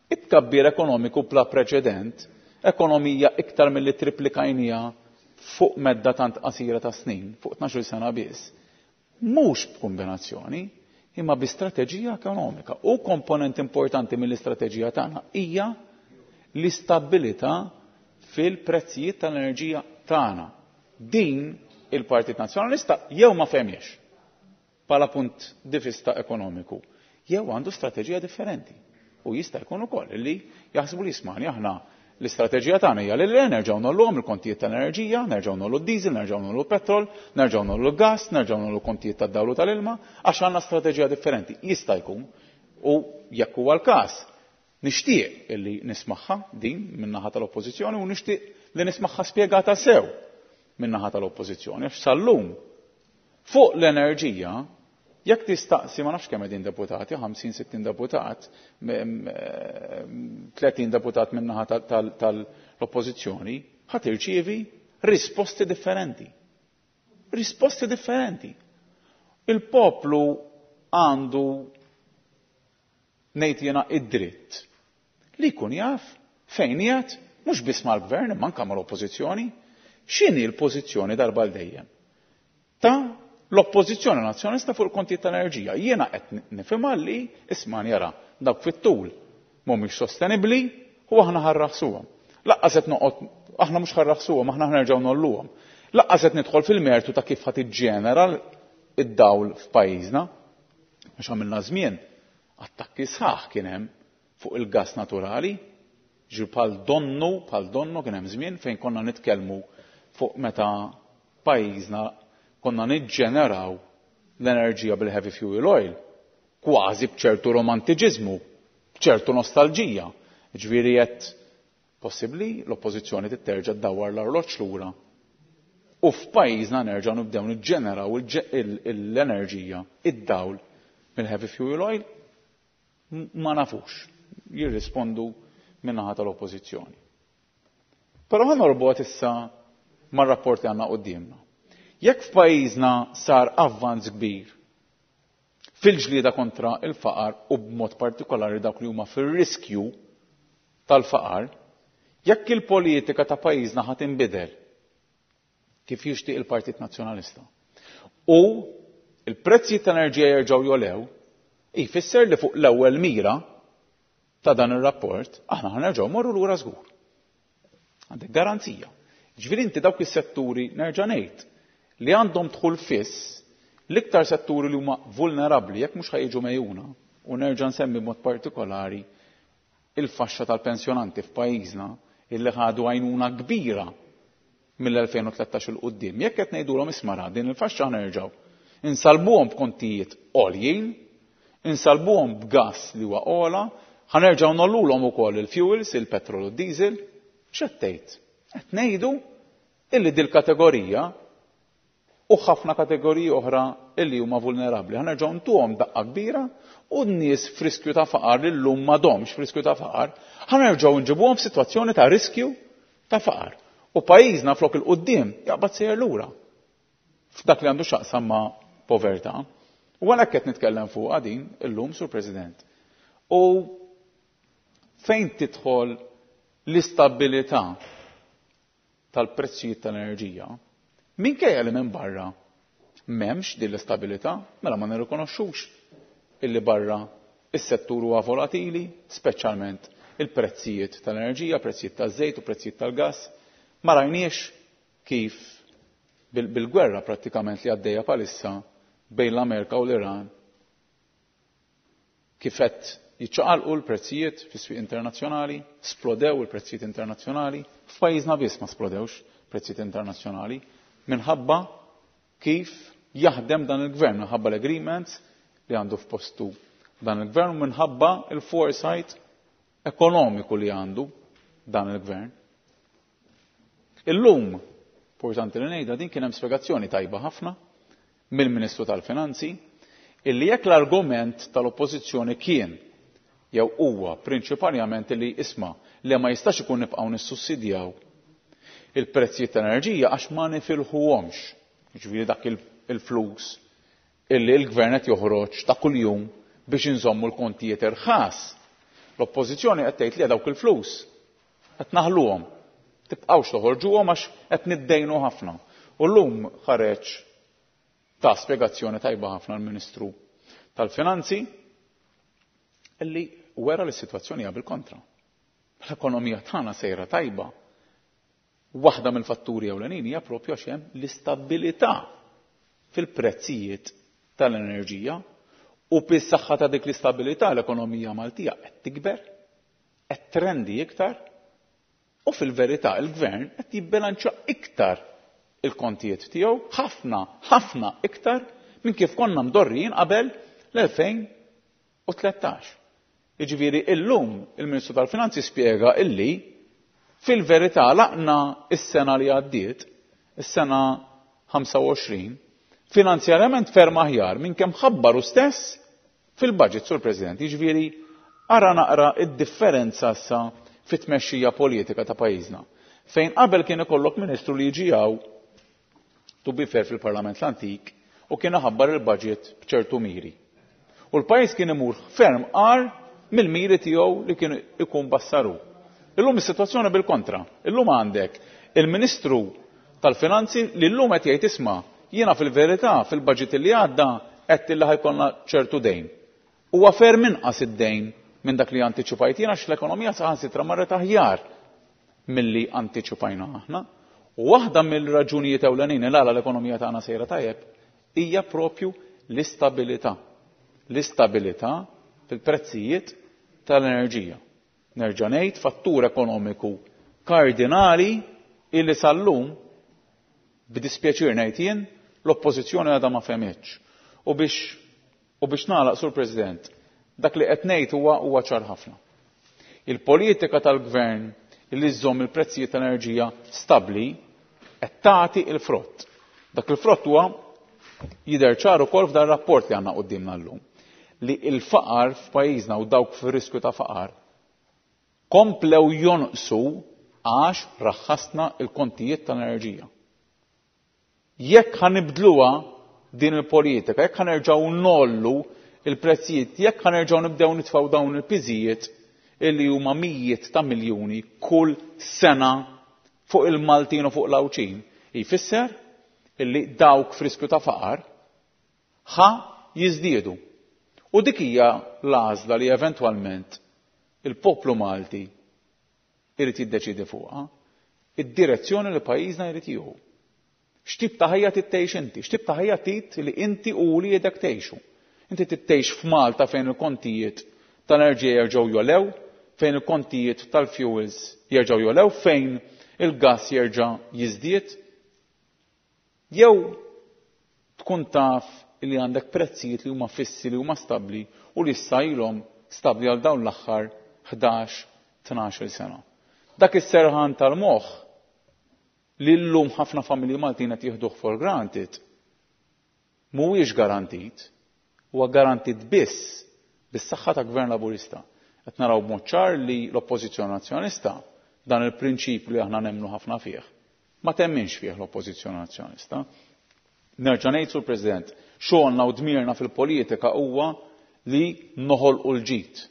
it-tkabbir ekonomiku bla preċedent, ekonomija iktar milli triplikajnija fuq medda tant qasira ta' snin, fuq 12 sena biss, mhux b'kombinazzjoni, imma bi strateġija ekonomika. U komponent importanti mill-istrateġija tagħna hija l-istabilità fil-prezzijiet tal-enerġija tagħna. Din il-Partit Nazzjonalista jew ma fehmiex bħala punt di vista ekonomiku, jew għandu strateġija differenti. U jista' jkun ukoll li jaħsbu li jismani aħna l-istrateġija tagħna hija li nerġgħu nolluhom il-kontijiet tal-enerġija, nerġgħu nollu d-diesel, nerġgħu nollu petrol, nerġgħu nollu gas, nerġgħu nollu kontijiet tad-dawl u tal-ilma, għax għandna strateġija differenti. Jista' jkun u jekk huwa l-każ, nixtieq illi nismagħha din min-naħa tal-Oppożizzjoni u nixtieq li nismagħha spjegata sew min-naħa tal-Oppożizzjoni għax sal-lum fuq l-enerġija jekk tistaqsi ma nafx kemm qegħdin deputati, 50-60 deputat, 30 deputat min-naħa tal-Oppożizzjoni, ħa tirċievi risposti differenti. Risposti differenti. Il-poplu għandu ngħid jiena id-dritt li jkun jaf fejn qiegħed mhux biss mal-gvern imma anke mal-oppożizzjoni, x'inhi l-pożizzjoni darba għal dejjem ta' l-oppożizzjoni nazzjonalista fuq il-kontijiet tal-enerġija. Jiena qed nifhimha li isma' jara dawk fit-tul mhumiex sostenibbli u aħna ħarraħsuhom. Laqqas qed noqgħod aħna mhux ħarraħsuhom, aħna ħnerġgħu nolluhom. Laqqas qed nidħol fil-mertu ta' kif ħadd iġġenera id-dawl f'pajjiżna. Għax għamilna żmien attakki sħaħ kien hemm fuq il-gas naturali, ġi bħal donnu, bħal donnu kien hemm żmien fejn konna nitkellmu fuq meta pajjiżna konna niġġeneraw l-enerġija bil-heavy fuel oil, kważi b'ċertu romantiċiżmu, b'ċertu nostalġija. Ġifieri qed possibbli l-oppożizzjoni titterġa' ddawwar l-arloġġ lura u f'pajjiżna nerġgħu nibdew niġġeneraw l-enerġija, id-dawl mill-heavy fuel oil? Ma nafux, jirrispondu min-naħa tal-oppożizzjoni. Però ħa norbot issa mar-rapport li għandna quddiemna. Jekk f'pajjiżna sar avvanz kbir fil-ġlieda kontra il-faqar u b'mod partikolari dawk li huma fir-riskju tal-faqar, jekk il-politika ta' pajjiżna ħa tinbidel kif jixtieq il-Partit Nazzjonalista u il-prezzijiet tal-enerġija jerġgħu jolew, jfisser li fuq l-ewwel mira ta' dan ir-rapport aħna ħa nerġgħu morru lura żgur. Għandek garanzija. Ġifieri inti dawk is-setturi nerġa' ngħid li għandhom dħul fiss, l-iktar setturi li huma vulnerabbli jekk mhux ħajġu mejjuna, u nerġa' nsemmi b'mod partikolari il-faxxa tal-pensjonanti f'pajjiżna illi ħadu għajnuna kbira mill-2013 il quddiem. Jekk qed ngħidulhom isma' din il-faxxa nerġgħu insalbuhom b'kontijiet għoljin, insalbuhom b'gas li huwa ogħla, ħa nerġgħu nollulhom ukoll il-fuels, il-petrol u d-diesel, x'qed tgħid? Qed ngħidu illi dil-kategorija u ħafna kategoriji oħra illi huma vulnerabbli. Ħa nerġgħu ntuhom daqqa kbira u n-nies f'riskju ta' faqar li llum m'għadhomx f'riskju ta' faqar, ħa nerġgħu nġibuhom f'sitwazzjoni ta' riskju ta' faqar. U pajjiżna flok il-quddiem jaqbad sejjer lura f'dak li għandu x'jaqsam ma' povertà. U għalhekk qed nitkellem fuqha din illum, Sur President. U fejn tidħol l-istabilità tal-prezzijiet tal-enerġija, minkejja li minn barra m'hemmx din l-istabilità, mela ma nirrikonoxxux illi barra is-settur huwa volatili, speċjalment il-prezzijiet tal-enerġija, prezzijiet taż-żejt u prezzijiet tal-gass. Ma rajniex kif bil-gwerra prattikament li għaddejja palissa bejn l-Amerika u l-Iran kif qed jiċċaqalqu l-prezzijiet fis-swieq internazzjonali, splodew il-prezzijiet internazzjonali, f'pajjiżna biss ma splodewx prezzijiet internazzjonali minħabba kif jaħdem dan il-gvern, minħabba l-agreements li għandu f'postu dan il-gvern, minħabba il-foresight ekonomiku li għandu dan il-gvern. Illum, importanti li ngħidha din kien hemm spjegazzjoni tajba ħafna mill-Ministru tal-Finanzi illi jekk l-argument tal-Oppożizzjoni kien jew huwa prinċipalment li isma' li ma jistax ikun nibqgħu nissussidjaw il-prezzijiet tal-enerġija għax ma nifilħuhomx. Jiġifieri dak il-flus illi l-gvern qed joħroġ ta' kuljum biex inżommu l-kontijiet irħas. L-Oppożizzjoni qed tgħid li dawk il-flus qed naħluhom. Tibqgħux toħorġuhom għax qed niddejnu ħafna. U llum ħareġ ta' spjegazzjoni tajba ħafna l-Ministru tal-Finanzi illi wera li s-sitwazzjoni hija bil-kontra. L-ekonomija tagħna sejra tajba. Waħda mill-fatturi ewlenin hija propju għax hemm l-istabilità fil-prezzijiet tal-enerġija u bis-saħħa ta' dik l-istabilità l-ekonomija Maltija qed tikber, qed trendi iktar u fil-verità il-gvern qed jibbilanċja iktar il-kontijiet tiegħu ħafna, ħafna iktar minn kif konna mdorrijin qabel l-2013. Jiġifieri illum il-Ministru tal-Finanzi spjega illi fil-verità laqna is-sena li għaddiet, is-sena 25, finanzjarjament ferm aħjar minn kemm ħabbaru stess fil-budget, Sur President. Jiġifieri Ara naqra id-differenza issa fit-tmexxija politika ta' pajjiżna. Fejn qabel kien ikollok ministru li jiġi hawn, to be fair fil-Parlament l-antik, u kien iħabbar il-budget b'ċertu miri. U l-pajjiż kien imur ferm agħar mill-miri tiegħu li kien ikun bassaru. Illum is-sitwazzjoni bil-kontra. Illum għandek il-Ministru tal-Finanzi li llum qed jgħid isma' jiena fil-verità fil-budget li għadda għedt li ħa jkollna ċertu dejn. Huwa ferm inqas id-dejn minn dak li antiċipajt jiena għax l-ekonomija saħansitra marret aħjar milli antiċipajna aħna. U waħda mill-raġunijiet ewlenin il għala l-ekonomija tagħna sejra tajjeb hija propju l-istabilità. L-istabilità fil-prezzijiet tal-enerġija. Nerġa' ngħid fattur ekonomiku kardinali illi sal-lum b'dispjaċir ngħid jien l-oppożizzjoni għadha ma fehmitx. U biex U biex nagħlaq, Sur President, dak li qed ngħid huwa huwa ċar ħafna. Il-politika tal-Gvern li żżomm il-prezzijiet tal-enerġija stabbli qed tagħti l-frott. Dak il-frott huwa jidher ċar ukoll f'dan rapport li għandna quddiemna llum li l-faqar f'pajjiżna u dawk fir-riskju ta' faqar komplew jonqsu għax raħħasna l-kontijiet tal-enerġija. Jekk ħa nibdluha din il-politika, jekk ħa nerġgħu ngħollu l-prezzijiet, jekk ħa nerġgħu nibdew nitfgħu dawn il-piżijiet illi huma mijiet ta' miljuni kull sena fuq il-Maltin u fuq l-Għawdxin, jfisser illi dawk f'riskju ta' faqar ħa jiżdiedu. U dik hija l-għażla li eventwalment il-poplu Malti irid jiddeċiedi fuqha, id-direzzjoni li pajjiżna jrid jieħu. X'tip ta' ħajja trid tgħix inti? X'tip ta' ħajja trid li inti u wliedek tgħixu? Inti trid tgħix f'Malta fejn il-kontijiet tal-enerġija jerġgħu jogħlew, fejn il-kontijiet tal-fuels jerġgħu jogħlew, fejn il-gass jerġa' jiżdied? Jew tkun taf li għandek prezzijiet li huma fissi, li huma stabbli u li issa ilhom stabbli għal dawn l-aħħar 11, 12-il sena. Dak is-serħan tal-moħħ li llum ħafna familji Maltin qed jieħduh for granted mhuwiex garantit, huwa garantit biss bis-saħħa ta' Gvern Laburista. Qed naraw b'mod ċar li l-Oppożizzjoni Nazzjonalista dan il-prinċipju li aħna nemmnu ħafna fih, ma temminx fih l-Oppożizzjoni Nazzjonalista. Nerġa' ngħid, Sur President, xogħolna u dmirna fil-politika huwa li noħolqu l-ġid,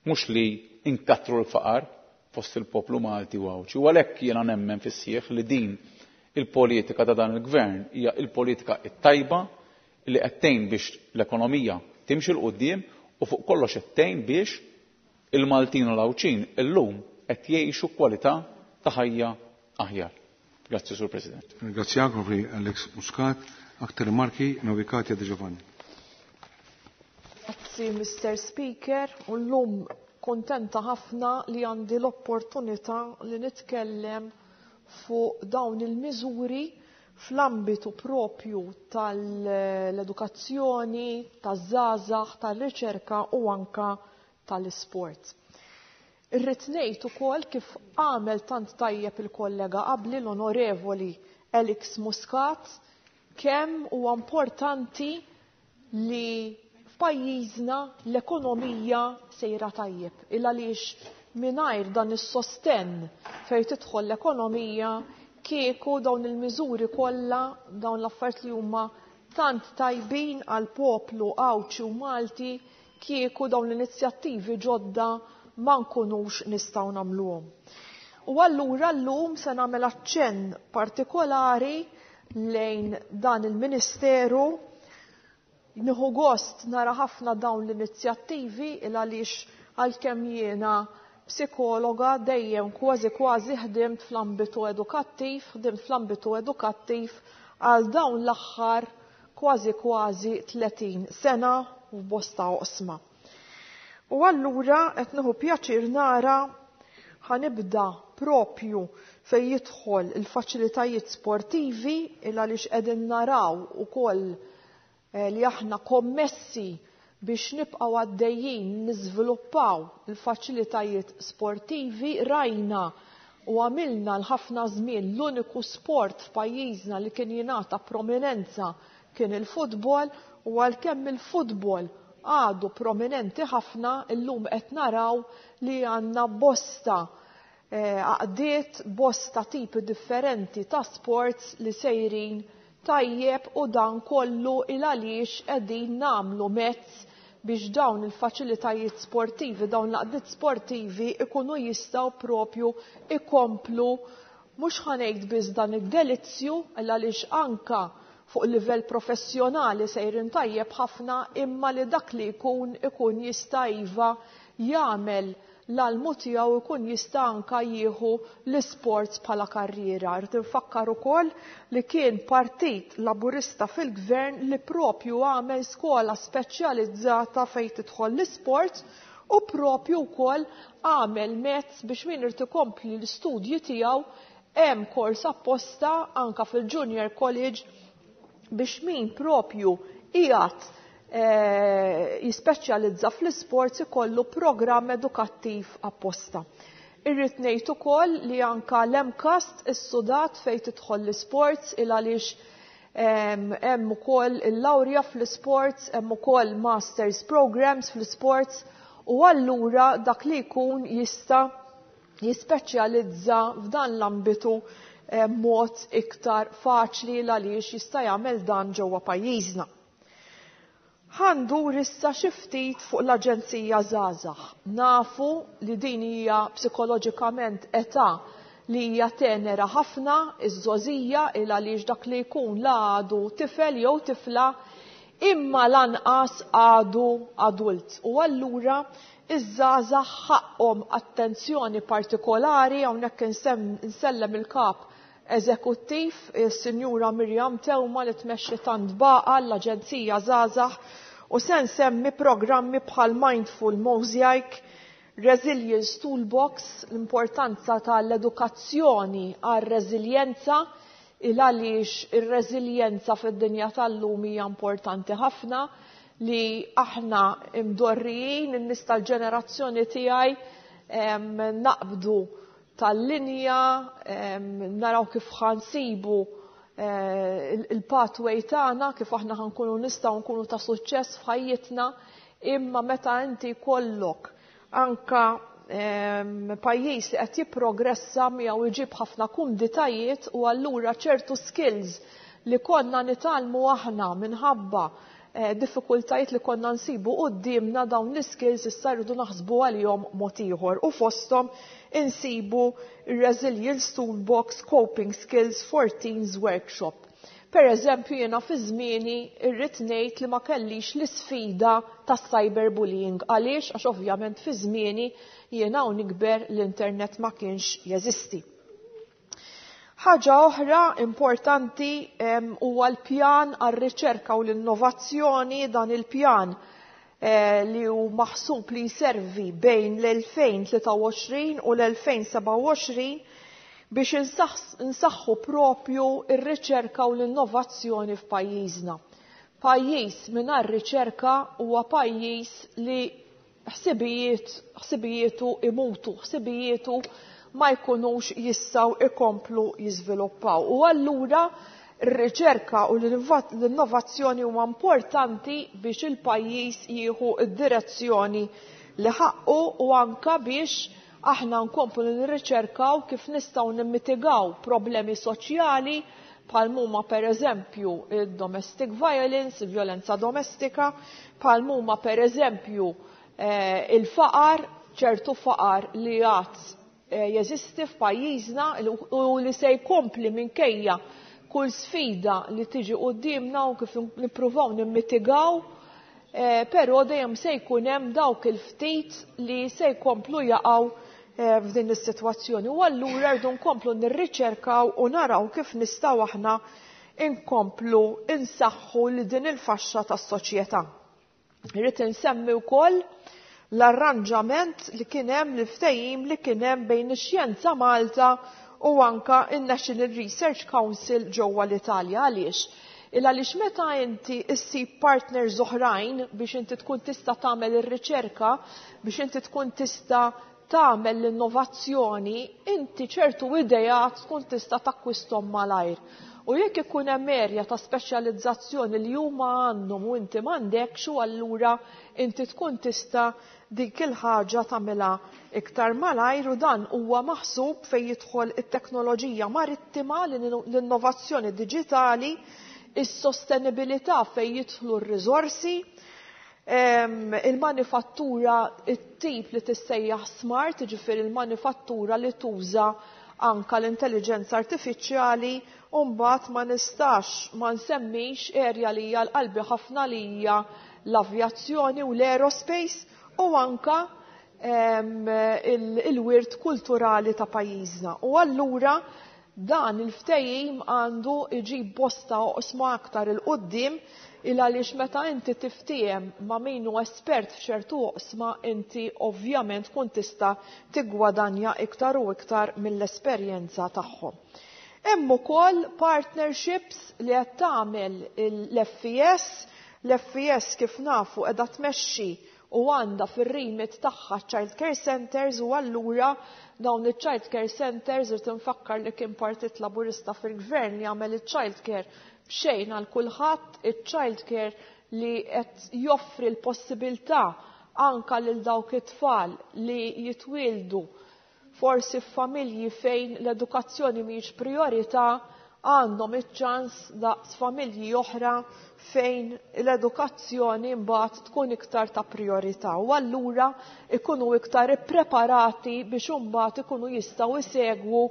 mhux li nkattru l-faqar fost il-poplu Malti u Għawdxi. U għalhekk jiena nemmen fis-sħiħ li din il-politika ta' dan il-Gvern hija l-politika t-tajba li qed tgħin biex l-ekonomija timxi 'l quddiem u fuq kollox qed tgħin biex il-Maltin u l-Għawdxin illum qed jgħixu kwalità ta' ħajja aħjar. Grazzi, Sur President. Ringrazzjak, Onorevoli Alex Muscat. Aktar rimarki, Onorevoli Katia De Giovanni. Grazzi, Mister Speaker, u llum kuntenta ħafna li għandi l-opportunità li nitkellem fuq dawn il-miżuri fl-ambitu propju tal-edukazzjoni, taż-żgħażagħ, tar-riċerka u anka tal-isport. Irrid ngħid ukoll kif għamel tant tajjeb il-kollega qabli l-Onorevoli Alex Muscat kemm huwa importanti li f'pajjiżna l-ekonomija sejra tajjeb. Il għaliex mingħajr dan is-sostenn fejn tidħol l-ekonomija kieku dawn il-miżuri kollha, dawn l-affarijiet li huma tant tajbin għal poplu Għawdxi u Malti, kieku dawn l-inizjattivi ġodda ma nkunux nistgħu nagħmluhom. U allura llum se nagħmel aċċenn partikolari lejn dan il-Ministeru. Nieħu gost nara ħafna dawn l-inizjattivi il għaliex għalkemm jiena psikologa dejjem kważi kważi ħdimt fl-ambitu edukattiv, ħdimt fl-ambitu edukattiv għal dawn l-aħħar kważi kważi 30 sena u f'bosta oqsma. U allura qed nieħu pjaċir nara ħanibda propju fejn jidħol il-faċilitajiet sportivi il għaliex qegħdin naraw ukoll li aħna kommessi biex nibqgħu għaddejjin niżviluppaw il-faċilitajiet sportivi. Rajna u għamilna l-ħafna żmien l-uniku sport f'pajjiżna li kien jingħata prominenza kien il-futbol, u għalkemm il-futbol għadu prominenti ħafna, illum qed naraw li għandna bosta għaqdiet, bosta tipi differenti ta' sports li sejrin tajjeb u dan kollu il għaliex qegħdin nagħmlu mezz biex dawn il-faċilitajiet sportivi, dawn l-għaqdiet sportivi ikunu jistgħu propju ikomplu mhux ħa ngħid biss dan id-delizzju, għaliex anka fuq livell professjonali sejrin tajjeb ħafna, imma li dak li jkun ikun jista' iva jagħmel l-almu tiegħu, ikun jista' anka jieħu l-isports bħala karriera. Rrid infakkar ukoll li kien Partit Laburista fil-Gvern li propju għamel skola speċjalizzata fejn tidħol l-isports u propju wkoll għamel mezz biex min irid ikompli l-istudji tiegħu hemm kors apposta anka fil-Junior College biex min propju qiegħed jispeċjalizza fl-isports ikollu programm edukattiv apposta. Irrid ngħid ukoll li anka l-MCAST is-sudat fejn tidħol l-isports il għaliex hemm ukoll il-lawrja fl-isports, hemm ukoll masters programs fl-isports u allura dak li jkun jista' jispeċjalizza f'dan l-ambitu mod iktar faċli għaliex jista' jagħmel dan ġewwa pajjiżna. Ħa ndur issa xi ftit fuq l-Aġenzija Żgħażagħ. Nafu li din hija psikoloġikament età li hija tenera ħafna, iż-żgħożija, il għaliex dak li jkun la għadu tifel jew tifla imma lanqas għadu adult. U allura iż-żgħażagħ ħaqhom attenzjoni partikolari, hawnhekk insellem il-kap eżekuttiv, is-Sinjura Mirjam Teuma li tmexxi tant baqa l-Aġenzija Żgħażagħ, u se nsemmi programmi bħal Mindful Mosaic, Resilience Toolbox, l-importanza tal-edukazzjoni għar-reżiljenza, il għaliex ir-reżiljenza fid-dinja tal-lum hija importanti ħafna, li aħna imdorrijin, in-nies tal-ġenerazzjoni tiegħi naqbdu tal-linja, naraw kif ħansibu il-pathway tagħna, kif aħna ħankunu nistgħu nkunu ta' suċċess f'ħajjitna, imma meta inti kollok anka pajjiż li qed jipprogressa miegħu jġib ħafna kumditajiet u allura ċertu skills li konna nitgħallmu aħna minħabba diffikultajiet li konna nsibu quddiemna, dawn l-skills issa rridu naħsbu għalihom mod ieħor u fosthom insibu Resilience Toolbox Coping Skills for Teens Workshop. Per eżempju, jiena fi żmieni irrid ngħid li ma kellix l-isfida tas-cyberbullying. Għaliex? Għax ovvjament fi żmieni jiena u nikber l-internet ma kienx jeżisti. Ħaġa oħra importanti huwa l-pjan għar-riċerka u l-innovazzjoni. Dan il-pjan li hu maħsub li jservi bejn l-2023 u l-2027 biex insaħħu propju ir-riċerka u l-innovazzjoni f'pajjiżna. Pajjiż mingħajr riċerka huwa pajjiż li ħsibijietu imutu, ħsibijietu ma jkunux jistgħu ikomplu jiżviluppaw. U allura r-riċerka u l-innovazzjoni huma importanti biex il-pajjiż jieħu d-direzzjoni li ħaqqu u anka biex aħna nkomplu nirriċerkaw kif nistgħu nimmitigaw problemi soċjali bħal huma pereżempju il-domestic violence, il-vjolenza domestika, bħal huma pereżempju il-faqar, ċertu faqar li għad jeżisti f'pajjiżna u li se jkompli minkejja kull sfida li tiġi quddiemna u kif nippruvaw nimmitigaw, però dejjem se jkun hemm dawk il-ftit li se jkomplu jaqgħu f'din is-sitwazzjoni. U allura rridu nkomplu nirriċerkaw u naraw kif nistgħu aħna nkomplu insaħħu li din il-faxxa tas-soċjetà. Irrid insemmi wkoll l-arranġament li kien hemm, l-ftehim li kien hemm bejn ix-Xjenza Malta u anka in-National Research Council ġewwa l-Italja. Għaliex? Il għaliex meta inti issib partners oħrajn biex inti tkun tista' tagħmel ir-riċerka, biex inti tkun tista' tagħmel l-innovazzjoni, inti ċertu idejat tkun tista' takkwisthom malajr. U jekk ikun hemm erja ta' speċjalizzazzjoni li huma għandhom u inti m'għandekx, u allura inti tkun tista' dik il-ħaġa tagħmilha iktar malajr. U dan huwa maħsub fejn jidħol it-teknoloġija marittima, l-innovazzjoni diġitali, is-sostenibilità fejn jidħlu r-riżorsi, il-manifattura, it-tip li tissejjaħ smart, jiġifieri l-manifattura li tuża anka l-intelligenza artifiċjali. U mbagħad ma nistax ma nsemmix erja li hija l-qalbi ħafna, li hija l-avjazzjoni u l-aerospace, u anka il-wirt kulturali ta' pajjiżna. U allura dan il-ftehim għandu iġib bosta oqsma aktar il-qoddim, il għaliex meta inti tiftiehem ma' min hu espert f'ċertu oqsma, inti ovvjament tkun tista' tiggwadanja iktar u iktar mill-esperjenza tagħhom. Hemm ukoll partnerships li qed tagħmel l-FES. L-FES, kif nafu, qiegħda tmexxi u għandha fir-remit tagħha child care centers, u allura dawn il-child care centers, irid infakkar li kien Partit Laburista fil-gvern li għamel il-child care b'xejn għal kulħadd, il-child care li qed joffri l-possibilità anka lil dawk it-tfal li jitwieldu forsi f'familji fejn l-edukazzjoni mhijiex priorità, għandhom iċ-ċans daqs familji oħra fejn l-edukazzjoni mbagħad tkun iktar ta' priorità, u allura ikunu iktar ippreparati biex imbagħad ikunu jistgħu jsegwu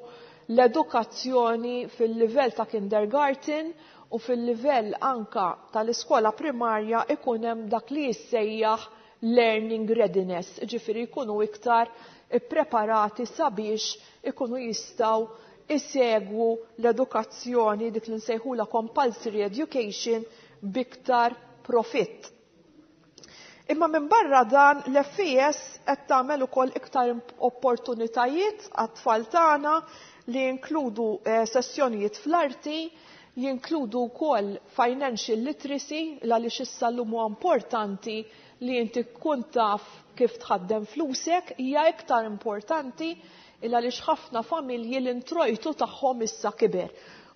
l-edukazzjoni fil-livell ta' kindergarten u fil-livell anka tal-iskola primarja, ikun hemm dak li jissejjaħ learning readiness, ġifieri jkunu iktar ippreparati sabiex ikunu jistgħu isegwu l-edukazzjoni, dik li nsejħula compulsory education, biktar profitt. Imma minn barra dan, l-FES qed tagħmel ukoll iktar opportunitajiet għat-tfal tagħna li jinkludu sessjonijiet fl-arti, jinkludu wkoll financial literacy, għaliex issa llum huwa importanti li inti tkun taf kif tħaddem flusek, hija iktar importanti il għaliex ħafna familji l-introjtu tagħhom issa kiber.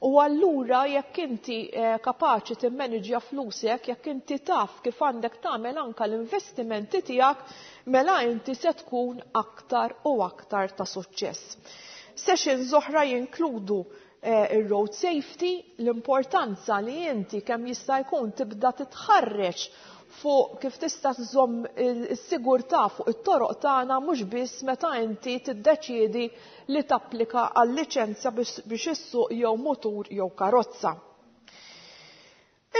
U allura jekk inti kapaċi timmaniġja flusek, jekk inti taf kif għandek tagħmel anka l-investimenti tiegħek, mela inti se tkun aktar u aktar ta' suċċess. Sessions oħra jinkludu ir-road safety, l-importanza li inti kemm jista' jkun tibda titħarreġ fuq kif tista' tżomm is-sigurtà fuq it-toroq tagħna, mhux biss meta inti tiddeċiedi li tapplika għal liċenzja biex issuq jew mutur jew karozza.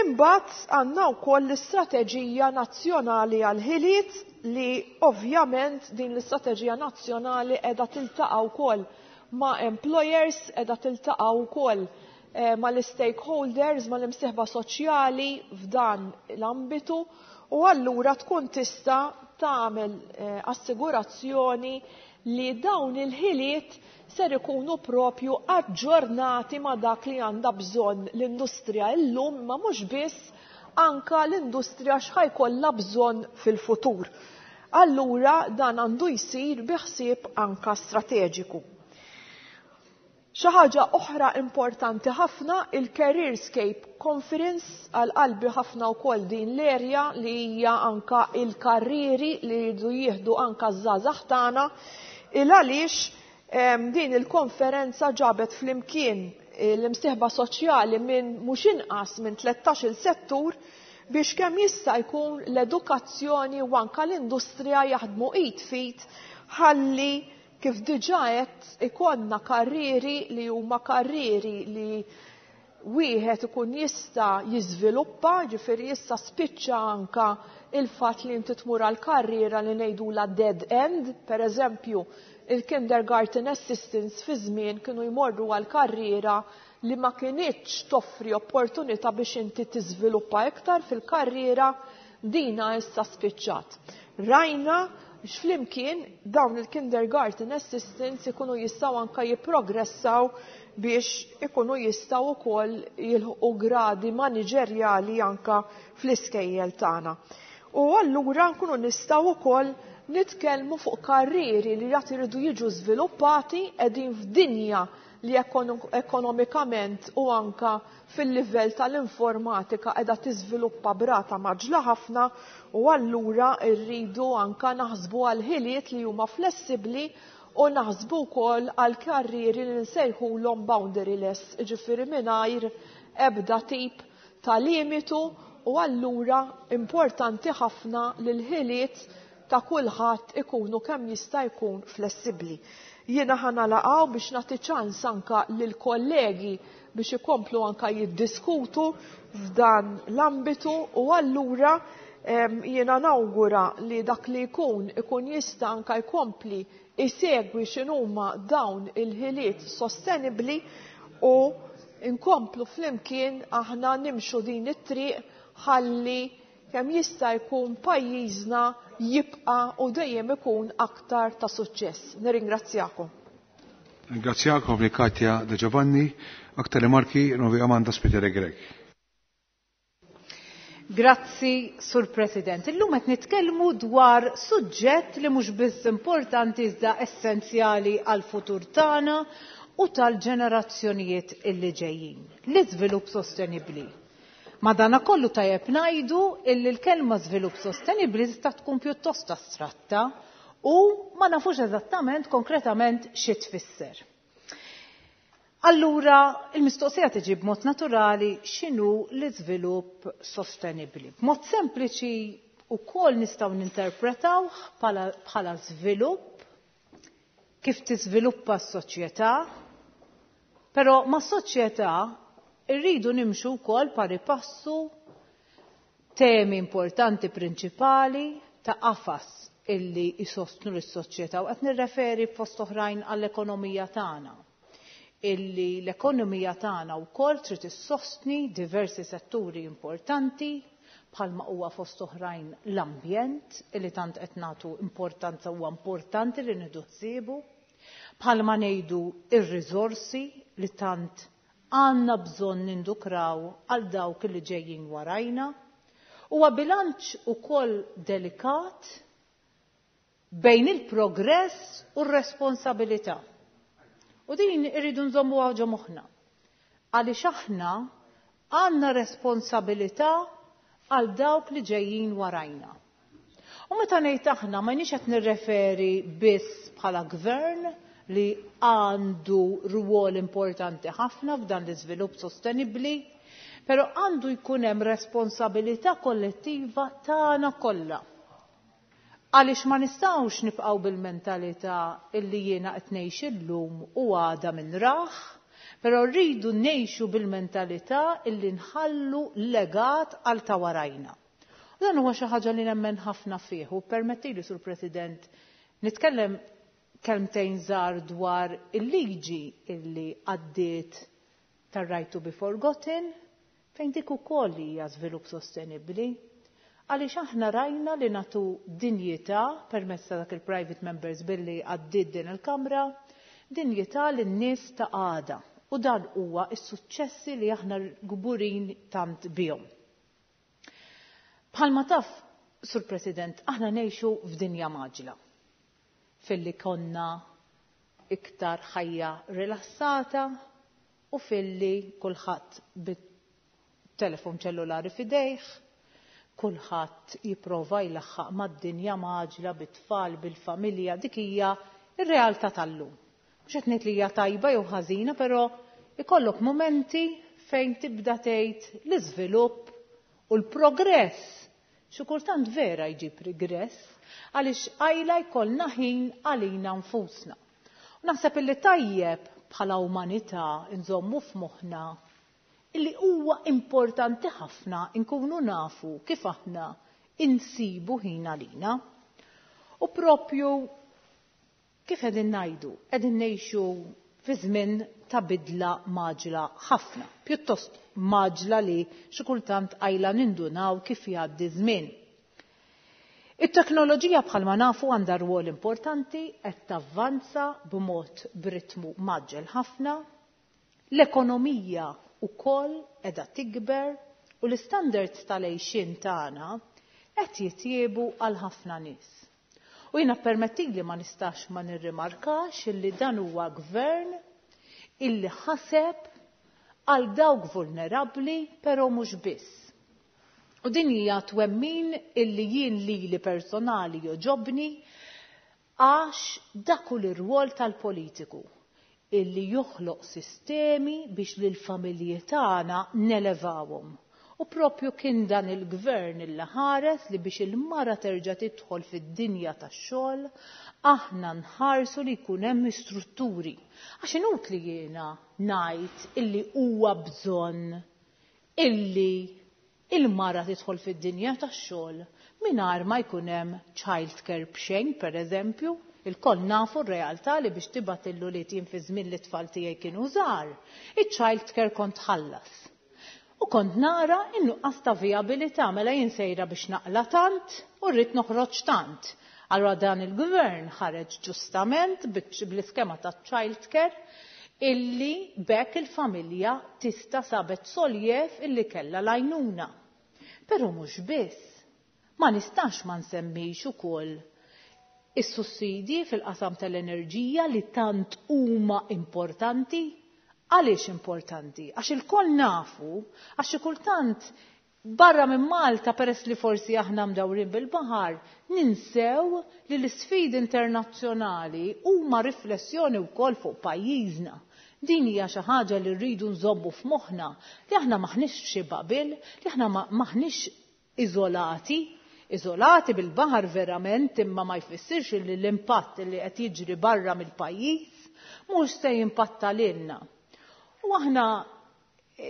Imbagħad għandna wkoll l-Istrateġija Nazzjonali għall-Ħiliet, li ovvjament din l-Istrateġija Nazzjonali qiegħda tiltaqa' wkoll ma' employers, qiegħda tiltaqa' wkoll mal-stakeholders, mal-imsieħba soċjali f'dan l-ambitu, u allura tkun tista' tagħmel assigurazzjoni li dawn il-ħiliet ser ikunu propju aġġornati ma' dak li għandha bżonn l-industrija illum, ma mhux biss, anka l-industrija x'ħajkollha bżonn fil-futur. Allura dan għandu jsir bi ħsieb anka strateġiku. Xi ħaġa oħra importanti ħafna, il-Careerscape Conference, għal qalbi ħafna wkoll din l-erja li hija anka il-karrieri li jridu jieħdu anka ż-żgħażagħ tagħna, il għaliex din il-konferenza ġabet flimkien l-imsieħba soċjali minn mhux inqas minn 13-il settur biex kemm jista' jkun l-edukazzjoni u anka l-industrija jaħdmu id f'id, ħalli kif diġà qed ikollna karrieri li huma karrieri li wieħed ikun jista' jiżviluppa, ġifieri issa spiċċa anka il-fatt li inti tmur għal karriera li ngħidula dead end. Per eżempju, il-kindergarten assistants fi żmien kienu jmorru għal karriera li ma kinitx toffri opportunità biex inti tiżviluppa iktar fil-karriera, dina issa spiċċat. Rajna x'flimkien dawn il-kindergarten assistants ikunu jistgħu anka jipprogressaw biex ikunu jistgħu wkoll jilħqu gradi maniġerjali anka fl-iskejjel tagħna. U allura nkunu nistgħu wkoll nitkellmu fuq karrieri li jrid iridu jiġu żviluppati, qegħdin f'dinja li ekonomikament u anka fil-livell tal-informatika qiegħda tiżviluppa b'rata mgħaġġla ħafna u allura rridu anka naħsbu għal ħiliet li huma flessibbli u naħsbu wkoll għal karrieri li nsejħulhom boundaryless, jiġifieri mingħajr ebda tip ta' limitu u allura importanti ħafna li l-ħiliet ta' kulħadd ikunu kemm jista' jkun flessibbli. Jiena ħa nagħlaq hawn biex nagħti ċans anka lill-kollegi biex ikomplu anka jiddiskutu f'dan l-ambitu u allura jiena nawgura li dak li jkun ikun jista' anka jkompli isegwi x'inhuma dawn il-ħiliet sostenibbli u nkomplu flimkien aħna nimxu din it-triq ħalli kemm jista' jkun pajjiżna jibqa' u dejjem ikun aktar ta' suċċess. Nirringrazzjakom. Ringrazzjakom li Katja De Giovanni, aktar rimarki Novi Amanda Spiteri Grech. Grazzi, Sur President. Illum qed nitkellmu dwar suġġett li mhux biss importanti iżda essenzjali għall-futur tagħna u tal-ġenerazzjonijiet illi ġejjin, l-iżvilupp sostenibbli. Madanakollu tajjeb ngħidu illi l-kelma żvilupp sostenibbli tista' tkun pjuttost astratta u ma nafux eżattament konkretament xi tfisser. Allura, il-mistoqsija tiġi b'mod naturali x'inhu l-iżvilupp sostenibbli. B'mod sempliċi wkoll nistgħu ninterpretawh bħala żvilupp kif tiżviluppa s-soċjetà, però mas-soċjetà irridu nimxu wkoll pari passu temi importanti prinċipali ta' qafas illi jsostnu lis-soċjetà u qed nirreferi fost oħrajn għall-ekonomija tagħna. Illi l-ekonomija tagħna wkoll trid issostni diversi setturi importanti bħalma huwa fost oħrajn l-ambjent illi tant qed nagħtu importanza huwa importanti li nieħdu ħsiebu, bħalma ngħidu ir-riżorsi li tant għandna bżonn nindukraw għal dawk li ġejjin warajna. Huwa bilanċ ukoll delikat bejn il-progress u r-responsabilità. U din irridu nżommuha ġo moħħna. Għaliex aħna għandna responsabilità għal dawk li ġejjin warajna. U meta ngħid aħna ma jiniex qed nirreferi biss bħala gvern li għandu rwol importanti ħafna f'dan l-iżvilupp sostenibbli, però għandu jkun hemm responsabilità kollettiva tagħna kollha. Għaliex ma nistgħux nibqgħu bil-mentalità illi jiena qed ngħix illum u għada minn raħ, però rridu ngħixu bil-mentalità illi nħallu legat għal ta' warajna. U dan huwa xi ħaġa li nemmen ħafna fih u permettili Sur President nitkellem kelmtejn żgħar dwar il-liġi illi għaddiet tar-right to be forgotten fejn dik ukoll hija żvilupp sostenibbli. Għaliex aħna rajna li nagħtu dinjità permezz ta' dak il-private members billi għaddiet din il-Kamra, dinjità lin-nies ta' għada. U dan huwa s-suċċessi li aħna kburin tant bihom. Bħalma taf, Sur President, aħna ngħixu f'dinja mgħaġġla. Filli konna iktar ħajja rilassata u filli kulħadd bit-telefon ċellulari f'idejh, kulħadd jipprova jlaħħaq mad-dinja mgħaġġla bit-tfal, bil-familja, dik hija r-realtà tal-lum. Mhux qed ngħid li hija tajba jew ħażina, però ikollok mumenti fejn tibda tgħid l-iżvilupp u l-progress xi kultant vera jġib rigress għaliex qajla jkollna ħin għalina nfusna. U naħseb illi tajjeb bħala umanità nżommu f'moħħna illi huwa importanti ħafna nkunu nafu kif aħna insibu ħin għalina. U propju kif qegħdin ngħidu, qegħdin ngħixu fi żmien ta' bidla mgħaġġla ħafna, pjuttost mgħaġġla li xi kultant qajla nindunaw kif jgħaddi żmien. It-teknoloġija bħalma nafu għandha rwol importanti, qed tavvanza b'mod b'ritmu mgħaġġel ħafna, l-ekonomija wkoll qiegħda tikber u l-istandards tal-għixien tagħna qed jitjiebu għal ħafna nies. U jiena permettili ma nistax ma nirrimarkax illi dan huwa gvern illi ħaseb għal dawk vulnerabbli però mhux biss. U din hija twemmin illi jien lili personali jogħġobni għax dak hu l-irwol tal-politiku illi joħloq sistemi biex lill-familji tagħna nelevawhom. U propju kien dan il-gvern illi ħares li biex il-mara terġa' tidħol fid-dinja tax-xogħol, aħna nħarsu li jkun hemm strutturi. Għax inutli jiena ngħid illi huwa bżonn illi il-mara tidħol fid-dinja tax-xogħol mingħajr ma jkun hemm child care b'xejn, pereżempju. Ilkoll nafu r-realtà li biex tibgħat lill-ulied jien fi żmien li t-tfal tiegħi kienu żgħar, iċ-child care kont tħallas. U kont nara n-nuqqas ta' vijabilità, mela jien sejra biex naqla' tant u rrid noħroġ tant. Allura dan il-gvern ħareġ ġustament bl-iskema taċ-child care illi b'hekk il-familja tista' sabet soljev illi kellha l-għajnuna. Però mhux biss. Ma nistax ma nsemmix ukoll is-sussidji fil-qasam tal-enerġija li tant huma importanti. Għaliex importanti? Għax ilkoll nafu, għax xi kultant barra minn Malta peress li forsi aħna mdawrin bil-baħar, ninsew li l-isfidi internazzjonali huma riflessjoni wkoll fuq pajjiżna. Din hija xi ħaġa li rridu nżommu f'moħħna li aħna m'aħniex f'xi bubble, li aħna m'aħniex iżolati, iżolati bil-baħar verament imma ma jfissirx li l-impatt li qed jiġri barra mill-pajjiż mhux se jimpatta lilna. U aħna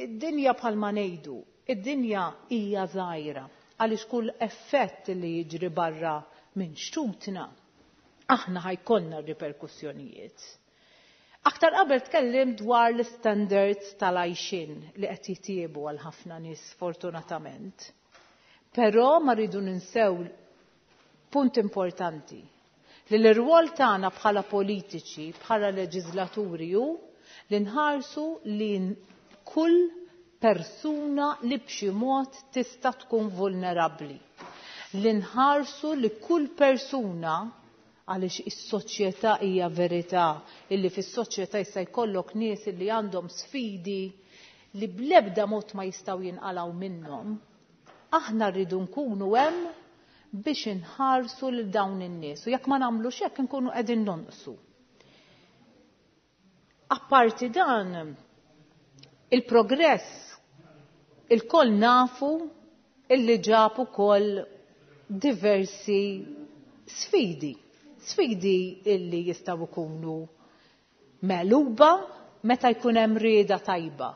id-dinja bħalma ngħidu, id-dinja hija żgħira għaliex kull effett li jiġri barra minn xtutna aħna ħa jkollna r-riperkussjonijiet. Aktar qabel tkellimt dwar l-istandards tal-għajxien li qed jitjiebu għal ħafna nies fortunatament. Però ma rridu ninsew punt importanti li l-irwol tagħna bħala politiċi, bħala leġislaturi hu li nħarsu li kull persuna li b'xi mod tista' tkun vulnerabbli. Li nħarsu li kull persuna għaliex is-soċjetà hija verità illi fis-soċjetà jista' jkollok nies illi għandhom sfidi li bl-ebda mod ma jistgħu jinqalgħu minnhom. Aħna rridu nkunu hemm biex inħarsu lil dawn in-nies u jekk ma nagħmlux hekk inkunu qegħdin nonqsu. Apparti dan, il-progress ilkoll nafu illi ġab ukoll diversi sfidi. Sfidi illi jistgħu jkunu megħluba meta jkun hemm rieda tajba,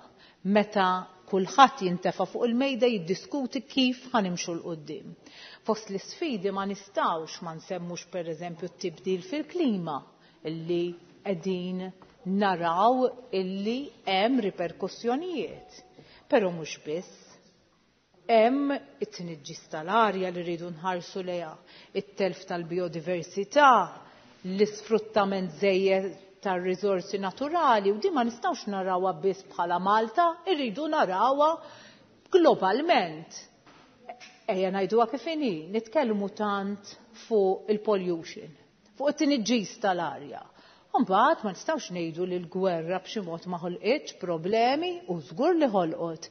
meta kulħadd jintefa' fuq il-mejda jiddiskuti kif ħa nimxu 'l quddiem. Fost l-isfidi ma nistgħux ma nsemmux pereżempju t-tibdil fil-klima illi qegħdin naraw illi hemm riperkussjonijiet. Però mhux biss. Hemm it-tniġġis tal-arja li rridu nħarsu lejha, it-telf tal-bijodiversità, l-isfruttament żejjed tar-riżorsi naturali u din ma nistgħux narawha biss bħala Malta, irridu narawha globalment. Ejja ngħiduha kif inhi, nitkellmu tant fuq il-pollution, fuq it-tniġġis tal-arja. Mbagħad ma nistgħux ngħidu li l-gwerra b'xi mod ma ħolqitx problemi u żgur li ħolqot.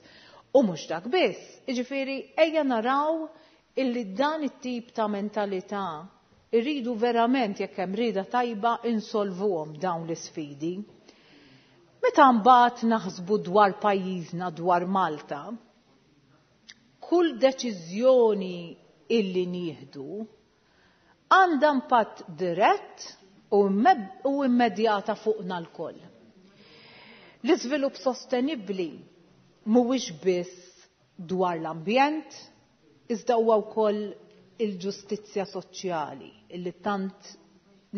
U mhux dak biss, jiġifieri ejja naraw illi dan it-tip ta' mentalità irridu verament jekk hemm rieda tajba insolvuhom dawn l-isfidi. Meta mbagħad naħsbu dwar pajjiżna dwar Malta, kull deċiżjoni illi nieħdu għandha impatt dirett u immedjata fuqna lkoll. L-iżvilupp sostenibbli mhuwiex biss dwar l-ambjent, iżda huwa wkoll il-ġustizzja soċjali illi tant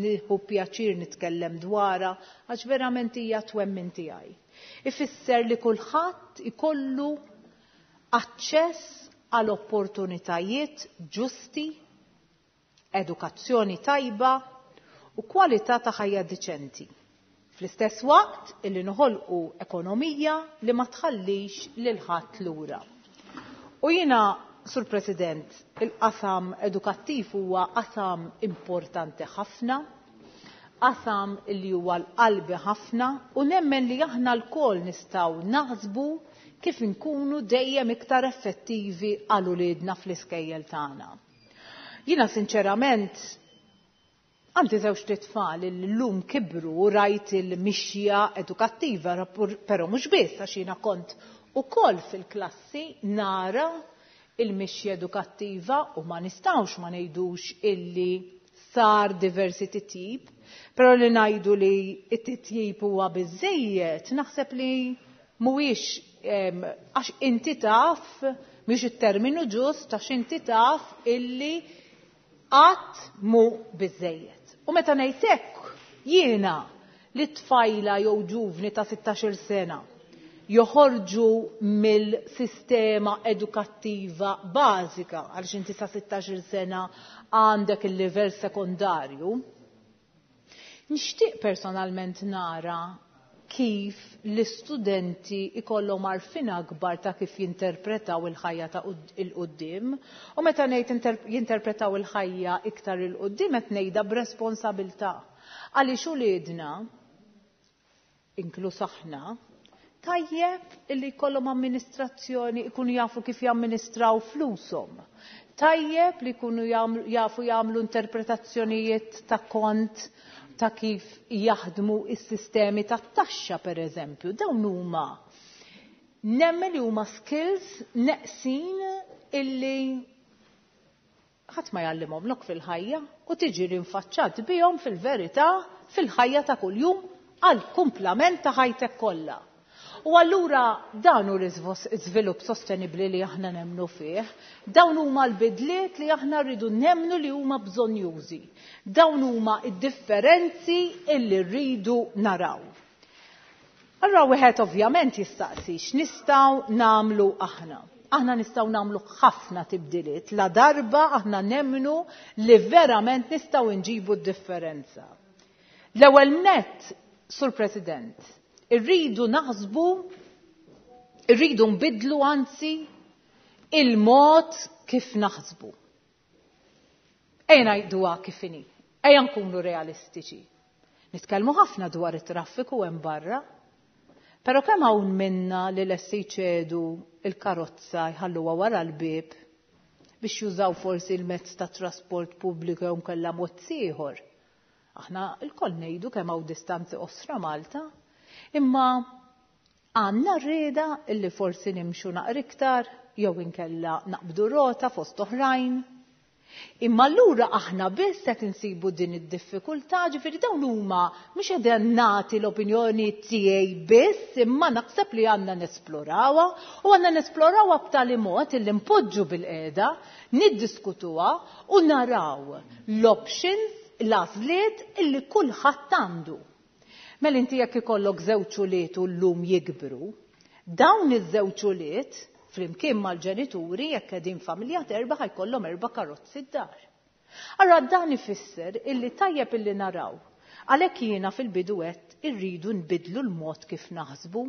nieħu pjaċir nitkellem dwarha għax verament hija twemmin tiegħi. Ifisser li kulħadd ikollu aċċess għal opportunitajiet ġusti, edukazzjoni tajba u kwalità ta' ħajja diċenti. Fl-istess waqt illi noħolqu ekonomija li ma tħallix lil ħadd lura. U jiena, Sur President, il-qasam edukattiv huwa qasam importanti ħafna. Qasam li huwa l-qalbi ħafna u nemmen li aħna lkoll nistgħu naħsbu kif inkunu dejjem iktar effettivi għal uliedna fl-iskejjel tagħna. Jiena sinċerament għandi żewġt itfal li llum kibru u rajt il-mixja edukattiva, però mhux biss għax jiena kont ukoll fil-klassi nara il-mixja edukattiva u ma nistgħux ma ngħidux illi sar diversi titjib, però li ngħidu li t-titjib huwa biżżejjed naħseb li mhuwiex għax inti taf mhix it-terminu ġust għax inti taf illi qatt mhu biżżejjed. U meta ngħid hekk jiena li tfajla jew ġuvni ta' 16-il sena joħorġu mill-sistema edukattiva bażika għaliex inti sa 16-il sena għandek il-livell sekondarju. Nixtieq personalment nara kif l-istudenti ikollhom għarfien akbar ta' kif jinterpretaw il-ħajja ta' 'il quddiem. U meta ngħid jinterpretaw il-ħajja iktar 'il quddiem qed ngħidha b'responsabilità. Għaliex uliedna, inkluż aħna, tajjeb illi jkollhom amministrazzjoni, ikunu jafu kif jamministraw flushom. Tajjeb li jkunu jafu jagħmlu interpretazzjonijiet ta' kont ta' kif jaħdmu s-sistemi tat-taxxa pereżempju. Dawn huma nemmen li huma skills neqsin illi ħadd ma jgħallimhomlok fil-ħajja u tiġi rinfaċċat bihom fil-verità fil-ħajja ta' kuljum għall-kumplament ta' ħajtek kollha. U allura dan hu l-iżvilupp sostenibbli li aħna nemmnu fih, dawn huma l-bidliet li aħna rridu nemmnu li huma bżonnjużi. Dawn huma d-differenzi illi rridu naraw. Allura wieħed ovvjament jistaqsi x'nistgħu nagħmlu aħna. Aħna nistgħu nagħmlu ħafna tibdiliet la darba aħna nemmnu li verament nistgħu nġibu d-differenza. L-ewwel nett, Sur President, irridu naħsbu, irridu nbiddlu anzi il-mod kif naħsbu. Ejja ngħiduha kif inhi, ejja nkunu realistiċi. Nitkellmu ħafna dwar it-traffiku hemm barra, però kemm hawn minna li lesti jċedu l-karozza jħalluha wara l-bieb biex jużaw forsi l-mezz ta' trasport pubbliku jew nkella mod ieħor. Aħna lkoll ngħidu kemm hawn distanzi qosra Malta, imma għandna r-rieda illi forsi nimxu naqra iktar jew inkella naqbdu rota fost oħrajn. Imma allura aħna biss qed insibu din id-diffikultà, ġifieri dawn huma mhux qegħdin nagħti l-opinjoni tiegħi biss, imma naħseb li għandna nesplorawha u għandna nesplorawha b'tali mod illi npoġġu bilqiegħda, niddiskutuha u naraw l-options, l-għażliet illi kulħadd għandu. Mela inti jekk ikollok żewġ ulied u llum jikbru, dawn iż-żewġ ulied flimkien mal-ġenituri jekk qegħdin familja t'erba' ħa jkollhom erba' karozzi d-dar. Allura dan ifisser illi tajjeb illi naraw. Għalhekk jiena fil-bidu għedt irridu nbiddlu l-mod kif naħsbu.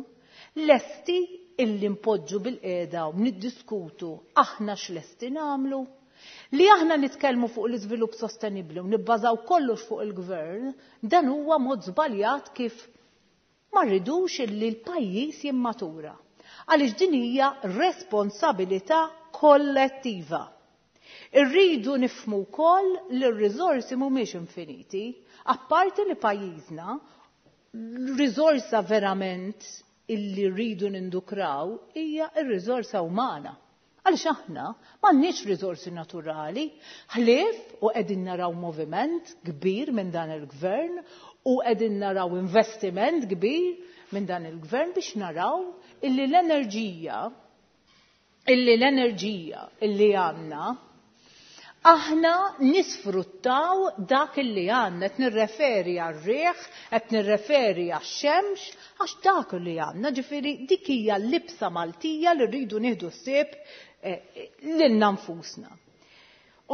Lesti illi npoġġu bilqiegħda u niddiskutu aħna x'lesti nagħmlu? Li aħna nitkellmu fuq l-iżvilupp sostenibbli u nibbażaw kollox fuq il-gvern, dan huwa mod żbaljat kif ma rridux illi l-pajjiż jimmatura. Għaliex din hija responsabilità kollettiva. Irridu nifhmu wkoll li r-riżorsi mhumiex infiniti, apparti li pajjiżna riżorsa verament illi rridu nindukraw hija r-riżorsa umana. Għaliex aħna m'għandniex riżorsi naturali, ħlief u qegħdin naraw moviment kbir minn dan il-gvern u qegħdin naraw investiment kbir minn dan il-gvern biex naraw illi l-enerġija illi l-enerġija illi għandna aħna nisfruttaw dak illi għandna, qed nirreferi għar-riħ, qed nirreferi għax-xemx, għax dak li għandna, ġifieri dik hija l-libsa Maltija li rridu nieħdu ħsieb eh, lilna nfusna.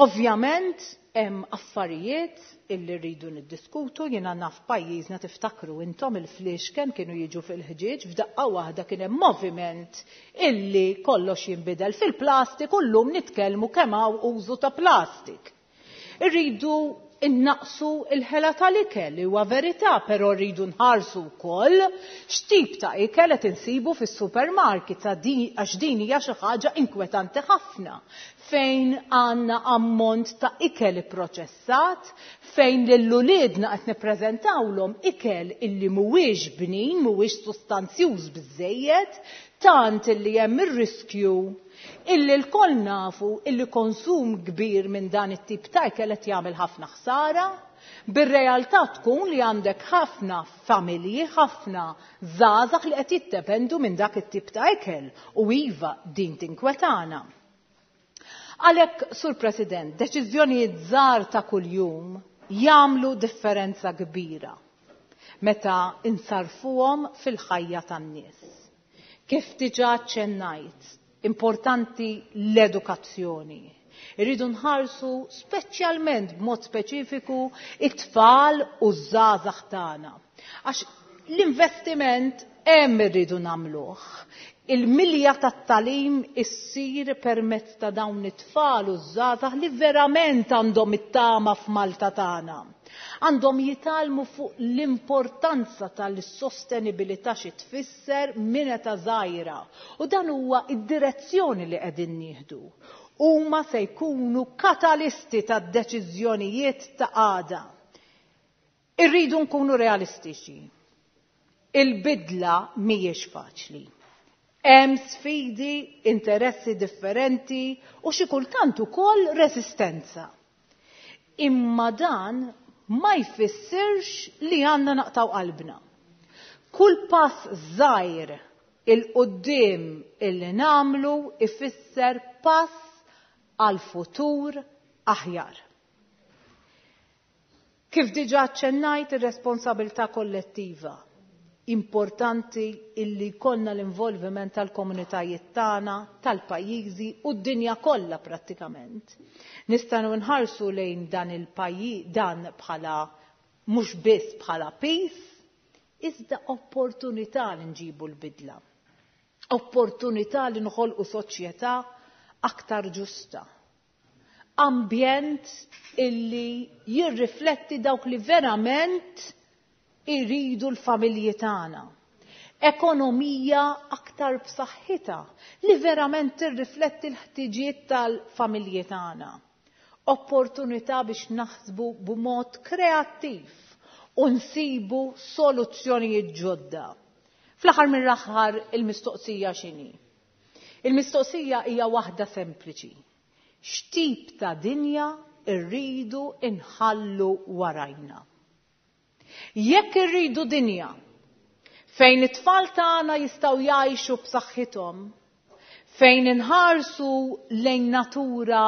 Ovvjament hemm affarijiet illi rridu niddiskutu, jiena naf pajjiżna tiftakru intom il-fliexken kienu jiġu fil-ħġieġ f'daqqa waħda kien hemm moviment illi kollox jinbidel fil-plastik u llum nitkellmu kemm hawn użu ta' plastik. Irridu Innaqsu il-ħela tal-ikel li huwa verità, però rridu nħarsu wkoll x'tip ta' ikel qed insibu fis-supermarket għax din hija xi ħaġa inkwetanti ħafna fejn għandna ammont ta' ikel ipproċessat, fejn lil uliedna qed nippreżentawlhom ikel illi mhuwiex bnin, mhuwiex sustanzjuż biżżejjed, tant illi hemm ir-riskju illi lkoll nafu illi konsum kbir minn dan it-tip ta' ikel qed jagħmel ħafna ħsara, bir-realtà tkun li għandek ħafna familji, ħafna żgħażagħ li qed jiddependu minn dak it-tip ta' ikel u iva din tinkwetana. Għalhekk, Sur President, deċiżjonijiet żgħar ta' kuljum jagħmlu differenza kbira meta insarfuhom fil-ħajja tan-nies. Kif diġà aċċennajt, importanti l-edukazzjoni. Irridu nħarsu speċjalment b'mod speċifiku it-tfal u ż-żgħażagħ tagħna. Għax l-investiment hemm irridu nagħmluh. Il-milja tat-tagħlim issir permezz ta' dawn it-tfal u ż-żgħażagħ li verament għandhom it-tama f'Malta tagħna. Għandhom jitgħallmu fuq l-importanza tal-sostenibilità xi tfisser minn età żgħira. U dan huwa id-direzzjoni li qegħdin nieħdu. Huma se jkunu katalisti tad-deċiżjonijiet ta' għada. Irridu nkunu realistiċi. Il-bidla mhijiex faċli. Hemm sfidi, interessi differenti u xi kultant ukoll resistenza. Imma dan ma jfissirx li għandna naqtaw qalbna. Kull pass żgħir 'il quddiem illi nagħmlu ifisser pass għal futur aħjar. Kif diġà aċċennajt ir-responsabilità kollettiva. Importanti illi jkollna l-involviment tal-komunitajiet tagħna, tal-pajjiżi u d-dinja kollha prattikament. Nistgħu nħarsu lejn dan il-pajjiż dan bħala mhux biss bħala piż, iżda opportunità li nġibu l-bidla. Opportunità li nħolqu soċjetà aktar ġusta. Ambjent illi jirrifletti dawk li verament iridu l-familji tagħna. Ekonomija aktar b'saħħitha li verament tirrifletti l-ħtiġijiet tal-familji tagħna. Opportunità biex naħsbu b'mod kreattiv u nsibu soluzzjonijiet ġodda. Fl-aħħar mill-aħħar il-mistoqsija x'inhi? Il-mistoqsija hija waħda sempliċi. X'tip ta' dinja rridu nħallu warajna? Jekk irridu dinja fejn it-tfal tagħna jistgħu jgħixu b'saħħithom, fejn inħarsu lejn natura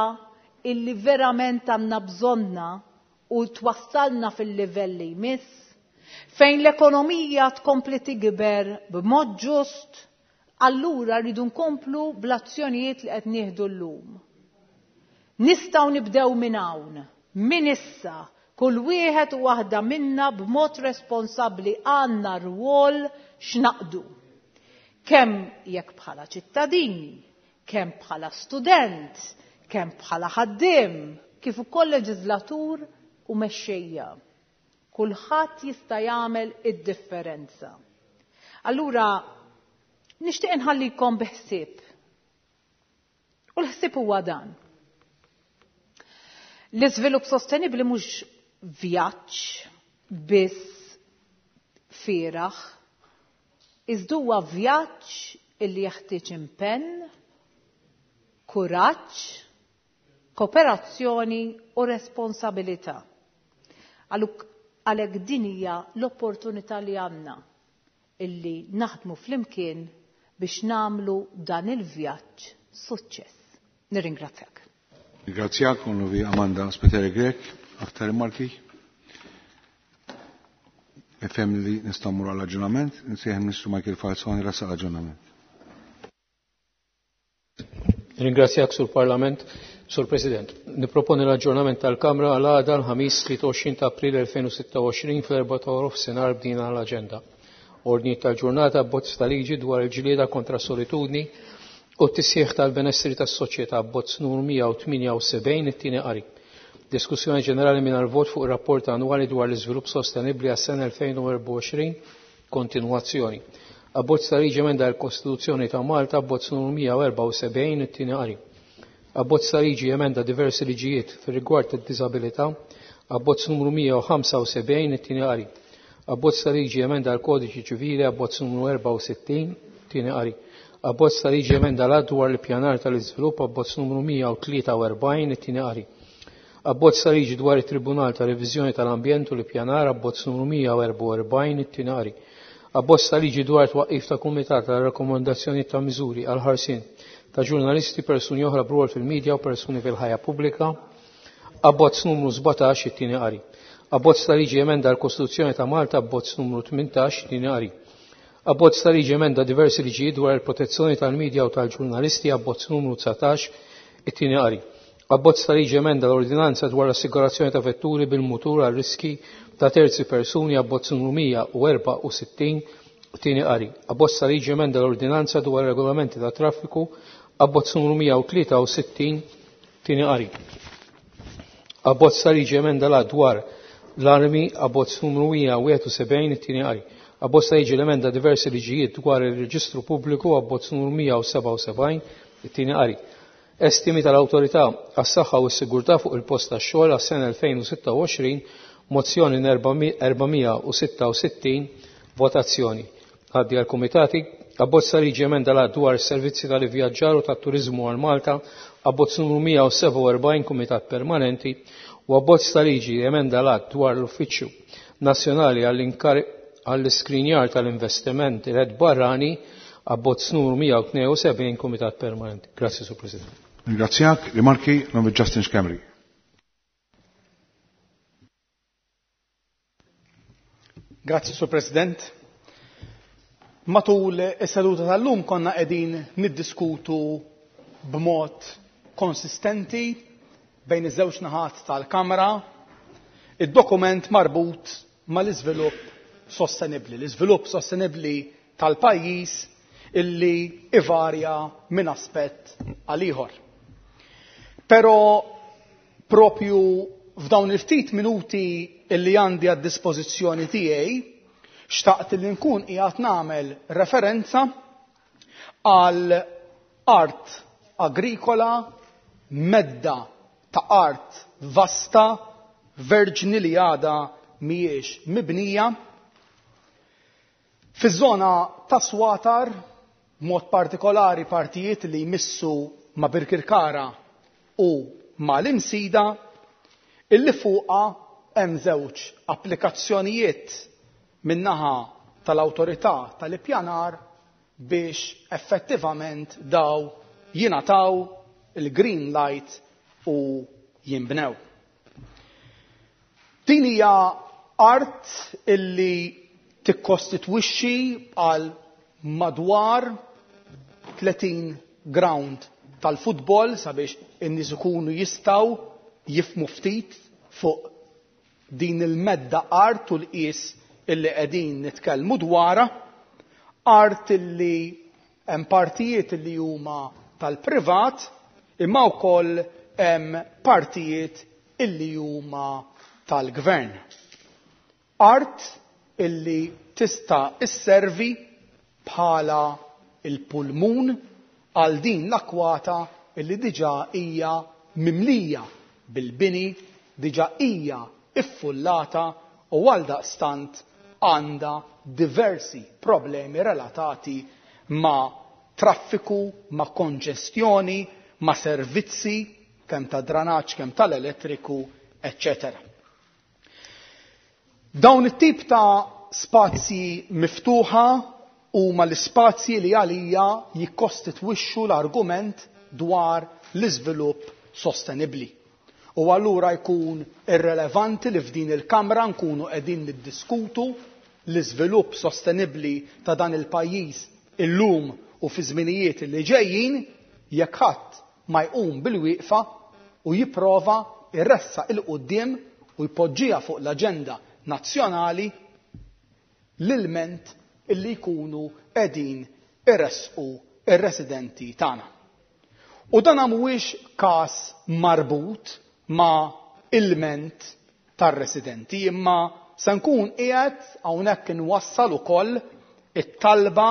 illi verament għandna bżonna u twassalna fil-livell li jmiss, fejn l-ekonomija tkompli tikber b'mod ġust, allura rridu nkomplu bl-azzjonijiet li qed nieħdu llum. Nistgħu nibdew minn hawn, minn issa, kull wieħed u waħda minna b'mod responsabbli għandna rwol x'naqdu. Kemm jekk bħala ċittadini, kemm bħala student, kemm bħala ħaddiem, kif ukoll leġislatur u mexxejja. Kulħadd jista' jagħmel id-differenza. Allura nixtieq inħallikom bi ħsieb. U l-ħsieb huwa dan. L-iżvilupp sostenibbli mhux vjaġġ biss fieragħ, iżda huwa vjaġġ illi jeħtieġ impenn, kuraġġ, kooperazzjoni u responsabilità. Għalhekk din hija l-opportunità li għandna illi naħdmu flimkien biex nagħmlu dan il-vjaġġ suċċess. Nirringrazzjak. Ringrazzjak, Onorevoli Amanda Spiteri Grech. Aktar rimarki? Nifhem li nistgħu mmur għall aġġornament, nsejjaħ Ministru Michael Falzoni ressaq l-aġġornament. Ringrazzjak sur Parlament, Sur President. Niproponi l-aġġornament tal-Kamra għal għada l-ħamis 23 ta' April 2026 fl-4 ta' nofsinhar bdina l-aġenda. Ordni tal-ġurnata bozz ta' liġi dwar il-ġlieda kontra solitudni u t-tisħiħ tal-benessri tas-soċjetà bozz numru 178 it-tieni qari. Diskussjoni ġenerali mingħajr vot fuq ir-rapport annwali dwar l-iżvilupp sostenibbli għas-sena 2024, kontinwazzjoni. Abbozz ta' liġi emenda l-Kostituzzjoni ta' Malta, abbozz numru 174, it-tieni qari. Abbozz ta' liġi emenda diversi liġijiet fir-rigward tad-diżabilità, abbozz numru 175, it-tieni qari. Abbozz ta' liġi emenda l-Kodiċi Ċivili, abbozz numru 64, tieni qari. Abbozz ta' liġi emenda l-att dwar l-ippjanar tal-iżvilupp, abbozz numru 143, it-tieni qari. Abbozz ta' liġi dwar it-Tribunal ta' Reviżjoni tal-Ambjent u l-Ippjanar, abbozz numru 144, it-tieni qari. Abbozz ta' liġi dwar twaqqif ta' Kumitat għal rakkomandazzjonijiet ta' miżuri għal ħarsien ta' ġurnalisti, persuni oħra b'rwol fil-medja u persuni fil-ħajja pubblika, abbozz numru 17, it-tieni qari. Abbozz ta' liġi emenda l-Kostituzzjoni ta' Malta, abbozz numru 18, tieni qari. Abbozz ta' liġi emenda diversi liġijiet dwar il-protezzjoni tal-medja u tal-ġurnalisti, abbozz numru 19, it-tieni qari. Abbozz ta' liġi emenda l-ordinanza dwar l-assigurazzjoni ta' vetturi bil-mutur għal riski ta' terzi persuni, abbozz numru 164, tieni qari. Abbozz ta' liġi emenda l-ordinanza dwar regolamenti ta' traffiku, abbozz numru 163, tieni qari. Abbozz ta' liġi emenda la dwar l-armi, abbozz numru 171, it-tieni qari. Abbozz ta' liġi l-emenda diversi liġijiet dwar il-reġistru pubbliku, abbozz numru 177, it-tieni qari. Estimi tal-Awtorità għas-Saħħa u s-Sigurtà fuq il-post tax-xogħol għas-sena 2026, mozzjoni 466, votazzjoni. Għaddi għal-Kumitati, abbozz ta' liġi emenda l dwar is-servizzi tal-ivvjaġġar u tat-turiżmu għal Malta, abbozz numru 147, Kumitat Permanenti, u abbozz ta' liġi emenda l dwar l-Uffiċċju Nazzjonali għall-Iskrinjar tal-Investiment Red Barrani, abbozz numru 172, Kumitat Permanenti. Grazie, Sur President. Ringrazzjak, rimarki, nome Justin Schembri. Grazzi, Sur President. Matul is-seduta tal-lum konna qegħdin niddiskutu b'mod konsistenti bejn iż-żewġ naħat tal-Kamra id-dokument marbut mal-iżvilupp sostenibbli, l-iżvilupp sostenibbli tal-pajjiż illi ivarja minn aspett għal ieħor. Però propju f'dawn il-ftit minuti illi għandi għad dispożizzjoni tiegħi xtaqt li nkun qiegħed nagħmel referenza għal art agrikola, medda ta' art vasta, verġni li għada mhijiex mibnija, fiż-żona ta' Swatar, mod partikolari partijiet li jmissu ma' Birkirkara u ma' l-Imsida, illi fuqha hemm żewġ applikazzjonijiet min-naħa tal-awtorità tal-ippjanar biex effettivament daw jingħataw il-green light u jinbnew. Din hija art illi tikkostitwixxi għal madwar 30 ground tal-futbol sabiex in-nies ikunu jistgħu jifhmu ftit fuq din il-medda art u l-qies illi qegħdin nitkellmu dwarha, art illi hemm partijiet illi huma tal-privat imma wkoll hemm partijiet illi huma tal-gvern. Art illi tista' isservi bħala il-pulmun għal din l-akwata illi diġà hija mimlija bil-bini, diġà hija iffullata u għal daqstant għandha diversi problemi relatati ma' traffiku, ma' konġestjoni, ma' servizzi, kemm ta' dranaġġ, kemm tal-elettriku, eccetera. Dawn it-tip ta' spazji miftuħa huma l-ispazji li għalija jikkostitwixxu l-argument dwar l-iżvilupp sostenibbli. U allura jkun irrelevanti li f'din il-Kamra nkunu qegħdin niddiskutu l-iżvilupp sostenibbli ta' dan il-pajjiż illum u fi żminijiet li ġejjin jekk ħadd ma jqum bil-wieqfa u jipprova jressaq il quddiem u jpoġġiha fuq l-aġenda nazzjonali l-ilment illi jkunu qegħdin iressqu ir-residenti tagħna. U dan mhuwiex każ marbut ma' ilment tar-residenti, imma se nkun qiegħed hawnhekk inwassal ukoll it-talba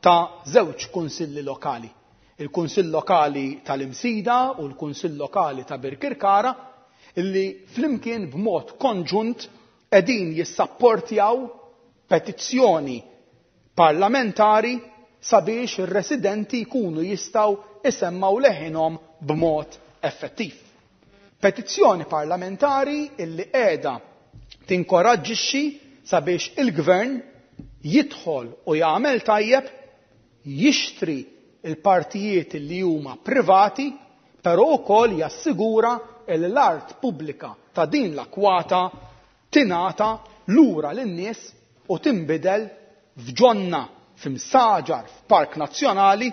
ta' żewġ kunsilli lokali. Il-Kunsill Lokali tal-Imsida u l-Kunsill Lokali ta' Birkirkara illi flimkien b'mod konġunt qegħdin jissapportjaw petizzjoni parlamentari sabiex ir-residenti jkunu jistgħu isemmgħu leħinhom b'mod effettiv. Petizzjoni parlamentari illi qiegħda tinkoraġġixxi sabiex il-Gvern jidħol u jagħmel tajjeb jixtri l-partijiet li huma privati, però wkoll jassigura li l-art pubblika ta' din l-akwata tingħata lura lin-nies u tinbidel f'ġonna, f'imsaġar, f'park nazzjonali,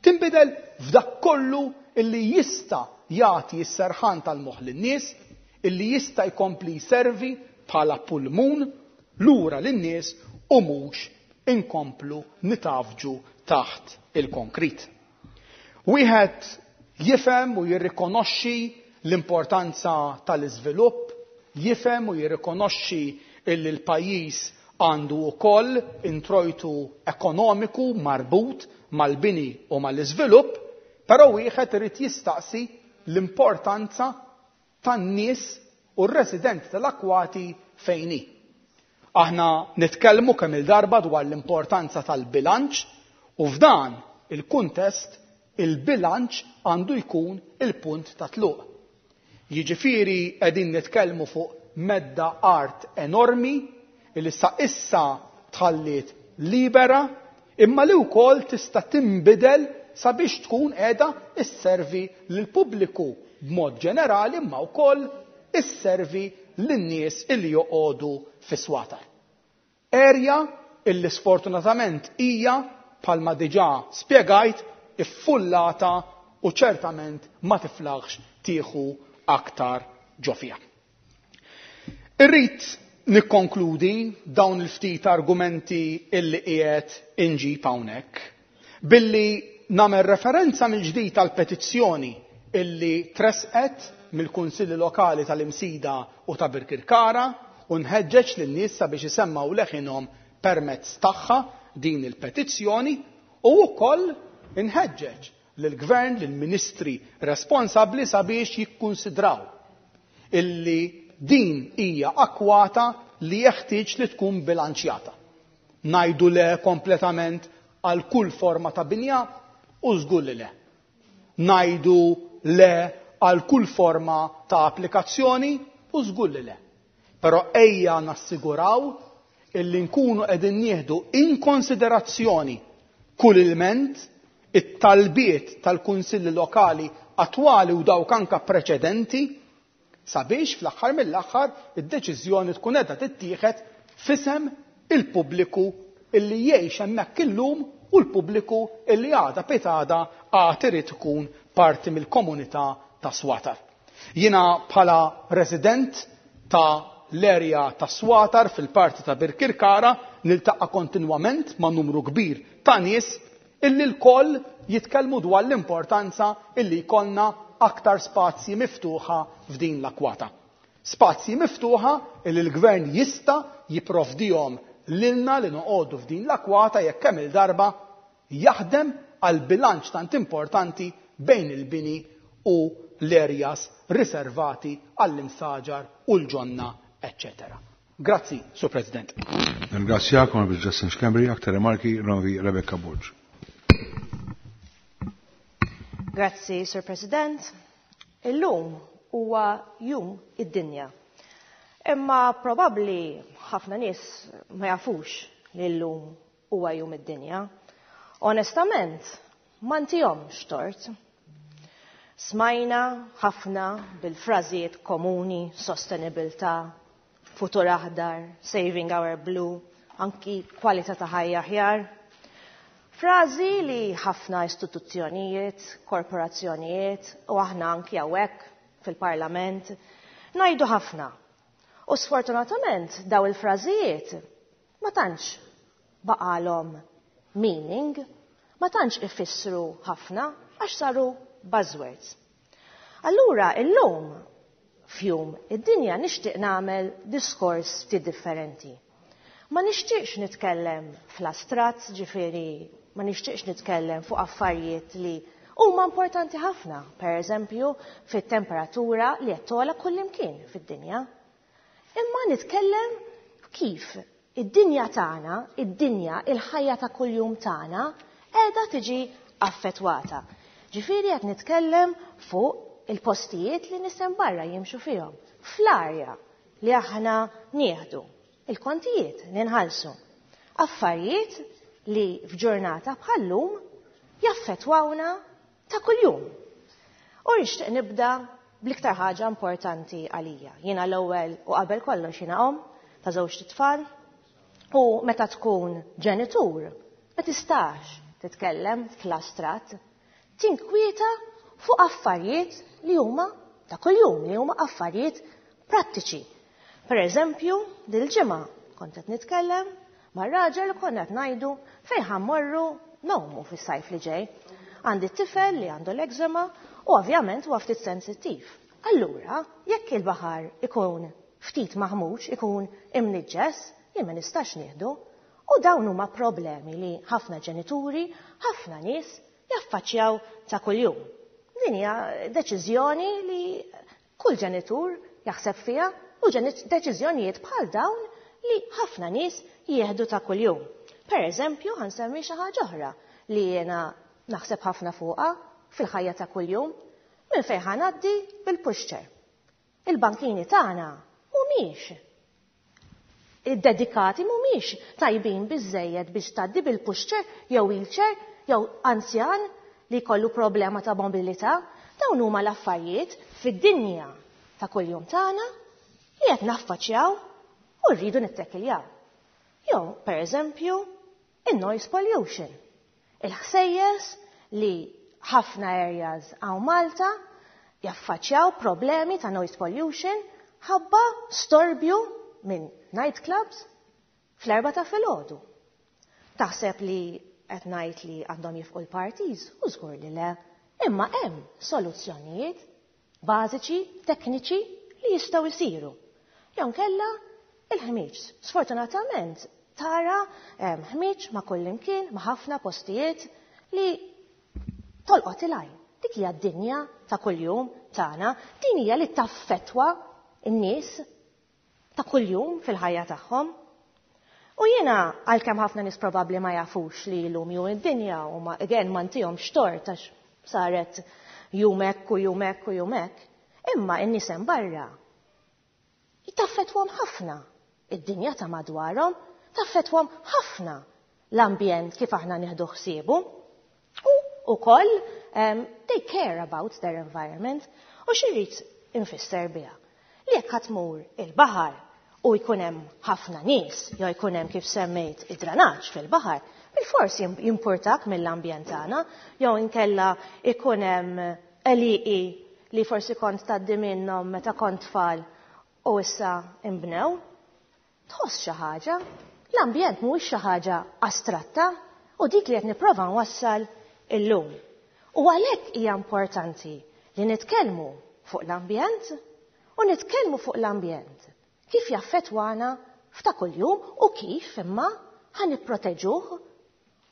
tinbidel f'dak kollu illi jista' jagħti s-serħan tal-moħħ lin-nies, illi jista' jkompli jservi bħala pulmun lura lin-nies u mhux inkomplu nitgħaffġu taħt il-konkrit. Wieħed jifhem u jirrikonoxxi l-importanza tal-iżvilupp, jifhem u jirrikonoxxi illi l-pajjiż għandu wkoll introjtu ekonomiku marbut mal-bini u mal-iżvilupp, però wieħed irid jistaqsi l-importanza tan-nies u r-residenti tal-akwati fejn hi. Aħna nitkellmu kemm-il darba dwar l-importanza tal-bilanċ u f'dan il-kuntest il-bilanċ għandu jkun il-punt ta' tluq. Jiġifieri qegħdin nitkellmu fuq medda art enormi li sa issa tħalliet libera imma li wkoll tista' tinbidel sabiex tkun qiegħda sservi lill-pubbliku b'mod ġenerali imma wkoll isservi lin-nies illi joqogħdu fis-Swatar. Area illi sfortunatament hija, bħalma diġà spjegajt, iffullata u ċertament ma tiflaħx tieħu aktar ġo fiha. Irrid nikkonkludi dawn il-ftit argumenti illi qiegħed inġib hawnhekk billi nagħmel referenza mill-ġdid għall-petizzjoni illi tressqet mill-Kunsilli Lokali tal-Imsida u ta' Birkirkara u nħeġġeġ lin-nies sabiex isemmgħu leħinhom permezz tagħha din il-petizzjoni u wkoll inħeġġeġ lill-Gvern, lill-Ministri responsabbli sabiex jikkunsidraw illi din hija akwata li jeħtieġ li tkun bilanċjata. Ngħidu le kompletament għal kull forma ta' binja u żgur li le. Ngħidu le għal kull forma ta' applikazzjoni u żgur li le. Però ejja nassiguraw illi nkunu qegħdin nieħdu in konsiderazzjoni kull ilment, it-talbiet tal-kunsilli lokali attwali u dawk anka preċedenti sabiex fl-aħħar mill-aħħar id-deċiżjoni tkun qiegħda tittieħed f'isem il-pubbliku illi jgħix hemmhekk illum u l-pubbliku illi għada pitgħada għad irid ikun parti mill-komunità ta' Swatar. Jiena bħala resident ta' l-area ta' Swatar fil-parti ta' Birkirkara niltaqa' kontinwament ma' numru kbir ta' nies illi lkoll jitkellmu dwar l-importanza illi jkollna aktar spazji miftuħa f'din l-akwata. Spazji miftuħa illi l-Gvern jista' jipprovdihom lilna li noqogħdu f'din l-akwata jekk kemm-il darba jaħdem għal bilanċ tant importanti bejn il-bini u l-areas riservati għall-imsaġar u l-ġonna, eċċetera. Grazzi, Sur President. Nirringrazzjak, Onorevoli Justin Schembri. Aktar rimarki, Onorevoli Rebecca Borg. Grazzi, Sur President. Illum huwa jum id-dinja. Imma probabbli ħafna nies ma jafux li llum huwa jum id-dinja. Onestament, ma ntihomx tort. Smajna ħafna bil-frażijiet komuni, sostenibilità, futur aħdar, saving our blue, anki kwalità ta' ħajja aħjar. Frażi li ħafna istituzzjonijiet, korporazzjonijiet u aħna anki hawnhekk fil-Parlament ngħidu ħafna. U sfortunatament daw il-frażijiet ma tantx baqalhom meaning, ma tantx ifissru ħafna għax saru buzzwords. Allura illum f'Jum id-Dinja nixtieq nagħmel diskors ftit differenti. Ma nixtieqx nitkellem fl-astratt, ġifieri ma nixtieqx nitkellem fuq affarijiet li huma importanti ħafna, per eżempju fit-temperatura li qed togħla kullimkien fid-dinja. Imma nitkellem kif id-dinja tagħna, id-dinja, il-ħajja ta' kuljum tagħna qiegħda tiġi affettwata. Ġifieri qed nitkellem fuq il-postijiet li nies hemm barra jimxu fihom, fl-arja li aħna nieħdu, il-kontijiet li nħallsu. Affarijiet li f'ġurnata bħal-lum jaffettwawna ta' kuljum. U nixtieq nibda bl-iktar ħaġa importanti għalija. Jiena l-ewwel u qabel kollox jiena omm ta' żewġt itfal u meta tkun ġenitur ma tistax titkellem fl-astratt, tinkwieta fuq affarijiet li huma ta' kuljum, li huma affarijiet prattiċi. Per eżempju, dil-ġimgħa kont qed nitkellem mar-raġel u konna qed ngħidu fejn ħa mmorru ngħumu fis-sajf li ġej. Għandi tifel li għandu l-eczema u ovvjament huwa ftit sensittiv. Allura, jekk il-baħar ikun ftit maħmuġ, ikun imniġġes, jien ma nistax nieħdu. U dawn huma problemi li ħafna ġenituri, ħafna nies jaffaċċjaw ta' kuljum. Din hija deċiżjoni li kull ġenitur jaħseb fiha u deċiżjonijiet bħal dawn li ħafna nies jieħdu ta' kuljum. Per eżempju, ħa nsemmi xi ħaġa oħra li jiena naħseb ħafna fuqha fil-ħajja ta' kuljum, minn fejn ħa ngħaddi bil-pushchair. Il-bankini tagħna mhumiex iddedikati, mhumiex tajbin biżżejjed biex tgħaddi bil-pushchair jew wheelchair jew anzjan li jkollu problema ta' mobilità. Dawn huma l-affarijiet fid-dinja ta' kuljum tagħna li qed naffaċċjaw u rridu nittekiljaw. Jew, per eżempju, in-noise pollution. Il-ħsejjes li ħafna areas hawn Malta jaffaċċjaw problemi ta' noise pollution ħabba storbju minn nightclubs fl-4 ta' filgħodu. Taħseb li qed ngħid li għandhom jifqu l-parties? U żgur li le. Imma hemm soluzzjonijiet bażiċi, tekniċi li jistgħu jsiru. Jew nkella il-ħmiġ. Sfortunatament tara ħmiġ ma' kullimkien, ma' ħafna postijiet li tolqot il-għajn. Dik hija d-dinja ta' kuljum tagħna, din hija li taffettwa n-nies ta' kuljum fil-ħajja tagħhom. U jiena għalkemm ħafna nies probabbli ma jafux li llum jum id-dinja u ma again ma ntihomx tort għax saret jum hekk u jum hekk u jum hekk, imma n-nies hemm barra taffettwahom ħafna id-dinja ta' madwarhom, taffettwahom ħafna l-ambjent kif aħna nieħdu ħsiebu. U wkoll they care about their environment. U x'irrid infisser biha? Li jekk ħa tmur il-baħar u jkun hemm ħafna nies, jew jkun hemm kif semmejt id-dranaġġ fil-baħar, bil-fors jimpurtak mill-ambjent tagħna, jew inkella jkun hemm għelieqi li forsi kont tgħaddi minnhom meta kont tfal u issa imbnew. Tħoss xi ħaġa, l-ambjent mhuwiex xi ħaġa astratta u dik li qed nipprova nwassal illum. U għalhekk hija importanti li nitkellmu fuq l-ambjent u nitkellmu fuq l-ambjent kif jaffettwana f'ta' kuljum u kif imma ħa nipproteġuh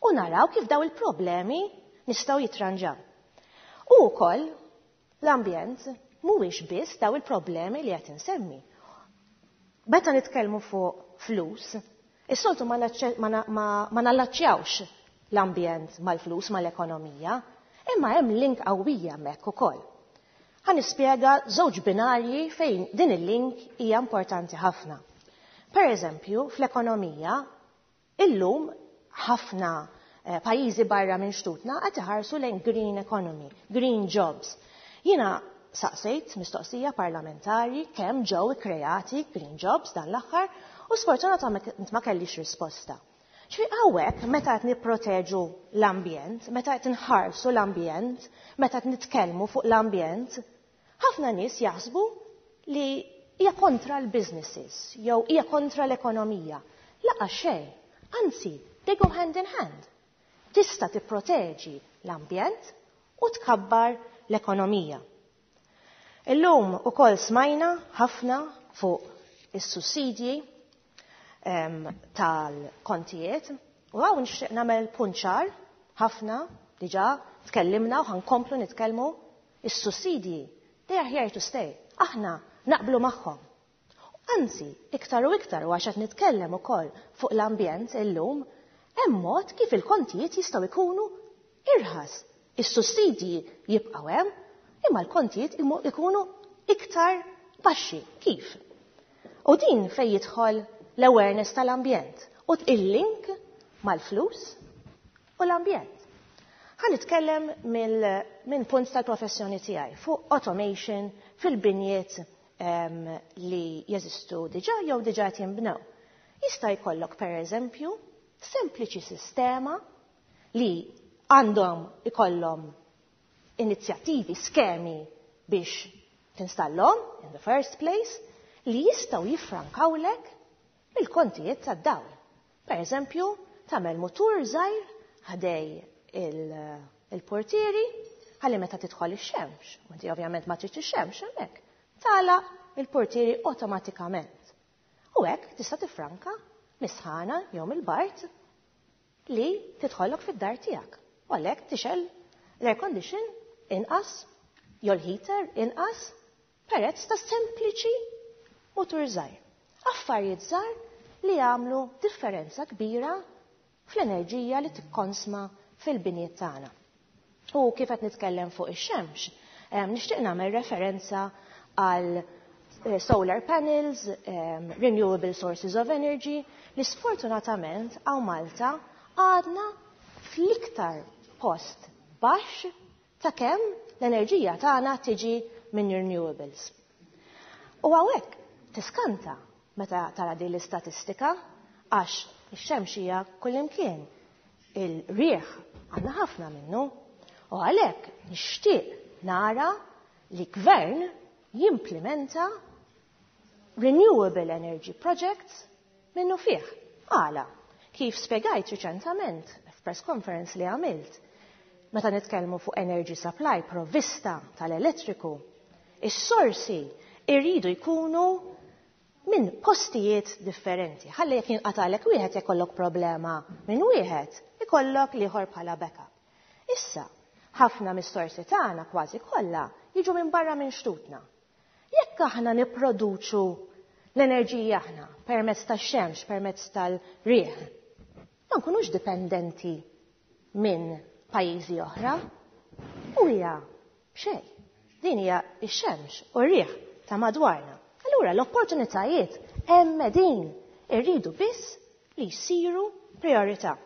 u naraw kif daw il-problemi nistgħu jitranġaw. U wkoll l-ambjent mhuwiex biss daw il-problemi li qed insemmi. Meta nitkellmu fuq flus, is-soltu ma nallaċċjawx l-ambjent mal-flus, mal-ekonomija, imma hemm link qawwija hemmhekk ukoll. Ħa nispjega żewġ binarji fejn din il-link hija importanti ħafna. Per eżempju, fl-ekonomija, illum ħafna pajjiżi barra minn xtutna qed iħarsu lejn green economy, green jobs. Jiena saqsejt mistoqsija parlamentari kemm ġew ikkreati green jobs dan l-aħħar u sfortunatament ma kellix risposta. Ġifieri hawnhekk meta qed nipproteġu l-ambjent, meta qed inħarsu l-ambjent, meta qed nitkellmu fuq l-ambjent, ħafna nies jaħsbu li hija kontra l-businesses jew hija kontra l-ekonomija. Laqa xejn, anzi, they go hand in hand. Tista' tipproteġi l-ambjent u tkabbar l-ekonomija. Illum ukoll smajna ħafna fuq is-sussidji tal-kontijiet u hawn nixtieq nagħmel punt ċar ħafna diġà tkellimna u ħankomplu nitkellmu is-sussidji they are here to stay. Aħna naqblu magħhom. Anzi, iktar u iktar u għax qed nitkellem ukoll fuq l-ambjent illum, hemm mod kif il-kontijiet jistgħu jkunu irħas. Is-sussidji jibqgħu hemm, imma l-kontijiet ikunu iktar baxxi. Kif? U din fejn jidħol l-awareness tal-ambjent u il-link mal-flus u l-ambjent. Ħa nitkellem minn punt tal-professjoni tiegħi fuq automation fil-binjiet li jeżistu diġà jew diġà qed jinbnew. Jista' jkollok pereżempju sempliċi sistema li għandhom ikollhom inizjattivi, skemi biex tinstallhom in the first place li jistgħu jiffrankawlek il-kontijiet tad-dawl. Per eżempju, tagħmel mutur żgħir ħdej il-portieri ħalli meta tidħol ix-xemx, u inti ovvjament ma tridx ix-xemx hemmhekk, tagħlaq il-portieri awtomatikament. U hekk tista' tiffranka mis-sħana jew mill-bard li tidħollok fid-dar tiegħek. U għalhekk tixgħel l-air condition inqas jew l-heater inqas perezz ta' sempliċi mutur żgħir. Affarijiet żgħar li jagħmlu differenza kbira fl-enerġija li tikkonsma fil-binjiet tagħna. U kif qed nitkellem fuq ix-xemx, nixtieq nagħmel referenza għal solar panels, renewable sources of energy, li sfortunatament hawn Malta għadna fl-iktar post baxx ta' kemm l-enerġija tagħna tiġi minn renewables. U hawnhekk tiskanta meta tara din l-istatistika għax ix-xemx hija kullimkien. Il-riħ għandna ħafna minnu u għalhekk nixtieq nara li gvern jimplementa renewable energy projects minnu fih. Għala, kif spiegajt riċentament f'press conference li għamilt, meta nitkellmu fuq energy supply, provvista tal-elettriku, is-sorsi irridu jkunu minn postijiet differenti. Ħalli jekk jinqatalek wieħed jkollok problema minn wieħed, ikollok l-ieħor bħala backup. Issa, ħafna mis-sorsi tagħna kważi kollha jiġu minn barra minn xtutna. Jekk aħna nipproduċu l-enerġija aħna permezz tax-xemx, permezz tal-riħ, ma nkunux dipendenti minn pajjiżi oħra. U hija xejn. Din hija x-xemx u r-riħ ta' madwarna. Allura l-opportunitajiet hemm din irridu biss li jsiru priorità.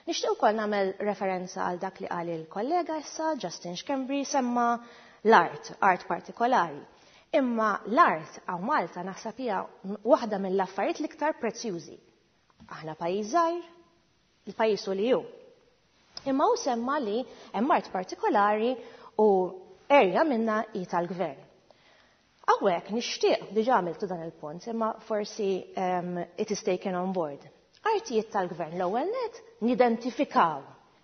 Nixtieq ukoll nagħmel referenza għal dak li qal il-kollega issa, Justin Schembri, semma l-art, art partikolari. Imma l-art hawn Malta naħseb hija waħda mill-affarijiet l-iktar prezzjużi. Aħna pajjiż żgħir, il-pajjiż hu li hu. Imma hu semma li hemm art partikolari u area minna hi tal-gvern. Hawnhekk nixtieq, diġà għamiltu dan il-punt, imma forsi it is taken on board. Artijiet tal-gvern l-ewwel net nidentifikaw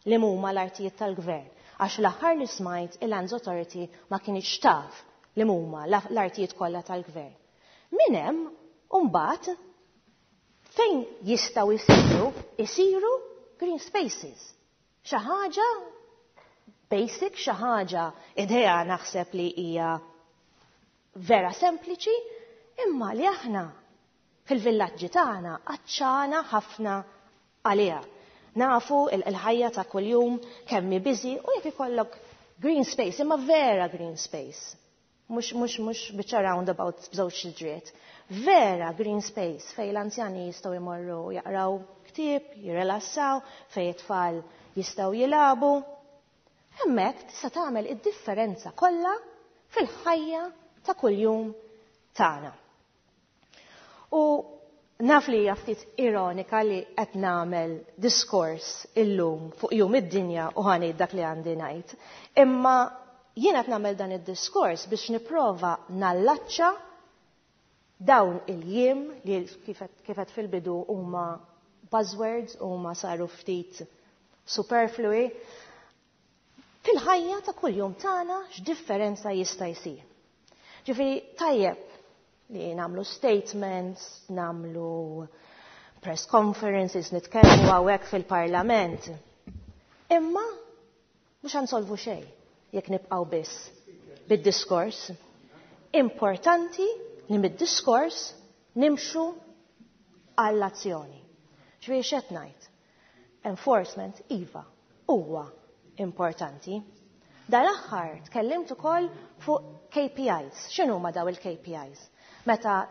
li huma l-artijiet tal-gvern għax l-aħħar li smajt il-Lands Authority ma kienx taf li huma l-artijiet kollha tal-gvern. Min hemm mbagħad fejn jistgħu jsiru green spaces. Xi ħaġa basic, xi ħaġa idea naħseb li hija vera sempliċi, imma li aħna fil-villaġġi tagħna għatxana ħafna għaliha. Nafu il-ħajja ta' kuljum kemm hi busy u jekk ikollok green space, imma vera green space. Mhux biċċa roundabout b'żewġ siġriet. Vera green space fej l-anzjani jistgħu jmorru jaqraw ktieb, jirrelassaw, fej it-tfal jistgħu jilagħbu. Hemmhekk tista' tagħmel id-differenza kollha fil-ħajja ta' kuljum tagħna. U naf li hija ftit ironika li qed nagħmel diskors illum fuq jum id-dinja u ħa ngħid dak li għandi ngħid. Imma jien qed nagħmel dan id-diskors biex nipprova nallaċċa dawn il-jiem li kifet fil-bidu huma buzzwords, huma saru ftit superflui, fil-ħajja ta' kuljum tagħna x'differenza jista' jsir. Ġifieri tajjeb li nagħmlu statements, nagħmlu press conferences, nitkellmu hawnhekk fil-Parlament. Imma mhux ħa nsolvu xejn jekk nibqgħu biss bid-diskors. Importanti li mid-diskors nimxu għall-azzjoni. Ġifieri x'qed ngħid? Enforcement iva huwa importanti. Dal-aħħar tkellimt ukoll fuq KPIs. X'inhuma daw il-KPIs? Meta